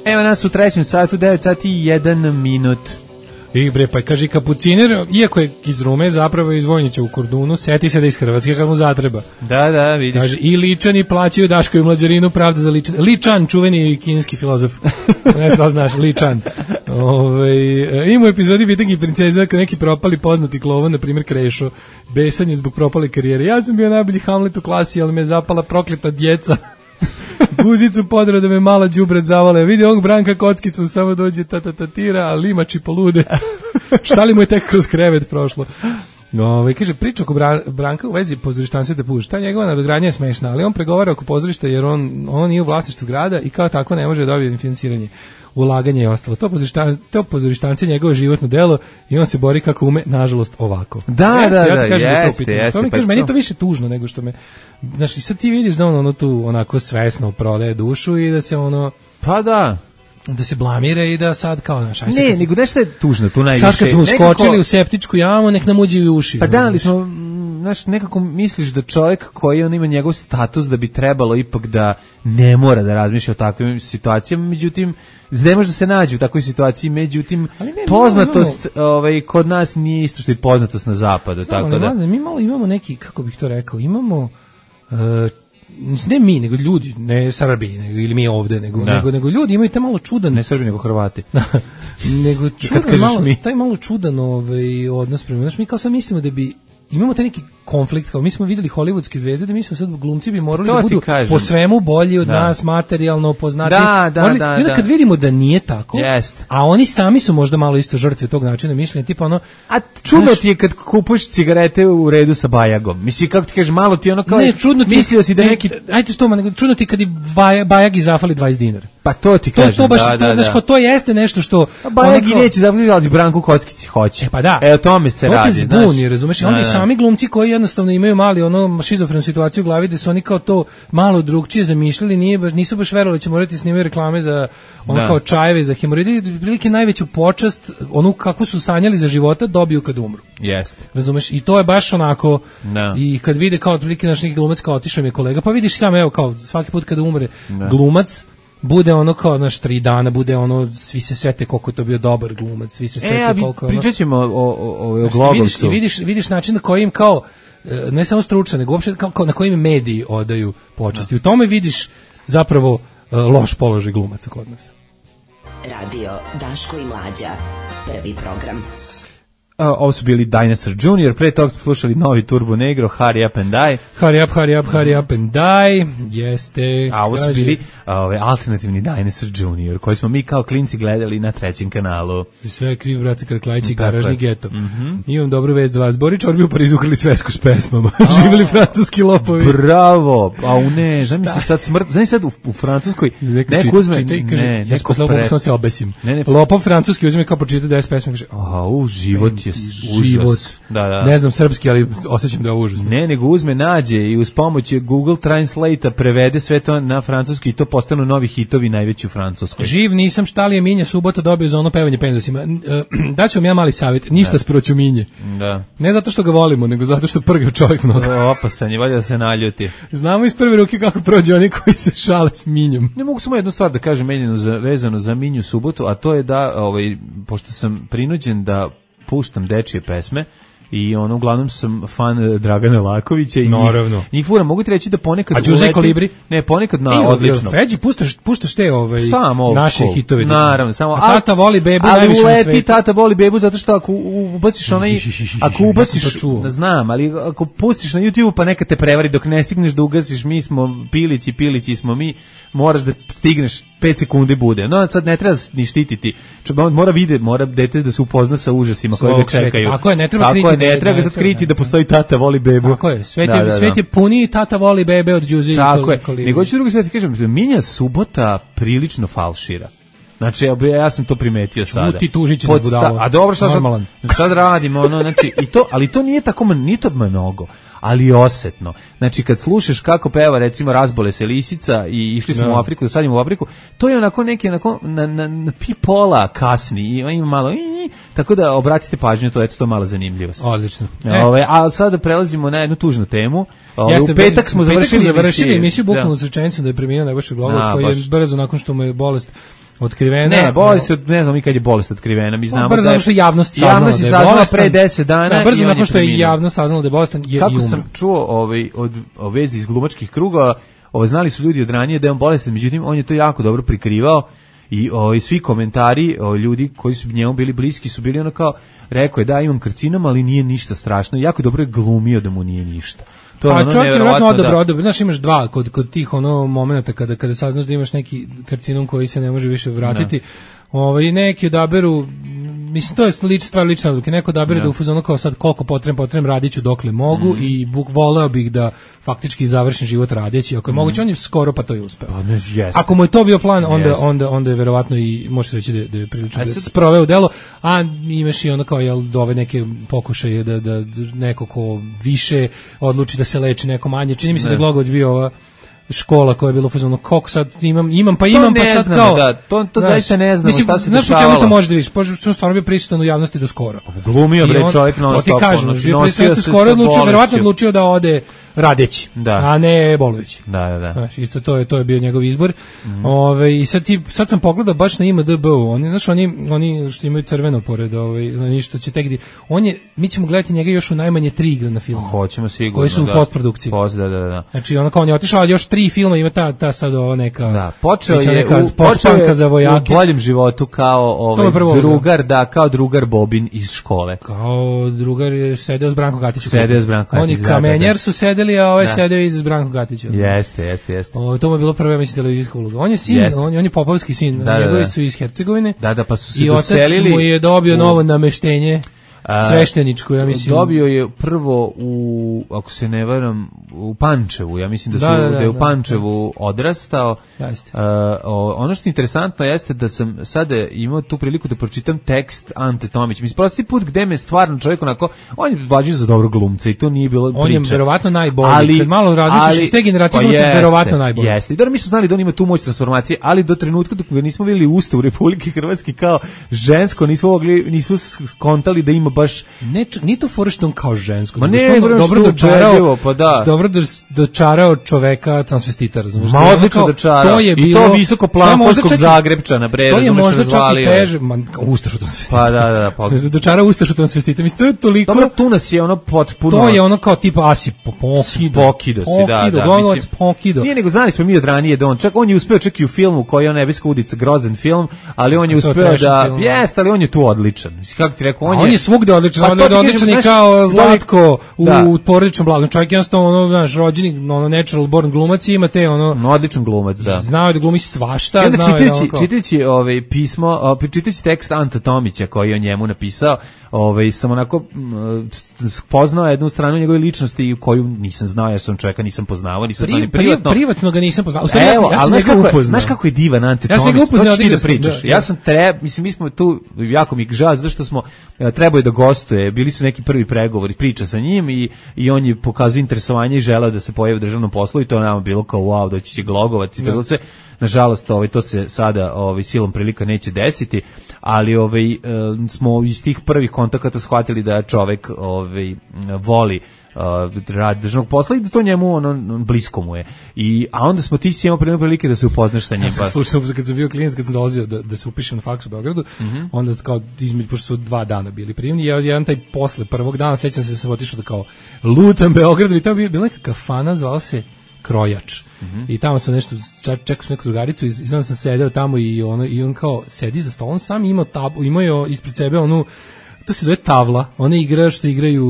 Evo nas u trećem satu, devet sati i jedan minut. I bre, pa kaže kapuciner, iako je iz Rume, zapravo je iz Vojnića u Kordunu, seti se da iz Hrvatske kad mu zatreba. Da, da, vidiš. Kaže, i Ličani plaćaju Daško i Mlađarinu, pravda za Ličan. Ličan, čuveni kineski filozof. Ne znam, znaš, Ličan. Ove, ima u epizodi Vitang i princeza kad neki propali poznati klovan, na primjer Krešo, besan je zbog propale karijere. Ja sam bio najbolji Hamlet u klasi, ali me je zapala prokleta djeca. Guzicu podro da me mala đubret zavale. Vidi ovog Branka kockicu, samo dođe tatatatira, a limači polude. Šta li mu je tek kroz krevet prošlo? Ove, kaže, priča oko Bran, Branka u vezi pozorištanstva te puša. Ta njegova nadogradnja je smešna, ali on pregovara oko pozorišta jer on, on nije u vlasništvu grada i kao tako ne može dobiti finansiranje, ulaganje i ostalo. To pozorištan, to pozorištanci je njegovo životno delo i on se bori kako ume, nažalost, ovako. Da, jeste, da, ja da, kažem jeste, to jeste. To mi Pa kaže, meni je to to više tužno nego što me, znaš, i sad ti vidiš da on ono tu onako svesno prodaje dušu i da se ono, pa da, da se blamira i da sad kao, znaš, aj se ne, kad smo, nego nešto je tužno tu najviše. sad kad smo Nekako- uskočili u septičku jamu, nek nam uđe i u uši. Pa da, ali znaš. smo, znaš, nekako misliš da čovjek koji on ima njegov status da bi trebalo ipak da ne mora da razmišlja o takvim situacijama, međutim, ne može da se nađe u takvoj situaciji, međutim, Ali ne, mi poznatost ovaj, kod nas nije isto što i poznatost na zapadu, Znamo, tako da... mlade, mi malo imamo neki, kako bih to rekao, imamo uh, ne mi, nego ljudi, ne Srbi, nego, ili mi ovde, nego, Da. nego, nego ljudi imaju taj malo čudan, Ne Srbi, nego Hrvati. nego čudan, kažeš malo, mi. taj malo čudan ovaj, odnos prema, znaš, mi kao sad mislimo da bi, imamo taj neki konflikt, kao mi smo videli hollywoodske zvezde, da mi smo sad glumci bi morali To da ti budu kažem. po svemu bolji od Da. nas, materijalno poznati. Da, da, Morali- da, I onda da. kad vidimo da nije tako, Jest. a oni sami su možda malo isto žrtve tog načina mišljenja, tipa ono, A čudno znaš, ti je kad kupuješ cigarete u redu sa Bajagom. Mislim, kako ti kažeš, malo ti je ono kao... ne, čudno ti, Mislio si da ne, neki... Ajde što, ma, nego čudno ti kad i Baja- Bajagi zafali dvadeset dinara. Pa to ti To, kažem, to baš, da, to, da, znaš, da. kao to jeste nešto što... A Bajagi onako- neće zaplatiti, ali Branku Kockici hoće. E pa da. E, o tome se to radi, te znaš. zbuni, razumeš? I Da, onda i da. sami glumci koji jednostavno imaju mali ono šizofrenu situaciju u glavi da su oni kao to malo drugčije zamišljali, nije baš, nisu baš verovali da će morati snimati reklame za ono Da. kao čajeve za hemoroide, prilike najveću počast, onu kako su sanjali za života dobiju kad umru. Jeste. Razumeš? I to je baš onako Da. i kad vide kao otprilike naš neki glumac kao otišao mi je kolega, pa vidiš samo evo kao svaki put kada umre glumac bude ono kao naš tri dana, bude ono, svi se sete koliko je to bio dobar glumac, svi se sete E, a vi koliko je ono... pričat ćemo o, o, o, o Znaš, Globovcu. vidiš, i vidiš, vidiš način na kojim kao, e, ne samo stručan, nego uopšte kao, kao na kojim mediji odaju počasti. U tome vidiš zapravo e, loš položaj glumaca kod nas. Radio Daško i Mlađa. Prvi program. A, ovo su bili Dinosaur junior, pre toga smo slušali novi Turbo Negro, Hurry Up and Die, Hurry up, hurry up, hurry up and die, jeste. a ovo su kaže, bili a, ove, alternativni Dinosaur junior, koji smo mi kao klinci gledali na trećem kanalu. Sve je kriv braca Karklajić i Tako garažni je. geto. Imam dobru vest za vas. Bori Čorbi u Parizu ukrili svesku s pesmama. Živjeli francuski lopovi. Bravo, a u ne, znam se sad smrt, znam sad u, u Francuskoj, Neko neko čita- uzme, čita i kaže, ne, ja neko posle pre... ovog sam se obesim. Ne, ne. Lopov francuski uzme kao pročita deset pesma i kaže, A, u, život je užas. život. Da, da. Ne znam srpski, ali osjećam da je ovo užasno. Ne, nego uzme, nađe i uz pomoć Google Translate-a prevede sve to na francuski i to postanu novi hitovi najveći u Francuskoj. Živ nisam, šta li je Minja subota dobio za ono pevanje penzasima. Daću vam ja mali savjet, ništa sproću Minje. Da. Ne zato što ga volimo, nego zato što prgav čovjek mnogo. Opasan je, valjda da se naljuti. Znamo iz prve ruke kako prođe oni koji se šale s Minjom. Ne mogu samo jednu stvar da kažem menjeno za, vezano za Minju subotu, a to je da, ovaj, pošto sam prinuđen da puštam dečije pesme, i ono, uglavnom sam fan Dragana Lakovića i Naravno. njih, njih fura, mogu ti reći da ponekad A Đuze i Kolibri? Ne, ponekad na E, odlično. Feđi, puštaš, puštaš te ovaj, Samo old naše school. hitove. Naravno, samo A tata voli bebu ali najviše na uleti svetu. tata voli bebu zato što ako u- ubaciš onaj, ako Ja ubaciš, sam to čuo. znam, ali ako pustiš na YouTube pa neka te prevari dok ne stigneš da ugasiš, mi smo pilići, pilići smo mi, moraš da stigneš pet sekundi bude. No, sad ne treba ni štititi. Čovjek mora vide, mora dete da se upozna sa užasima koji ga Svog sveta. čekaju. Tako je, ne treba Tako kriti je, da- ne treba ga da- sad kriti da- da postoji tata voli bebu. Tako je, svet je, Da, da, da. svet je puniji tata voli bebe od Đuze i Tako je. Kolibri. Nego ću drugo sve ti kažem, Minja subota prilično falšira. Znači, ja, ja sam to primetio sada. Čuti tužići na budalo. A dobro, šta sad, sad radimo, ono, znači, i to, ali to nije tako, nije to mnogo, ali osetno. Znači, kad slušaš kako peva, recimo, Razbole se lisica i išli smo no. u Afriku, dosadimo u Afriku, to je onako neki, onako, na, na, na pi pola kasni, i ima malo, i, tako da obratite pažnju, to je to malo zanimljivo. Odlično. E. Ove, a sada prelazimo na jednu tužnu temu. Ove, Jeste, u petak smo završili, završili emisiju bukvalno s rečenicom da je preminuo Nebojša Glogovac, koji je brzo nakon što mu je bolest otkrivena. Ne, bolest, ne znam mi kad je bolest otkrivena, mi znamo brzo da je, što je javnost saznala javnost da je saznala bolestan pre deset dana. Da, brzo nakon što je javnost saznala da je bolestan je Kako i umro. sam čuo ovaj, od, o vezi iz glumačkih krugova, ovaj, znali su ljudi od ranije da je on bolestan, međutim on je to jako dobro prikrivao i ovaj, svi komentari o, ljudi koji su njemu bili bliski su bili ono kao, rekao je da imam karcinom, ali nije ništa strašno, jako dobro je glumio da mu nije ništa. To a ono čovjek je vjerojatno odabro, da... odabro. Znaš, imaš dva kod, kod tih ono momenta kada, kada saznaš da imaš neki karcinom koji se ne može više vratiti. Ovaj, neki odaberu, mislim, to je lič, stvar lične odluke, neko odabere da u fazonu kao sad koliko potrebam, potrebam, radit ću dokle mogu mm. i buk voleo bih da faktički završim život radeći, ako je mm. moguće, on je skoro pa to je uspeo. Pa ne, yes. Ako mu je to bio plan, onda, yes. onda, onda je verovatno i, može se reći da, da je prilično da je sproveo u delo, a imaš i ono kao, jel, ove neke pokušaje da, da neko ko više odluči da se leči, neko manje. Čini mi se da je Glogovac bio ova škola koja je bila fazonu koliko sad imam imam pa imam pa sad znamo, kao da, to to znaš, zaista ne znamo mislim, šta se znaš dešavalo. Znaš čemu to može da vidiš? Pošto što stvarno bio prisutan u javnosti do skoro. Glumio bre čovjek non stop. To ti kažem, znači, bio prisutan do skoro, odlučio, verovatno odlučio da ode radeći, da. a ne bolujući. Da, da, da. Znaš, isto to je to je bio njegov izbor. Mm. Ove, i sad ti sad sam pogledao baš na I M D B-u. Oni znaš oni oni što imaju crveno pored ovaj na što će tek on je mi ćemo gledati njega još u najmanje tri igre na filmu. Hoćemo sigurno. Koji su u da. postprodukciji. Post, da, da, da. Znači ono kao on je otišao još tri filma, ima ta ta sad ova neka da, počeo je neka u, pospanka za vojake. U boljem životu kao ovaj drugar, da, kao drugar Bobin iz škole. Kao drugar je sedeo s Brankom Gatićem. Sedeo s Brankom Gatićem. Oni kamenjar su sedeli, a ovaj sedeo iz Brankom Gatićem. Jeste, jeste, jeste. O, to mu je bilo prva mislim televizijska uloga. On je sin, on, on je popovski sin, da, njegovi da, da. su iz Hercegovine. Da, da, pa su se i doselili. I otac mu je dobio u... novo nameštenje. Svešteničko, ja mislim. Dobio je prvo u, ako se ne varam, u Pančevu, ja mislim da, su, da, da, da, da je u Pančevu da. odrastao. Jeste. Uh, ono što je interesantno jeste da sam sada imao tu priliku da pročitam tekst Ante Tomić. Mislim, prosti put gde me stvarno čovjek onako, on je važio za dobro glumca i to nije bilo on priča. On je verovatno najbolji. Ali, kad malo razmisliš iz te generacije, pa glumca je verovatno najbolji. Jeste. I da mi smo znali da on ima tu moć transformacije, ali do trenutka dok ga nismo vidjeli u Ustavu Republike Hrvatske kao žensko, nismo mogli, nismo skontali da ima baš ne, ni to fora što on kao žensko. Ma ne, dobro, dobro dočarao, pa da. Dobro dočarao čoveka transvestita, razumiješ? Ma odlično dočarao. To je bilo, i to visoko planforskog Zagrebčana, bre, to je možda čak i teže, man, ustašu transvestita. Pa da, da, pa. Dočarao ustašu transvestita. Mislim, to je toliko... Dobro, tu nas je ono potpuno... To je ono kao tipa Asi Pokido. Pokido si, da, da. Glogovac Pokido. Nije nego znali smo mi od ranije da on, čak on je uspeo čak i u filmu koji je on Nebeska udica, grozan film, ali on je uspeo da... Jeste, ali on je tu odličan. Mislim, kako ti rekao, on je... On je svugde odličan, on je odličan i kao Zlatko u porodičnom blagom. Čovjek jednostavno, ono, znaš, rođeni, ono, natural born glumac ima te, ono... No, odličan glumac, da. Znao je da glumi svašta, znao je da ono kao... Čitajući ovaj pismo, čitajući tekst Anta Tomića koji je o njemu napisao, ovaj, sam onako poznao jednu stranu njegove ličnosti koju nisam znao, jer sam čovjeka nisam poznavao, nisam znao ni privatno. Privatno ga nisam poznao. U stvari, Evo, ja sam, ja sam ga upoznao. Znaš kako je divan Ante ja Tomić? Ja sam ga upoznao da ti da pričaš. Da, ja sam treba, mislim, mi smo tu, jako mi žao, zato što smo, trebao je da gostuje, bili su neki prvi pregovori, priča sa njim i, i on je pokazao interesovanje i želeo da se pojavi u državnom poslu i to nama bilo kao wow, doći će Glogovac i tako sve. Nažalost, ovaj, to se sada ovaj, silom prilika neće desiti, ali ovaj, smo iz tih prvih kontakata shvatili da čovek ovaj, voli rad državnog posla i da to njemu ono, blisko mu je. I, a onda smo ti si imao prilike da se upoznaš sa njim. Ja sam slušao, kad sam bio klinac, kad sam dolazio da, da se upišem na faks u Beogradu, mm-hmm. onda kao između, pošto su dva dana bili prijemni, ja jedan taj posle prvog dana, sećam se da sam otišao da kao lutam Beogradu i tamo je bila neka kafana, zvala se Krojač. Mm-hmm. I tamo sam nešto, čekao sam neku drugaricu i znam sam sedeo tamo i, ono, i on kao sedi za stolom, sam imao tabu, imao je ispred sebe onu, to se zove tavla, one igra što igraju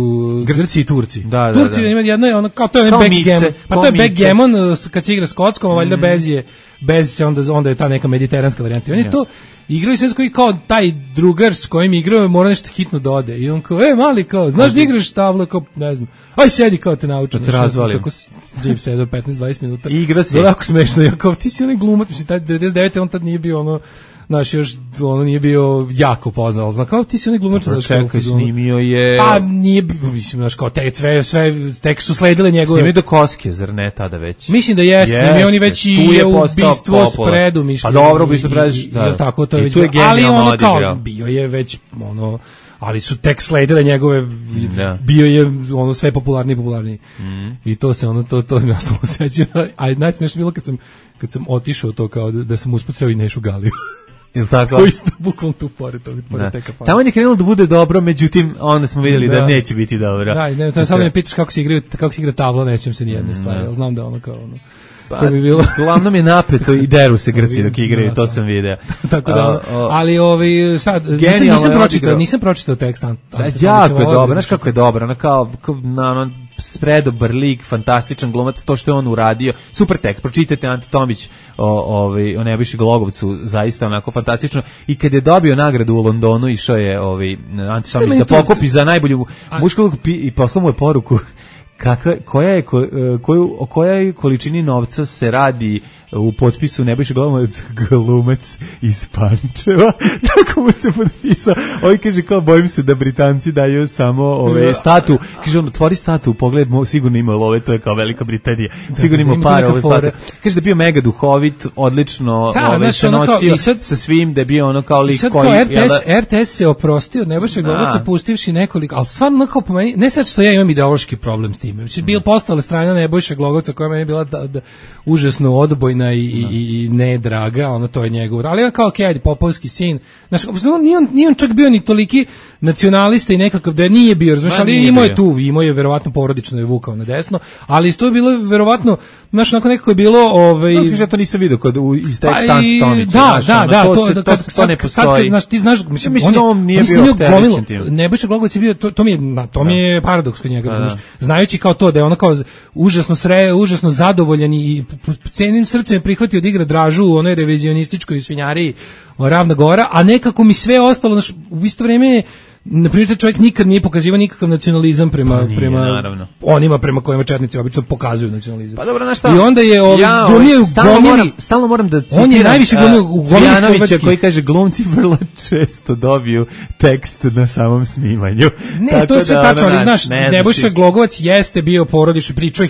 Grci i Turci. Da, da, Turci da. ima jedno je ono kao to je kao backgammon. Pa to je mice. backgammon kad se igra s kockom, a valjda mm. bez je bez se onda onda je ta neka mediteranska varijanta. On je ja. to igraju sve koji kao taj drugar s kojim igrao mora nešto hitno da ode. I on kao, e, mali, kao, znaš da igraš tavlu, kao, ne znam, aj sedi kao te naučim. Da te razvalim. Tako Jim sedao petnaest dvadeset minuta. Igra se. Ovako smešno, ja kao, ti si onaj glumac, mislim, taj devedeset devete on tad nije bio ono, znaš, još ono nije bio jako poznat, ali znam, kao ti si onaj glumač, znaš, čekaj, snimio je... Pa nije, mislim, znaš, kao te, sve, sve, tek su sledile njegove... Snimio do Koske, zar ne, tada već? Mislim da jeste, yes, snimio oni već i je ubistvo spredu, mišljenje. Pa dobro, ubistvo spredu, da. Tako, to je već, ali ono kao, bio je već, ono, ali su tek sledile njegove, da. Bio je ono sve popularniji i popularniji. Mm. I to se ono, to, to mi ostalo seća. A najsmešnije bilo kad sam, kad sam otišao to kao da, da sam uspacao i Nešu Galiju. Ili tako? Ko isto bukvalno tu pored toga, pored te kafane. Tamo je krenulo da bude dobro, međutim, onda smo vidjeli da, da neće biti dobro. Da, ne, to samo me pitaš kako se igra, kako se igra tabla, nećem se ni jedne stvari, ali znam da ono kao ono. Pa, to bi bilo. Uglavnom je napeto i deru se Grci dok igraju, to sam video. Tako da, uh, uh, ali ovaj sad nisam, nisam pročitao, nisam pročitao tekst. Da, jako je dobro, znaš kako je dobro, ona kao na spredobar lik, fantastičan glumac, to što je on uradio, super tekst, pročitajte Ante Tomić o, ovaj, o Nebojši Glogovcu, zaista onako fantastično, i kad je dobio nagradu u Londonu, išao je ovaj, Ante Tomić da pokupi za najbolju mušku ulogu i poslao mu je poruku kakva, koja je, ko, koju, o kojoj količini novca se radi u potpisu Nebojša Glogovac, glumac iz Pančeva. Tako mu se potpisao. Ovaj kaže kao, bojim se da Britanci daju samo ove statu. Kaže on, otvori statu, pogled, sigurno ima love, to je kao Velika Britanija. Sigurno ima par ove statu. Kaže da je bio mega duhovit, odlično da, ove, se nosio sad, sa svim, da je bio ono kao lik koji... Kao R T S, R T S se oprostio od Nebojša Glogovca pustivši nekoliko, ali stvarno kao po meni, ne sad što ja imam ideološki problem s tim. Znači, bil postala strana Nebojša Glogovca koja meni je bila da, da, užasno odbojna i, i, i ne draga, ono to je njegov, ali on kao ok, ajde, popovski sin, znaš, nije on, nije on čak bio ni toliki nacionalista i nekakav da nije bio, znaš, ali imao je tu, imao je verovatno porodično je vukao na desno, ali isto je bilo verovatno, znaš, onako nekako je bilo, ovaj, no, ja to nisam vidio kod u iz teksta Antonića, da, znaš, da, ono, da, to, to, se, to, to, sad, to ne postoji. Sad, znaš, ti znaš, mislim, mislim on, on nije on bio gomilu, Nebojša Glogovac je bio, to, to mi je, na, to mi je paradoks kod njega, znaš, znajući kao to da je ono kao užasno sre, užasno zadovoljan i cenim srcem prihvatio da igra Dražu u onoj revizionističkoj svinjariji Ravna Gora, a nekako mi sve ostalo, znaš, u isto vrijeme na primjer, čovjek nikad nije pokazivao nikakav nacionalizam prema, pa nije, prema onima prema kojima četnici obično pokazuju nacionalizam. Pa dobro, znaš šta? I onda je ovaj, ja, glumio stalno, moram, stalno moram da citiram on je najviše glumio u Cvijanovića koji kaže glumci vrlo često dobiju tekst na samom snimanju. Ne, tako to je sve da, tačno, ali znaš, Nebojša Glogovac jeste bio porodični pričao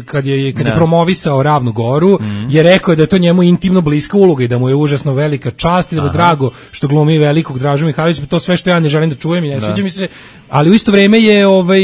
kad je, kad je promovisao Ravnu Goru, mm. je rekao da je to njemu intimno bliska uloga i da mu je užasno velika čast i da mu drago što glumi velikog Dražu Mihajlovića, to sve što ja ne želim da čujem i ne sviđa mi se, ali u isto vrijeme je ovaj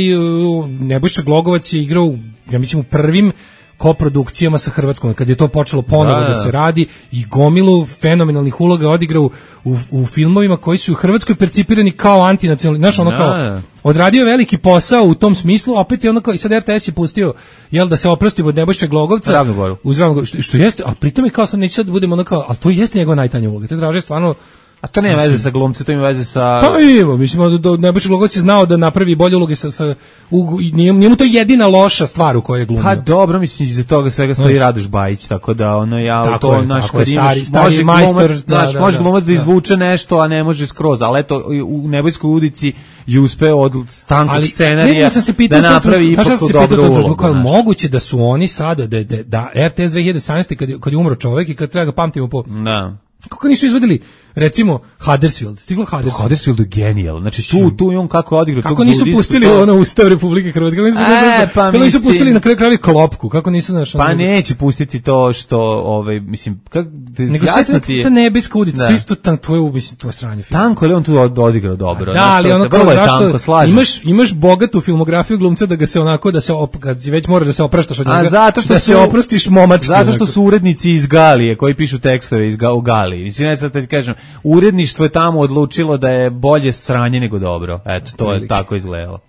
Nebojša Glogovac je igrao, ja mislim, u prvim koprodukcijama sa Hrvatskom, kad je to počelo ponovo da, da se radi i gomilu fenomenalnih uloga odigrao u, u filmovima koji su u Hrvatskoj percipirani kao antinacionalni, znaš, ono kao odradio veliki posao u tom smislu, opet je ono kao, i sad R T S je pustio, jel, da se oprosti od Nebojše Glogovca Ravnu Goru. Uz Ravnu Goru, što, što jeste, a pritom je kao sam neće sad da budemo ono kao, ali to jeste njegova najtanja uloga, te Draže stvarno. A to nema veze sa glumcem, to ima veze sa... Pa ima, mislim, da Nebojša Glogovac je znao da napravi bolje uloge sa... sa u, nije, nije mu to jedina loša stvar u kojoj je glumio. Pa dobro, mislim, iza toga svega stoji no. Radoš Bajić, tako da ono, ja tako to, je, naš, tako kad je, imaš, stari, stari može majstor, glumac, da, znaš, da, može da, glumac da, da izvuče nešto, a ne može skroz, ali eto, u Nebojskoj udici je uspeo od tankog scenarija da napravi ipak dobru ulogu. Kako je moguće da su oni sada, da, da, da R T S dve hiljade osamnaeste kad, kad je umro čovek i kad treba ga pamtimo po... Da. Kako nisu izvodili, recimo, Huddersfield, stiglo Huddersfield. Huddersfield je genijal, znači tu, tu i on kako je odigrao. Kako nisu pustili to... ono Ustav Republike Hrvatske, kako nisu, e, pa kako nisu pustili na kraju kraju klopku, kako nisu našli. Pa neće pustiti to što, ovaj, mislim, kako nego jasno ti je. Ta nebeska udica, to isto tam tvoje, mislim, tvoje sranje film. Tanko je on tu odigrao dobro. Da, ali ono kao zašto, imaš, imaš bogatu filmografiju glumca da ga se onako, da se, kad već moraš da se opraštaš od njega, zato što da se oprostiš momački. Zato što su urednici iz Galije, koji pišu tekstove iz Galije. Mislim, ne sad da ti kažem, uredništvo je tamo odlučilo da je bolje sranje nego dobro. Eto, to je tako izgledalo.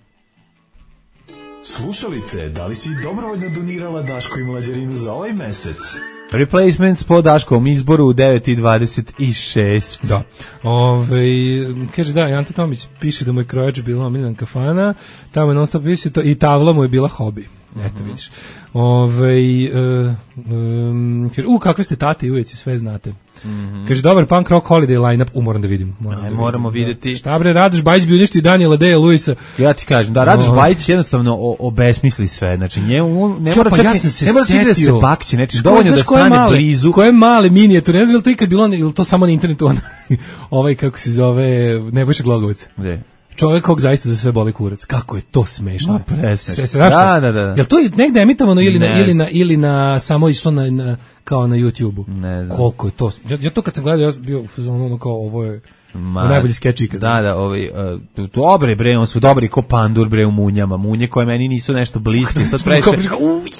Slušalice, da li si dobrovoljno donirala Daško i Mlađarinu za ovaj mesec? Replacements po Daškovom izboru u devet i dvadeset šest. Da. Ove, kaže da, Ante Tomić piše da mu je krojač bila omiljena kafana, tamo je non stop visio to i tavla mu je bila hobi. Eto, vidiš. Ovaj uh, um, u, kakve ste tate i ujeci, sve znate. Mm-hmm. Kaže, dobar punk rock holiday line-up, u, moram da vidim. Moram Aj, da moramo vidim, videti. Da. Šta bre, Radoš Bajić bi uništio Daniela Deja Luisa. Ja ti kažem, da, Radoš Bajić jednostavno o, obesmisli sve. Znači, njemu ne mora pa čak ja ni, se ne mora čak da se bakće, znači, dovoljno da stane male, blizu. Koje male minijature, ne znam li to ikad bilo, ili to samo na internetu, on, ovaj, kako se zove, Nebojša Glogovac. Gde? Čovjek kog zaista za sve boli kurac. Kako je to smešno. No, presne. Se, se, znaš da, da, da. Jel to negde emitovano ili, ne na, ili, na, ili na samo išlo na, na, kao na YouTubeu? Ne znam. Koliko je to? Ja, ja to kad sam gledao, ja sam bio ono kao ovo je Ma, najbolji skeč ikada. Da, da, ovaj, uh, dobre bre, on su dobri ko pandur bre u munjama. Munje koje meni nisu nešto bliske, sad preše.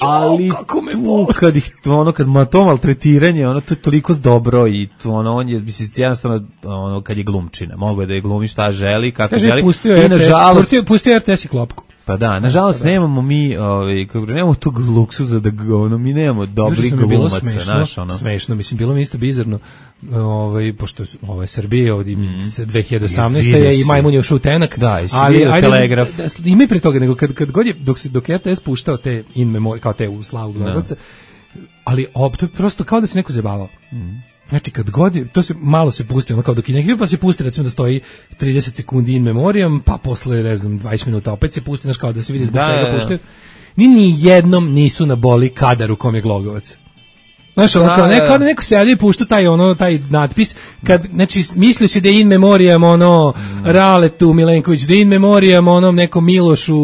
Ali kako me tu, kad ih, ono, kad ma to maltretiranje, ono, to je toliko dobro i to, ono, on je, mislim, jednostavno, ono, kad je glumčina. Mogu je da je glumi šta želi, kako kaže, želi. Pustio I, R T S, nažalost, pustio, pustio R T S i klopku. Pa da, nažalost, nemamo mi, ovaj, kako nemamo tog luksuza da, ono, mi nemamo dobrih glumaca, znaš, ono. Smešno, mislim, bilo mi isto bizarno, ovaj, pošto ovo je Srbija, ovdje mm. dve hiljade osamnaeste je i Majmun je ušao u tenak, da, ali ajde, telegraf. Da, da, ima i pre toga, nego kad, kad god je, dok, se, dok je R T S puštao te in memory, kao te u slavu Glogovca, ali op, to je prosto kao da se neko zabavao. Mm. Znači kad god je, to se malo se pusti, ono kao dok je neki pa se pusti recimo da stoji trideset sekundi in memoriam, pa posle ne znam dvadeset minuta opet se pusti, znači kao da se vidi zbog da, čega puštaju. Ni ni jednom nisu na boli kadar u kom je Glogovac. Znaš, ono kao neko, ono neko se javlja i pušta taj, ono, taj natpis, kad, znači, mislio si da je in memoriam, ono, mm. Raletu Milenković, da je in memoriam, onom nekom Milošu,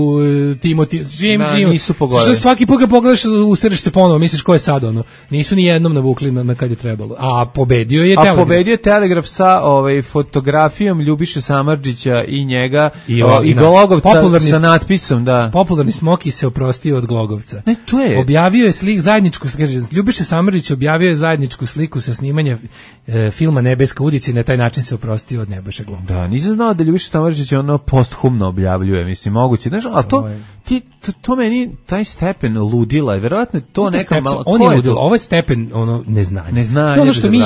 Timoti, svim, da, svim. nisu pogodili. Svaki put kad pogledaš, usreš se ponovo, misliš ko je sad, ono. Nisu ni jednom navukli na, na kad je trebalo. A pobedio je Telegraf. A pobedio je Telegraf sa ovaj, fotografijom Ljubiše Samardžića i njega, i, o, i Glogovca sa natpisom, da. Popularni Smoki se oprostio od Glogovca. Ne, to je. Objavio je slik, zajedničku, kaže, Ljubiše Samardžić objavio je zajedničku sliku sa snimanja e, filma Nebeska udica i na taj način se oprostio od Nebojše Glogovca. Da, nisam znao da Ljubiša Samardžić ono posthumno objavljuje, mislim, moguće. Znaš, ali to, ti, to, to meni, taj stepen ludila je, verovatno to neka stepen, malo... On je ludila, ovo je stepen ono, neznanja. Neznanje. To je ono što mi,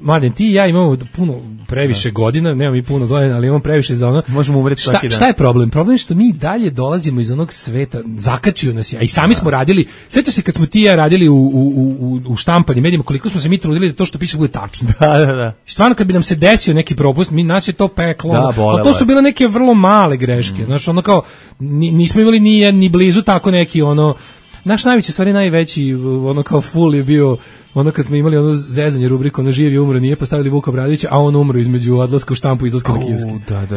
Mladen, ti i ja imamo puno, previše da. godina, nemam i puno godina, ali imam previše za ono... Možemo umreti šta, svaki dan. Šta je problem? Problem je što mi dalje dolazimo iz onog sveta, zakačio nas je, a i sami da. smo radili, sjećaš se kad smo ti i ja radili u, u, u, u štampanju medijima, koliko smo se mi trudili da to što piše bude tačno. Da, da, da. Stvarno kad bi nam se desio neki propust, mi nas je to peklo. Da, a to su bile neke vrlo male greške. Mm. Znači ono kao nismo imali ni ni blizu tako neki ono naš najveći stvari najveći ono kao full je bio ono kad smo imali ono zezanje rubriku ono živ je umro nije postavili Vuka Bradića a on umro između odlaska u štampu i izlaska na kiosk. Da, da, da, da.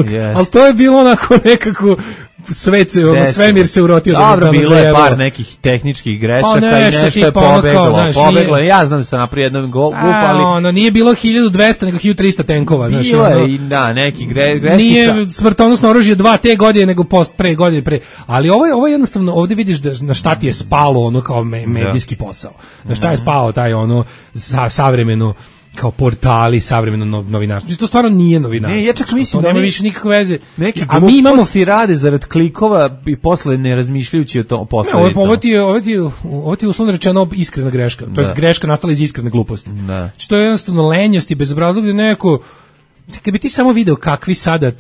Yes. Ali to je bilo onako nekako svet se, ono, svemir se urotio. Dobro, da bilo je par nekih tehničkih grešaka pa nešto, i nešto je pobeglo. Ono kao, pobeglo. Nije... Ja znam da sam napravio jednom guf, ali... Ono, nije bilo hiljadu dvesta, nego hiljadu trista tenkova. Bilo znači, ono, je i da, neki gre, greškica. Nije smrtonosno oružje dva te godine, nego post, pre godine pre. Ali ovo je, ovo je jednostavno, ovdje vidiš da, na šta ti je spalo ono kao me, medijski posao. Na šta je spao taj ono sa, savremeno kao portali, savremeno novinarstvo. To stvarno nije novinarstvo. Ne, ja čak mislim da nema više nikakve veze. Neki a mi imamo ti rade zarad klikova i posle ne razmišljajući o tom posledicama. Ne, ovo ti je, ovo ti je, ovo ti je uslovno rečeno iskrena greška. To je greška nastala iz iskrene gluposti. Da. Znači, to je jednostavno lenjost i bezobrazluk da neko kad bi ti samo video kakvi sada e,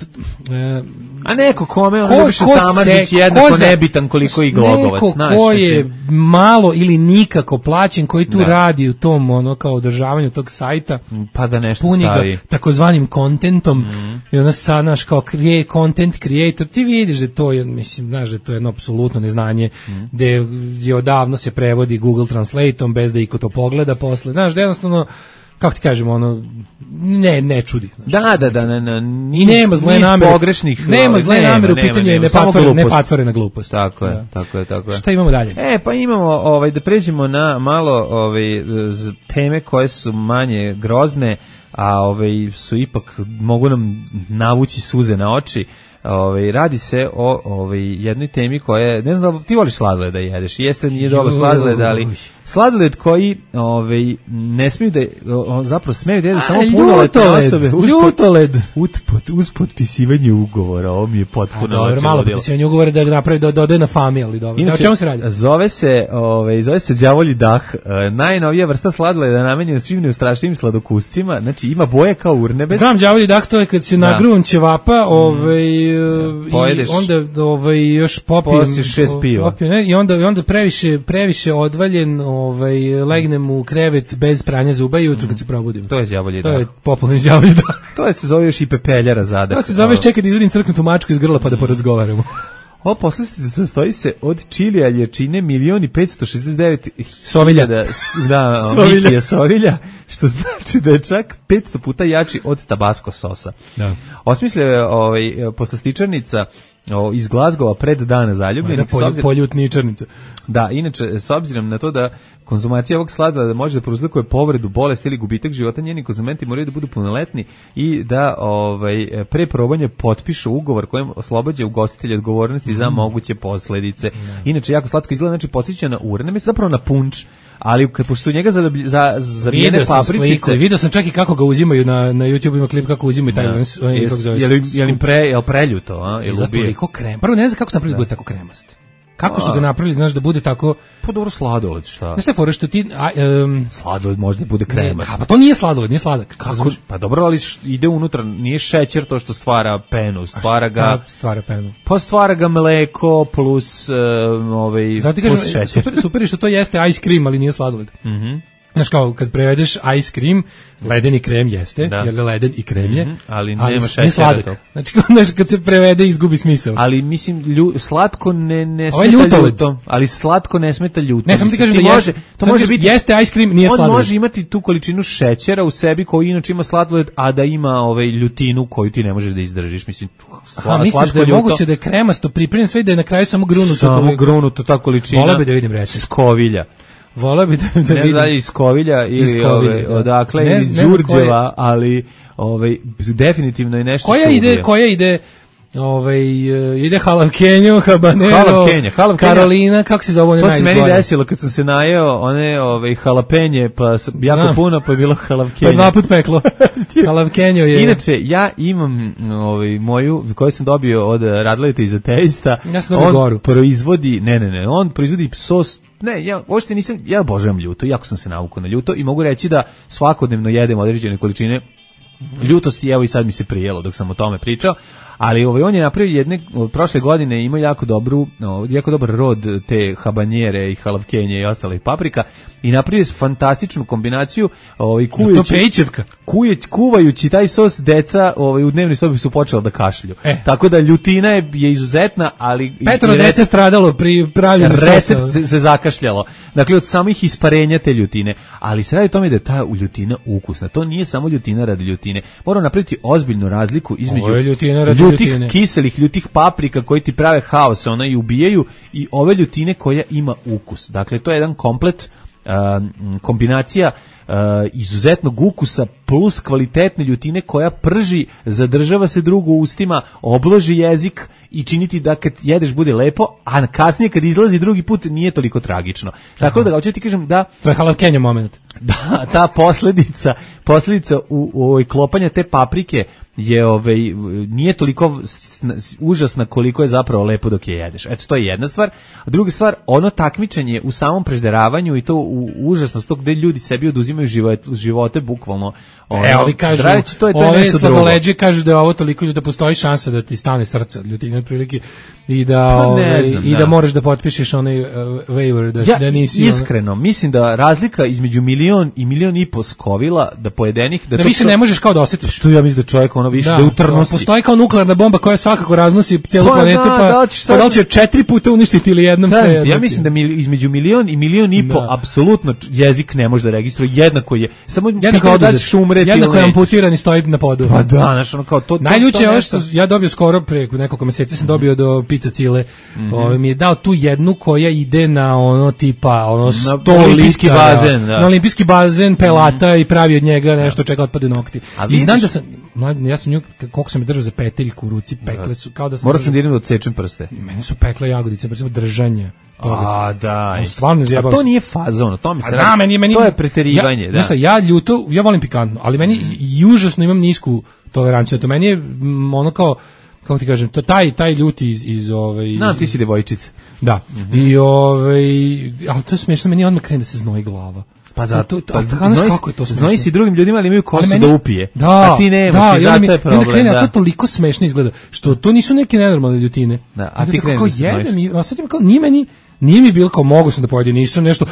a neko kome on Ljubiša Samardžić jednako nebitan koliko i Glogovac, neko znaš, ko je malo ili nikako plaćen koji tu da. radi u tom ono kao održavanju tog sajta pa da nešto puni stavi ga takozvanim kontentom mm. i onda sad naš kao create, content creator ti vidiš da to je mislim znaš da to je jedno apsolutno neznanje mm. da je odavno se prevodi Google Translateom bez da iko to pogleda posle znaš da jednostavno kako ti kažemo, ono, ne, ne čudi. Da, da, da, ne, ne, i nema zle namere, pogrešnih, nema zle namere, u pitanju je nepatvorena glupost. Tako je, tako je, tako je. Šta imamo dalje? E, pa imamo, ovaj, da pređemo na malo, ovaj, teme koje su manje grozne, a ovaj, su ipak, mogu nam navući suze na oči. Ovaj radi se o ovaj jednoj temi koja je ne znam da ti voliš sladoled da jedeš. Jeste nije dobro sladoled, ali Sladoled koji ovaj, ne smiju da, o, zapravo smeju da jedu samo A, punoletne osobe. Ljutoled, ljutoled. Uz, pod, uz potpisivanje ugovora, ovo mi je potpuno... A, dobro, malo potpisivanje ugovora da napravi, da dodaje na fami, ali dobro. Inače, o čemu se radi? Zove se, ovaj, zove se đavolji dah, e, najnovija vrsta sladoleda namenjena svim neustrašnjivim sladokuscima, znači ima boje kao urnebes. Znam, đavolji dah, to je kad se nagrun ćevapa, ovaj, mm. i onda ovaj, još popijem... Posiš šest piva. Popijem, ne, i onda, i onda previše, previše odvaljen, ovaj, legnem u krevet bez pranja zuba i jutro kad se probudim. To je đavolji dah. To je popularni đavolji dah. To je se zove još i pepeljara zadak. To se zove čekaj da izvadim crknutu mačku iz grla pa da porazgovaramo. Ovo poslastica sastoji se od čilija, lječine, milion i petsto šezdeset devet sovilja. Da, mitija sovilja, što znači da je čak petsto puta jači od tabasco sosa. Da. Osmislio je ovaj, poslastičarnica o, iz Glazgova pred dana zaljubljenih. Da, polju, poljutničarnica. Da, inače, s obzirom na to da konzumacija ovog sladoleda može da prouzrokuje povredu, bolest ili gubitak života, njeni konzumenti moraju da budu punoletni i da ovaj, pre probanja potpišu ugovor kojim oslobađa ugostitelja odgovornosti mm. za moguće posledice. Mm. Inače, jako slatko izgleda, znači podsjeća na urne, zapravo na punč, ali kad pošto su njega za za zavijene papričice, video sam čak i kako ga uzimaju na na YouTube, ima klip kako uzimaju taj on kako zove. Je li je li pre, je li preljuto, a? Je li toliko krem. Prvo ne znam kako se napravili da bude tako kremast. Kako su ga napravili, znaš, da bude tako... Pa dobro, sladoled, šta? Znaš te fore što ti... A, um, sladoled može da bude kremast. A pa to nije sladoled, nije sladak. Kako? Pa dobro, ali ide unutra, nije šećer to što stvara penu, stvara ga... stvara penu? Pa stvara ga mleko plus, uh, ovaj, Zato plus kažem, šećer. Super, super je što to jeste ice cream, ali nije sladoled. Mhm. Znaš kao, kad prevedeš ice cream, ledeni krem jeste, da. Jer je leden i krem je, mm-hmm, ali, ali nema šećera. Sladak. To. Znači, kad se prevede, izgubi smisao. Ali, mislim, lju, slatko ne, ne smeta ljuto, ali slatko ne smeta ljuto. Ne, samo ti kažem da može, jeste, to može biti, jeste ice cream, nije sladoled. On može imati tu količinu šećera u sebi koji inače ima sladoled, a da ima ovaj ljutinu koju ti ne možeš da izdržiš. Mislim, sla, Aha, misliš da je ljuto, moguće da je kremasto pripremljen sve i da je na kraju samo grunuto? Samo to, grunuto, ta količina. Vola bi da vidim reći. Skovilja. Vola bi da, da ne vidim. Ne znam iz Kovilja ili iz Kovilja, ove, da. Odakle, ne, iz Đurđeva, ali ove, definitivno je nešto koja što ide, ubije. Koja ide, ove, ide halavkenjo, habanero, halavkenja, halavkenja. Karolina, kako se zove one najbolje? To se meni desilo kad sam se najeo one ove, halapenje, pa jako da. Puno, pa je bilo halavkenja. Pa dva put peklo. Halavkenjo je... Inače, ja imam ovaj, moju, koju sam dobio od Radleta iz Ateista. Ja sam dobio on goru. proizvodi, ne, ne, ne, on proizvodi sos. Ne, ja uopšte nisam, ja obožavam ljuto, jako sam se navukao na ljuto i mogu reći da svakodnevno jedem određene količine ljutosti, evo i sad mi se prijelo dok sam o tome pričao, ali ovaj, on je napravio jedne, prošle godine imao jako dobru, jako dobar rod te habanjere i halavkenje i ostalih paprika i napravio je fantastičnu kombinaciju ovaj, kuvajući, kujeć, kuvajući taj sos deca ovaj, u dnevnoj sobi su počela da kašlju. E. Tako da ljutina je, je izuzetna, ali... Petro dece recept, stradalo pri pravljenju sosa. Recept se, se zakašljalo. Dakle, od samih isparenja te ljutine. Ali se radi o tome da je ta ljutina ukusna. To nije samo ljutina radi ljutine. Moramo napraviti ozbiljnu razliku između ljutih, ljutine. Kiselih, ljutih paprika koji ti prave haos, ona i ubijaju, i ove ljutine koja ima ukus. Dakle, to je jedan komplet uh, kombinacija uh, izuzetnog ukusa plus kvalitetne ljutine koja prži, zadržava se drugo u ustima, obloži jezik i činiti da kad jedeš bude lepo, a kasnije kad izlazi drugi put nije toliko tragično. Tako Aha. da hoću ti kažem da to je halavkenjo moment. Da, ta posljedica, posljedica u, u ovoj klopanja te paprike je ovaj nije toliko užasna koliko je zapravo lepo dok je jedeš. Eto, to je jedna stvar. A druga stvar, ono takmičenje u samom prežderavanju i to u užasnost tog gde ljudi sebi oduzimaju živote, živote bukvalno. Ono, e, ovi kažu, zdravići, to je, to je ove sladoleđe kažu da je ovo toliko ljudi, da postoji šansa da ti stane srce od ljutine otprilike i da, pa ove, znam, i da. da moraš da potpišeš onaj uh, waiver, da, ja, da nisi... Iskreno, ono... mislim da razlika između milion i milion i po skovila da pojedenih... Da, da to više to, ne možeš kao da osjetiš. To ja mislim da čovjek ono više da, da utrnosi. Postoji kao nuklearna bomba koja svakako raznosi cijelu pa, planetu, da, pa da, pa da li će četiri puta uništiti ili jednom da, sve. Ja mislim da mil, između milion i milion i po da. apsolutno jezik ne može da registruje, jednako je. Samo jednako da ćeš umreti. Jednako je amputiran i stoji na podu. Pa da, znaš, ono kao to... Najljuće je ovo što ja dobio skoro, pre nekoliko meseci sam dobio do Pizza Cile, mm-hmm. Ovo, mi je dao tu jednu koja ide na ono tipa, ono sto olimpijski bazen, da. Na olimpijski bazen, pelata mm-hmm. i pravi od njega nešto čega otpade nokti. A I znam da sam... mlad, ja sam nju, koliko sam je držao za peteljku u ruci, pekle su, kao da sam... Morao sam dirati da odsečem prste. Mene su pekle jagodice, recimo držanje. A, da. Stvarno zjebao. A to nije fazon, to mi se Znam, meni, meni, to je preterivanje, ja, da. Znaš, ja ljuto, ja volim pikantno, ali meni mm. i užasno imam nisku toleranciju. To meni je m, ono kao, kako ti kažem, to taj taj ljuti iz iz ovaj. Znam, ti si devojčica. Da. Mm-hmm. I ovaj, ali to je smiješno, meni odmah krene da se znoji glava. Pa zato, to, to, pa znaš kako je to smešno. Znoji si drugim ljudima, ali imaju kosu meni, da upije. Da, a ti nemaš da, i zato mi, je problem. Krene, da. A to toliko smešno izgleda, što to nisu neke nenormalne ljutine. Da, a ti kreneš da se znojiš. A sad im kao, nije meni, nije mi bilo kao mogu sam da pojedim, nisam nešto,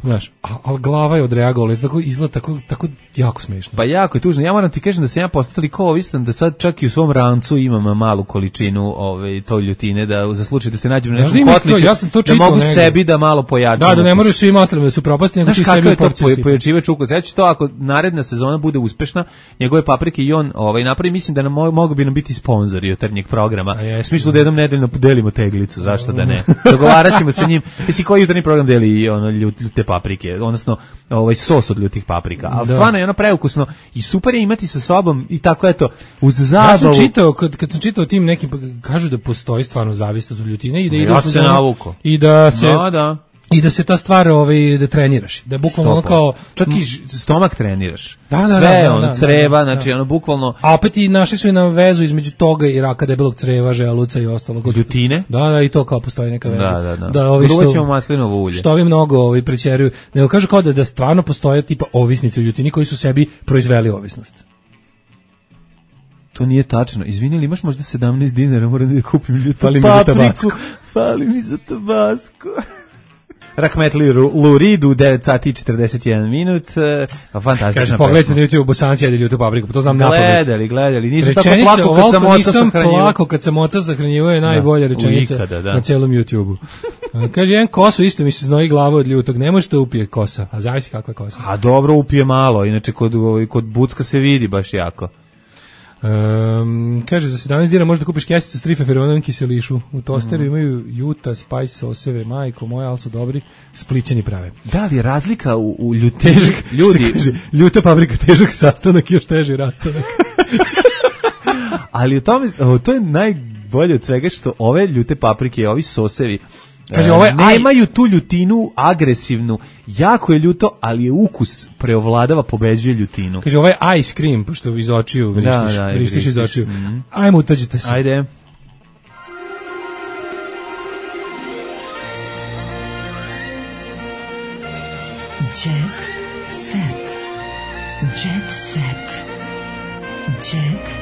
znaš, a, a glava je odreagovala, tako izgleda tako, tako jako smešno. Pa jako je tužno, ja moram ti kažem da sam ja postao toliko ovisan da sad čak i u svom rancu imam malu količinu ove, to ljutine, da za slučaj da se nađem na nekom kotliću, ja sam to da mogu nego. sebi da malo pojačam. Da, da ne moraju svima ostalim da su propasti, nego ti sebi u porciju. Znaš pojačivač ukus, ja ću to ako naredna sezona bude uspešna, njegove paprike i on ovaj, napravi, mislim da nam mogu bi nam biti sponzori jutarnjeg programa. U smislu da jednom nedeljno podelimo teglicu, zašto da ne. Dogovarat ćemo se njim. Jesi koji jutarnji program deli ono ljute paprike, odnosno ovaj sos od ljutih paprika. Al stvarno je ono preukusno i super je imati sa sobom i tako eto uz zabavu. Ja sam čitao kad kad sam čitao tim nekim kažu da postoji stvarno zavisnost od ljutine i da ide ja se navuko. I da se da, da. I da se ta stvar ovaj da treniraš, da bukvalno ono kao čak i stomak treniraš. Da, da, sve da, da, ono da, creva, da, da, znači ono bukvalno. A opet i našli su i na vezu između toga i raka debelog creva, želuca i ostalog. Ljutine? Da, da, i to kao postoji neka veza. Da, da, da. Da, ovi što ćemo maslinovo ulje. Što ovi mnogo ovi prećeruju. Nego kažu kao da da stvarno postoje tipa ovisnici u ljutini koji su sebi proizveli ovisnost. To nije tačno. Izvini, li imaš možda sedamnaest dinara, moram da kupim ljutu Fali mi za tabasku. Fali mi za tabasku. Rahmetli Lurid u devet sati i četrdeset jedan minut. Fantastična. Kaže, pogledajte na YouTube, Bosanci jede ljutu papriku, to znam napamet. Gledali, gledali. Nisu rečenica, tako plako kad sam oca nisam sahranjivo. plako kad sam oca sahranjivo je najbolja rečenica ikada, da. Na celom YouTube-u. Kaže, jedan kosu isto mi se znoji glava od ljutog, ne možete upije kosa, a zavisi kakva je kosa. A dobro, upije malo, inače kod, kod bucka se vidi baš jako. Um, kaže, za sedamnaest dinara možda kupiš kesicu s trifeferonom kiselišu. U tosteru mm. imaju juta, spice soseve, majko moja, ali su dobri, splićeni prave. Da li je razlika u, u ljutini? Težak, ljudi, kaže, ljuta paprika, težak sastanak i još teži rastanak. Ali u tome, to je najbolje od svega što ove ljute paprike i ovi sosevi kaže, ovo je, nemaju tu ljutinu agresivnu, jako je ljuto, ali je ukus preovladava, pobeđuje ljutinu. Kaže, ovo je ice cream, pošto iz očiju vrištiš, da, da, vrištiš iz očiju. Mm-hmm. Ajmo, utađite se. Ajde. Jet set. Jet set. Jet set.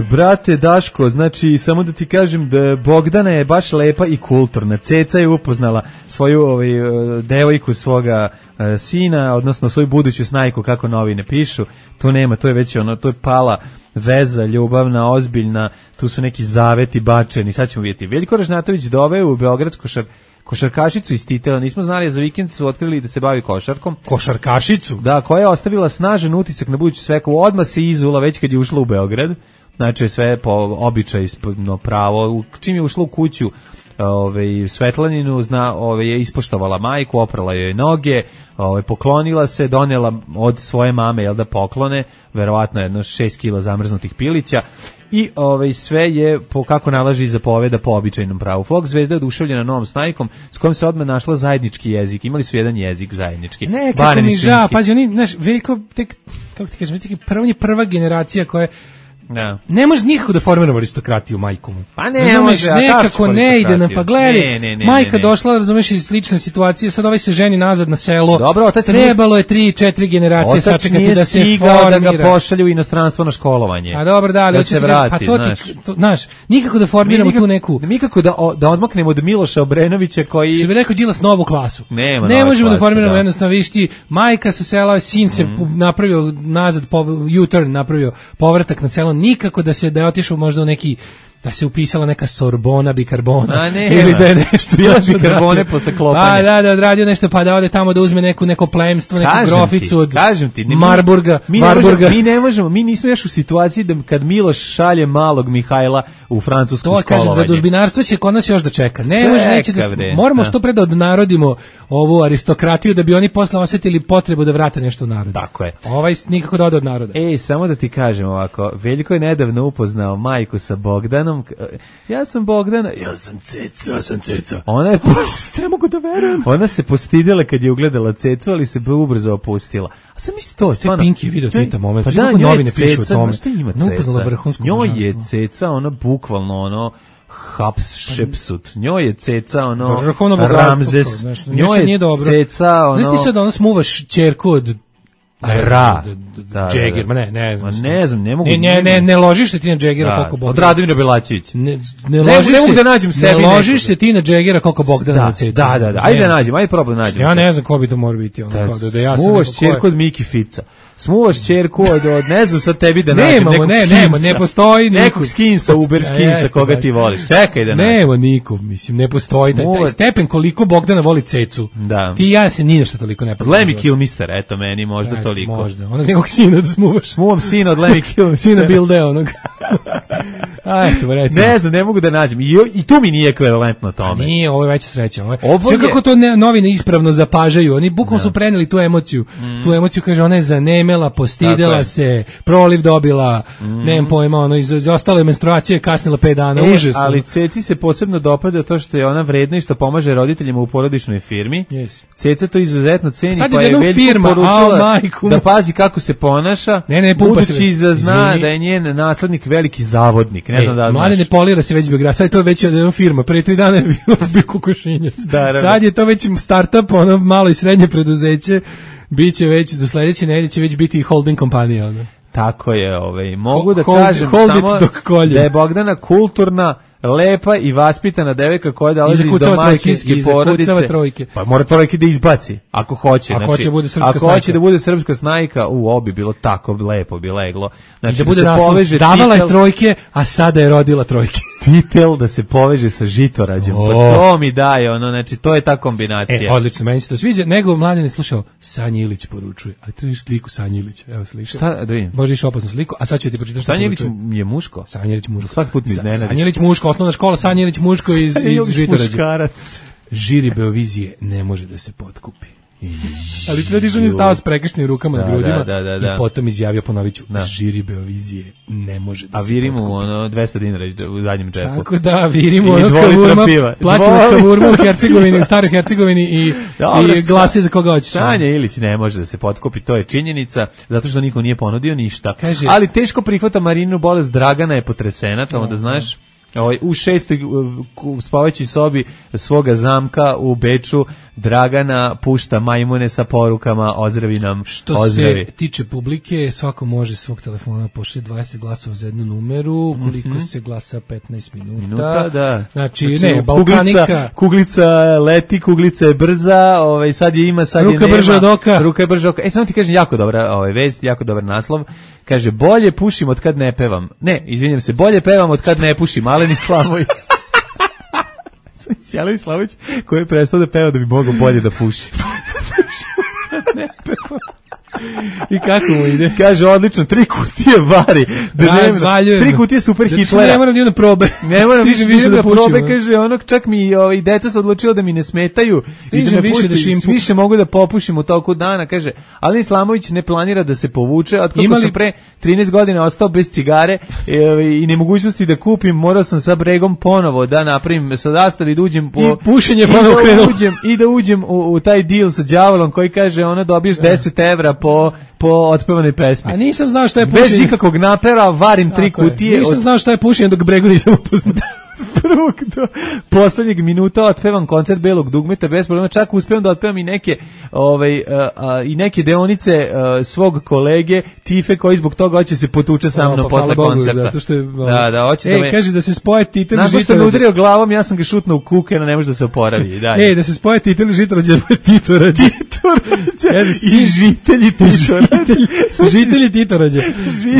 Brate Daško, znači samo da ti kažem da Bogdana je baš lepa i kulturna. Ceca je upoznala svoju ovaj, devojku svoga uh, sina, odnosno svoju buduću snajku, kako novine pišu. To nema, to je već ono, to je pala veza, ljubavna, ozbiljna, tu su neki zaveti bačeni. Sad ćemo vidjeti. Veljko Ražnatović doveo u Beograd košar, košarkašicu iz Titela, nismo znali, za vikend su otkrili da se bavi košarkom. Košarkašicu? Da, koja je ostavila snažan utisak na buduću sveku. Odmah se izula već kad je ušla u Beograd. Znači sve po običaju no, pravo. Čim je ušla u kuću ove, Svetlaninu, zna, ove, je ispoštovala majku, oprala joj noge, ove, poklonila se, donela od svoje mame jel da poklone, verovatno jedno šest kila zamrznutih pilića i ove, sve je po kako nalaži zapoveda po običajnom pravu. Fox zvezda je oduševljena novom snajkom s kojom se odmah našla zajednički jezik. Imali su jedan jezik zajednički. Ne, kako mi žao, pazi, oni, znaš, Veljko, tek, kako ti kažem, prva, prva generacija koja je No. Ne može nikako da formiramo aristokratiju majku mu. Pa ne, ne može, nekako ne ide nam, pa gledaj, ne, ne, ne, majka ne, ne. došla, razumeš, iz slične situacije, sad ovaj se ženi nazad na selo. Dobro, otac trebalo nije, je tri, četiri generacije sačekati da se formira. Da ga pošalju u inostranstvo na školovanje. A dobro, da, ali da se vrati, pa to znaš. Ti, to, znaš, nikako da formiramo nikako, tu neku. Nikako da da odmaknemo od Miloša Obrenovića koji što bi rekao Đilas novu klasu. Nema ne možemo klase, da formiramo da. jednostavno višti, majka sa sela, sin se mm. napravio nazad, U-turn napravio povratak na selo, nikako da se da je otišao možda u neki da se upisala neka Sorbona bikarbona A ne, ili da je nešto bila još bikarbone odradio. posle klopanja. Pa da, da odradio nešto pa da ode tamo da uzme neku neko plemstvo, neku Kažem groficu ti, od kažem ti, ne, Marburga, mi, mi, ne Marburga. možemo, mi ne možemo, mi nismo još u situaciji da kad Miloš šalje malog Mihajla u francusku To kažem, školovanje. za dužbinarstvo će kod nas još da čeka. Ne Čeka, može, neće da, bre, moramo da. što pre da odnarodimo ovu aristokratiju da bi oni posle osetili potrebu da vrate nešto u narod. Tako je. Ovaj nikako da ode od naroda. Ej, samo da ti kažem ovako, Veljko je nedavno upoznao majku sa Bogdanom. Ja sam Bogdana, ja sam Ceca, Ja sam Ceca. Ona je post... Ne mogu da verujem. Ona se postidela kad je ugledala Cecu, ali se ubrzo opustila. A sam misli to, stvarno. Pinky video tvita moment. Pa Znaš da, kako njoj je novine pišu o Ceca, tome? znaš šta ima Ne upoznala Ceca? vrhunsko Njoj je božanstvo. Ceca, ona bukvalno ono Hapšepsut. Njoj je Ceca, ono Vrhovno bogatstvo, Ramzes. znaš, Njoj nešto nije je dobro. Ceca, ono... Znaš ti sad da ona smuvaš ćerku od Ra. Da, Džegir, ma ne, ne znam. Ma ne znam, ne mogu... Ne, ne, ne, ne ložiš se ti na Džegira Da, koliko Bogdana. od Radimira Belačevića. Ne, ne, Ne ložiš mogu se, da nađem sebi ne ložiš nekoga. se ti na Džegira koliko Bogdana Da, na Cecu. da, da, da. Ajde da nađem, ajde probaj da nađem. Ja ne znam ko bi to mora biti. Ono, Da, kao da, da ja sam smuvaš neko ko je- ćerku od Miki Fica. Smuvaš ćerku od, od, ne znam sad tebi da nađem Nemamo, nekog ne, skinsa. nema, ne postoji niko. Nekog skinsa, Uber A, skinsa, jeste, koga baš. ti voliš. Čekaj da nađem. Nema niko, mislim, ne postoji taj, taj Smuva- stepen koliko Bogdana voli Cecu. Da. Ti i ja se ni nešto toliko ne poznamo. Lemmy Kilmister, eto meni možda Eto, toliko. Možda, onog nekog sina da smuvaš. Smuvam sina od Lemmy Kilmistera. Sina Bilde onog. A, eto, recimo. Ne znam, ne mogu da nađem. I, I tu mi nije ekvivalentno tome. Nije, ovo je veća sreća. Ovo je, Ovo sve je- kako to ne, novine ispravno zapažaju. Oni bukvalno su preneli tu emociju. Tu emociju, kaže, ona je zanemela, Tako postidela je. se, proliv dobila, nemam pojma, ono, iz, iz ostale menstruacije kasnila pet dana, E, užas. ali Ceci se posebno dopada to što je ona vredna i što pomaže roditeljima u porodičnoj firmi. Yes. Ceca to izuzetno ceni, Sad je pa je odjednom Veljku firma, poručila a, majku. da pazi kako se ponaša, Ne, ne, pumpa se. budući da zna Izvini. da je njen naslednik veliki zavodnik. Ne E, znam da li mlade ne znaš. polira se već Beograd, sad je to već jedna firma, pre tri dana je bilo bio kokošinjac. Da, da, da. Sad je to već startup, ono malo i srednje preduzeće, biće već, do sledeće nedelje će već biti holding kompanija. Ono. Tako je, ovaj. Mogu Ho- da hold- kažem hold it samo dok kolje. da je Bogdana kulturna, lepa i vaspitana devojka koja dolazi iz zakucava trojke, domaćinske i zakucava porodice. trojke. Pa mora trojke da izbaci, ako hoće. Ako znači, hoće da bude srpska ako snajka. hoće da bude srpska snajka, u obi bilo tako lepo bi leglo. Znači I da bude se naslov, poveže davala je titel- trojke, a sada je rodila trojke. titel da se poveže sa žitorađem. O. Pa to mi daje, ono, znači to je ta kombinacija. E, odlično, meni se to sviđa. Nego mladen je slušao, Sanja Ilić poručuje. Ali trebaš sliku Sanja Ilića. Evo slika. Šta, da vidim. Može više opasnu sliku, a sad ću ti pročitati šta Sanja Ilić poručuje. je muško? Sanja Ilić muško. Svaki put mi Sa- iznenadi. Sanja Ilić muško, osnovna škola Sanja Ilić muško iz, Sanja iz Ilić Žitorađa. muškarac. Žiri Beovizije ne može da se potkupi. Ali Tradižan je stao s prekršnim rukama Da, na grudima da, da, da, da. i potom izjavio, ponovit ću, Da. žiri Beovizije ne može da A se viri mu potkupi. ono dvesta dinara u zadnjem džepu. Tako da, virimo I ono dva litra kavurma, piva. plaćamo Dva litra. kavurma u Hercegovini, u staroj Hercegovini i, Dobro, i glasi za koga hoćeš. Sanja Ilić ne može da se potkupi, to je činjenica, zato što niko nije ponudio ništa. Kaže- Ali teško prihvata Marinu bolest, Dragana je potresena, tamo da znaš. Ovaj, u šestoj uh, ku- spavajućoj sobi svoga zamka u Beču Dragana pušta majmune sa porukama ozdravi nam, Što ozdravi. se tiče publike, svako može svog telefona pošli dvadeset glasova za jednu numeru, koliko se glasa petnaest minuta. Minuta, da. Znači, ne, kuglica, Balkanika. kuglica leti, kuglica je brza, ovaj, sad je ima, sad Ruka je nema. brža od oka. Ruka je brža od oka. E, samo ti kažem, jako dobra ovaj, vest, jako dobar naslov. Kaže, bolje pušim od kad ne pevam. Ne, izvinjam se, bolje pevam od kad ne pušim. Alen Islamović. Alen Islamović koji je prestao da peva da bi mogao bolje da puši. I kako mu ide? Kaže, odlično, tri kutije vari. dnevno. Razvaljujem. Tri kutije super Zato što Hitlera. ne moram ni da probe. Ne moram više, Stižem više da pušim, probe, ono. kaže, onog čak mi ovaj, deca se odlučila da mi ne smetaju i Stižem da me više pusti, da šimpu. više mogu da popušim u toku dana, kaže, ali Islamović ne planira da se povuče, od kako Ima li- sam pre trinaest godina ostao bez cigare e, i nemogućnosti da kupim, morao sam sa bregom ponovo da napravim sa zastavi, da uđem po, I pušenje i ponovo da krenulo. uđem, i da uđem u, u taj deal sa đavolom koji kaže, ono dobiješ deset evra po, po otpevanoj pesmi. A nisam znao šta je Bez pušenje. ikakvog napera varim tri Tako je. kutije Nisam od znao šta je pušenje dok bregu nisam upoznao. prvog do poslednjeg minuta otpevam koncert Belog dugmeta bez problema, čak uspevam da otpevam i neke ovaj, a, a, i neke deonice a, svog kolege Tife koji zbog toga hoće se potuče sa mnom pa, posle Bogu, koncerta. Zato što je, da, da, hoće ej, da me... kaže da se spoje titel Nakon što me žitorođe. udario glavom, ja sam ga šutnuo u kukena, ne može da se oporavi. Dalje. Ej, da se spoje titel žitorođe, Titorađe. Titorađe. I žitelji Titorađe. Žitelji Titorađe.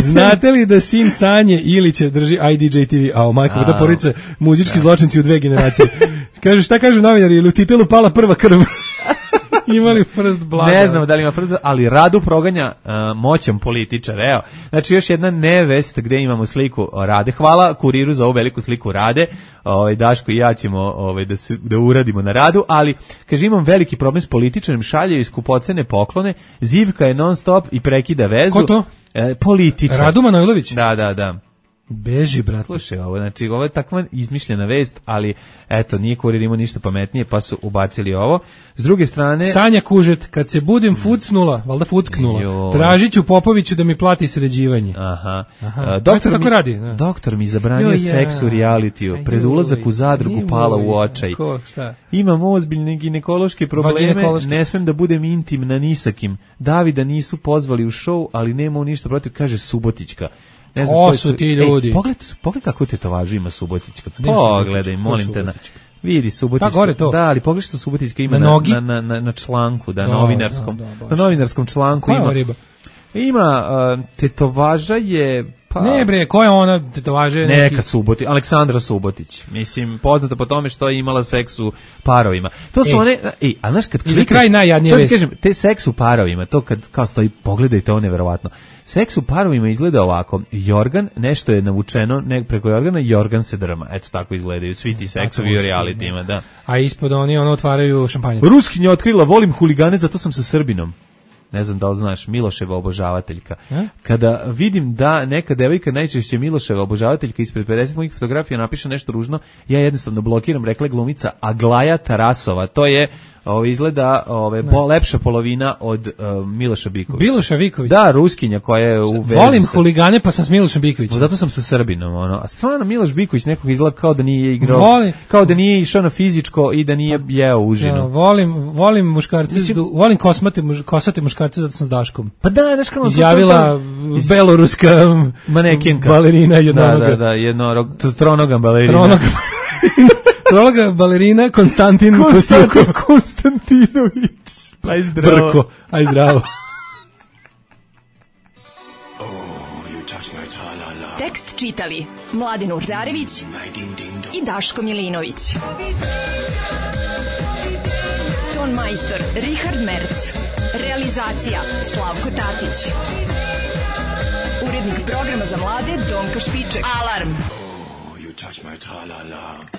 Znate li da sin Sanje Ilića drži I D J T V, a o majko, da porice muzički zločinci u dve generacije. Kaže, šta kažu novinari, ili u titelu pala prva krv? Imali first blood. Ne znam da li ima first blood, ali Radu proganja uh, moćan političar, evo. Znači još jedna nevest gde imamo sliku Rade. Hvala Kuriru za ovu veliku sliku Rade. Ovaj Daško i ja ćemo ovaj da se da uradimo na Radu, ali kaže imam veliki problem s političarem, šalje skupocene poklone, zivka je non stop i prekida vezu. Ko to? E, političar. Radu Manojlović. Da, da, da. Beži, brate. Slušaj, ovo, znači, ovo je takva izmišljena vest, ali, eto, nije Kurir imao ništa pametnije, pa su ubacili ovo. S druge strane... Sanja Kužet, kad se budem fucnula, valjda fucknula, tražit ću Popoviću da mi plati sređivanje. Aha. Aha. Uh, doktor, tako mi, radi, da. doktor mi zabranio jo, seks u realitiju, pred ulazak u zadrugu joj, pala u očaj. Ko, šta? Imam ozbiljne ginekološke probleme, Vaginekološke. ne smem da budem intimna ni sa kim. Davida nisu pozvali u show, ali nema ništa protiv, kaže Subotićka. Ne znam ko su ti ljudi? Ej, pogled, pogled kako tetovažu ima Subotićka. Pogledaj, molim te. Na, vidi Subotićka. Pa gore to. Da, ali pogledaj što Subotićka ima na, na, nogi? na, na, na, na članku, da, da novinarskom. Da, da, na novinarskom članku koja ima. Riba? Ima uh, tetovaža je pa ne bre, koja je ona tetovaža? Neka neki... Subotić, Aleksandra Subotić. Mislim, poznata po tome što je imala seks u parovima. To su ej. one, ej, a znaš kad I za kraj najjadnije sad vesti. kažem, te seks u parovima, to kad kao stoji, pogledajte, ovo neverovatno. Seks u parovima izgleda ovako. Jorgan, nešto je navučeno ne, preko Jorgana, Jorgan se drma. Eto tako izgledaju svi ti seksovi u realitima, da. A ispod oni ono otvaraju šampanjac. Ruskinja otkrila, volim huligane, zato sam sa Srbinom. Ne znam da li znaš, Miloševa obožavateljka. E? Kada vidim da neka devojka, najčešće Miloševa obožavateljka, ispred pedeset mojih fotografija napiše nešto ružno, ja jednostavno blokiram, rekla je glumica Aglaja Tarasova. To je, ovo izgleda, ove, bo, lepša polovina od uh, Miloša Bikovića. Miloša Biković? Da, Ruskinja koja je u vezi. Volim sa... huligane, pa sam s Milošem Bikovićem. Zato sam sa Srbinom, ono. A stvarno Miloš Biković nekog izgleda kao da nije igrao, volim... kao da nije išao na fizičko i da nije jeo užinu. Ja, volim, volim muškarce, Mislim... volim kosmate, muž, kosate muškarce, zato sam s Daškom. Pa da, znaš kao... Izjavila iz... beloruska manekinka. Balerina jednonoga. Da, da, da, jednorog, tronoga balerina. Tronoga Tronoga balerina Konstantin Konstantin Konstantinović. Aj zdravo. Brko, aj zdravo. Tekst čitali Mladin Urdarević i Daško Milinović. Ton majstor Richard Merc. Realizacija Slavko Tatić. Urednik programa za mlade Donka Špiček. Alarm! Oh, you touch my tra-la-la.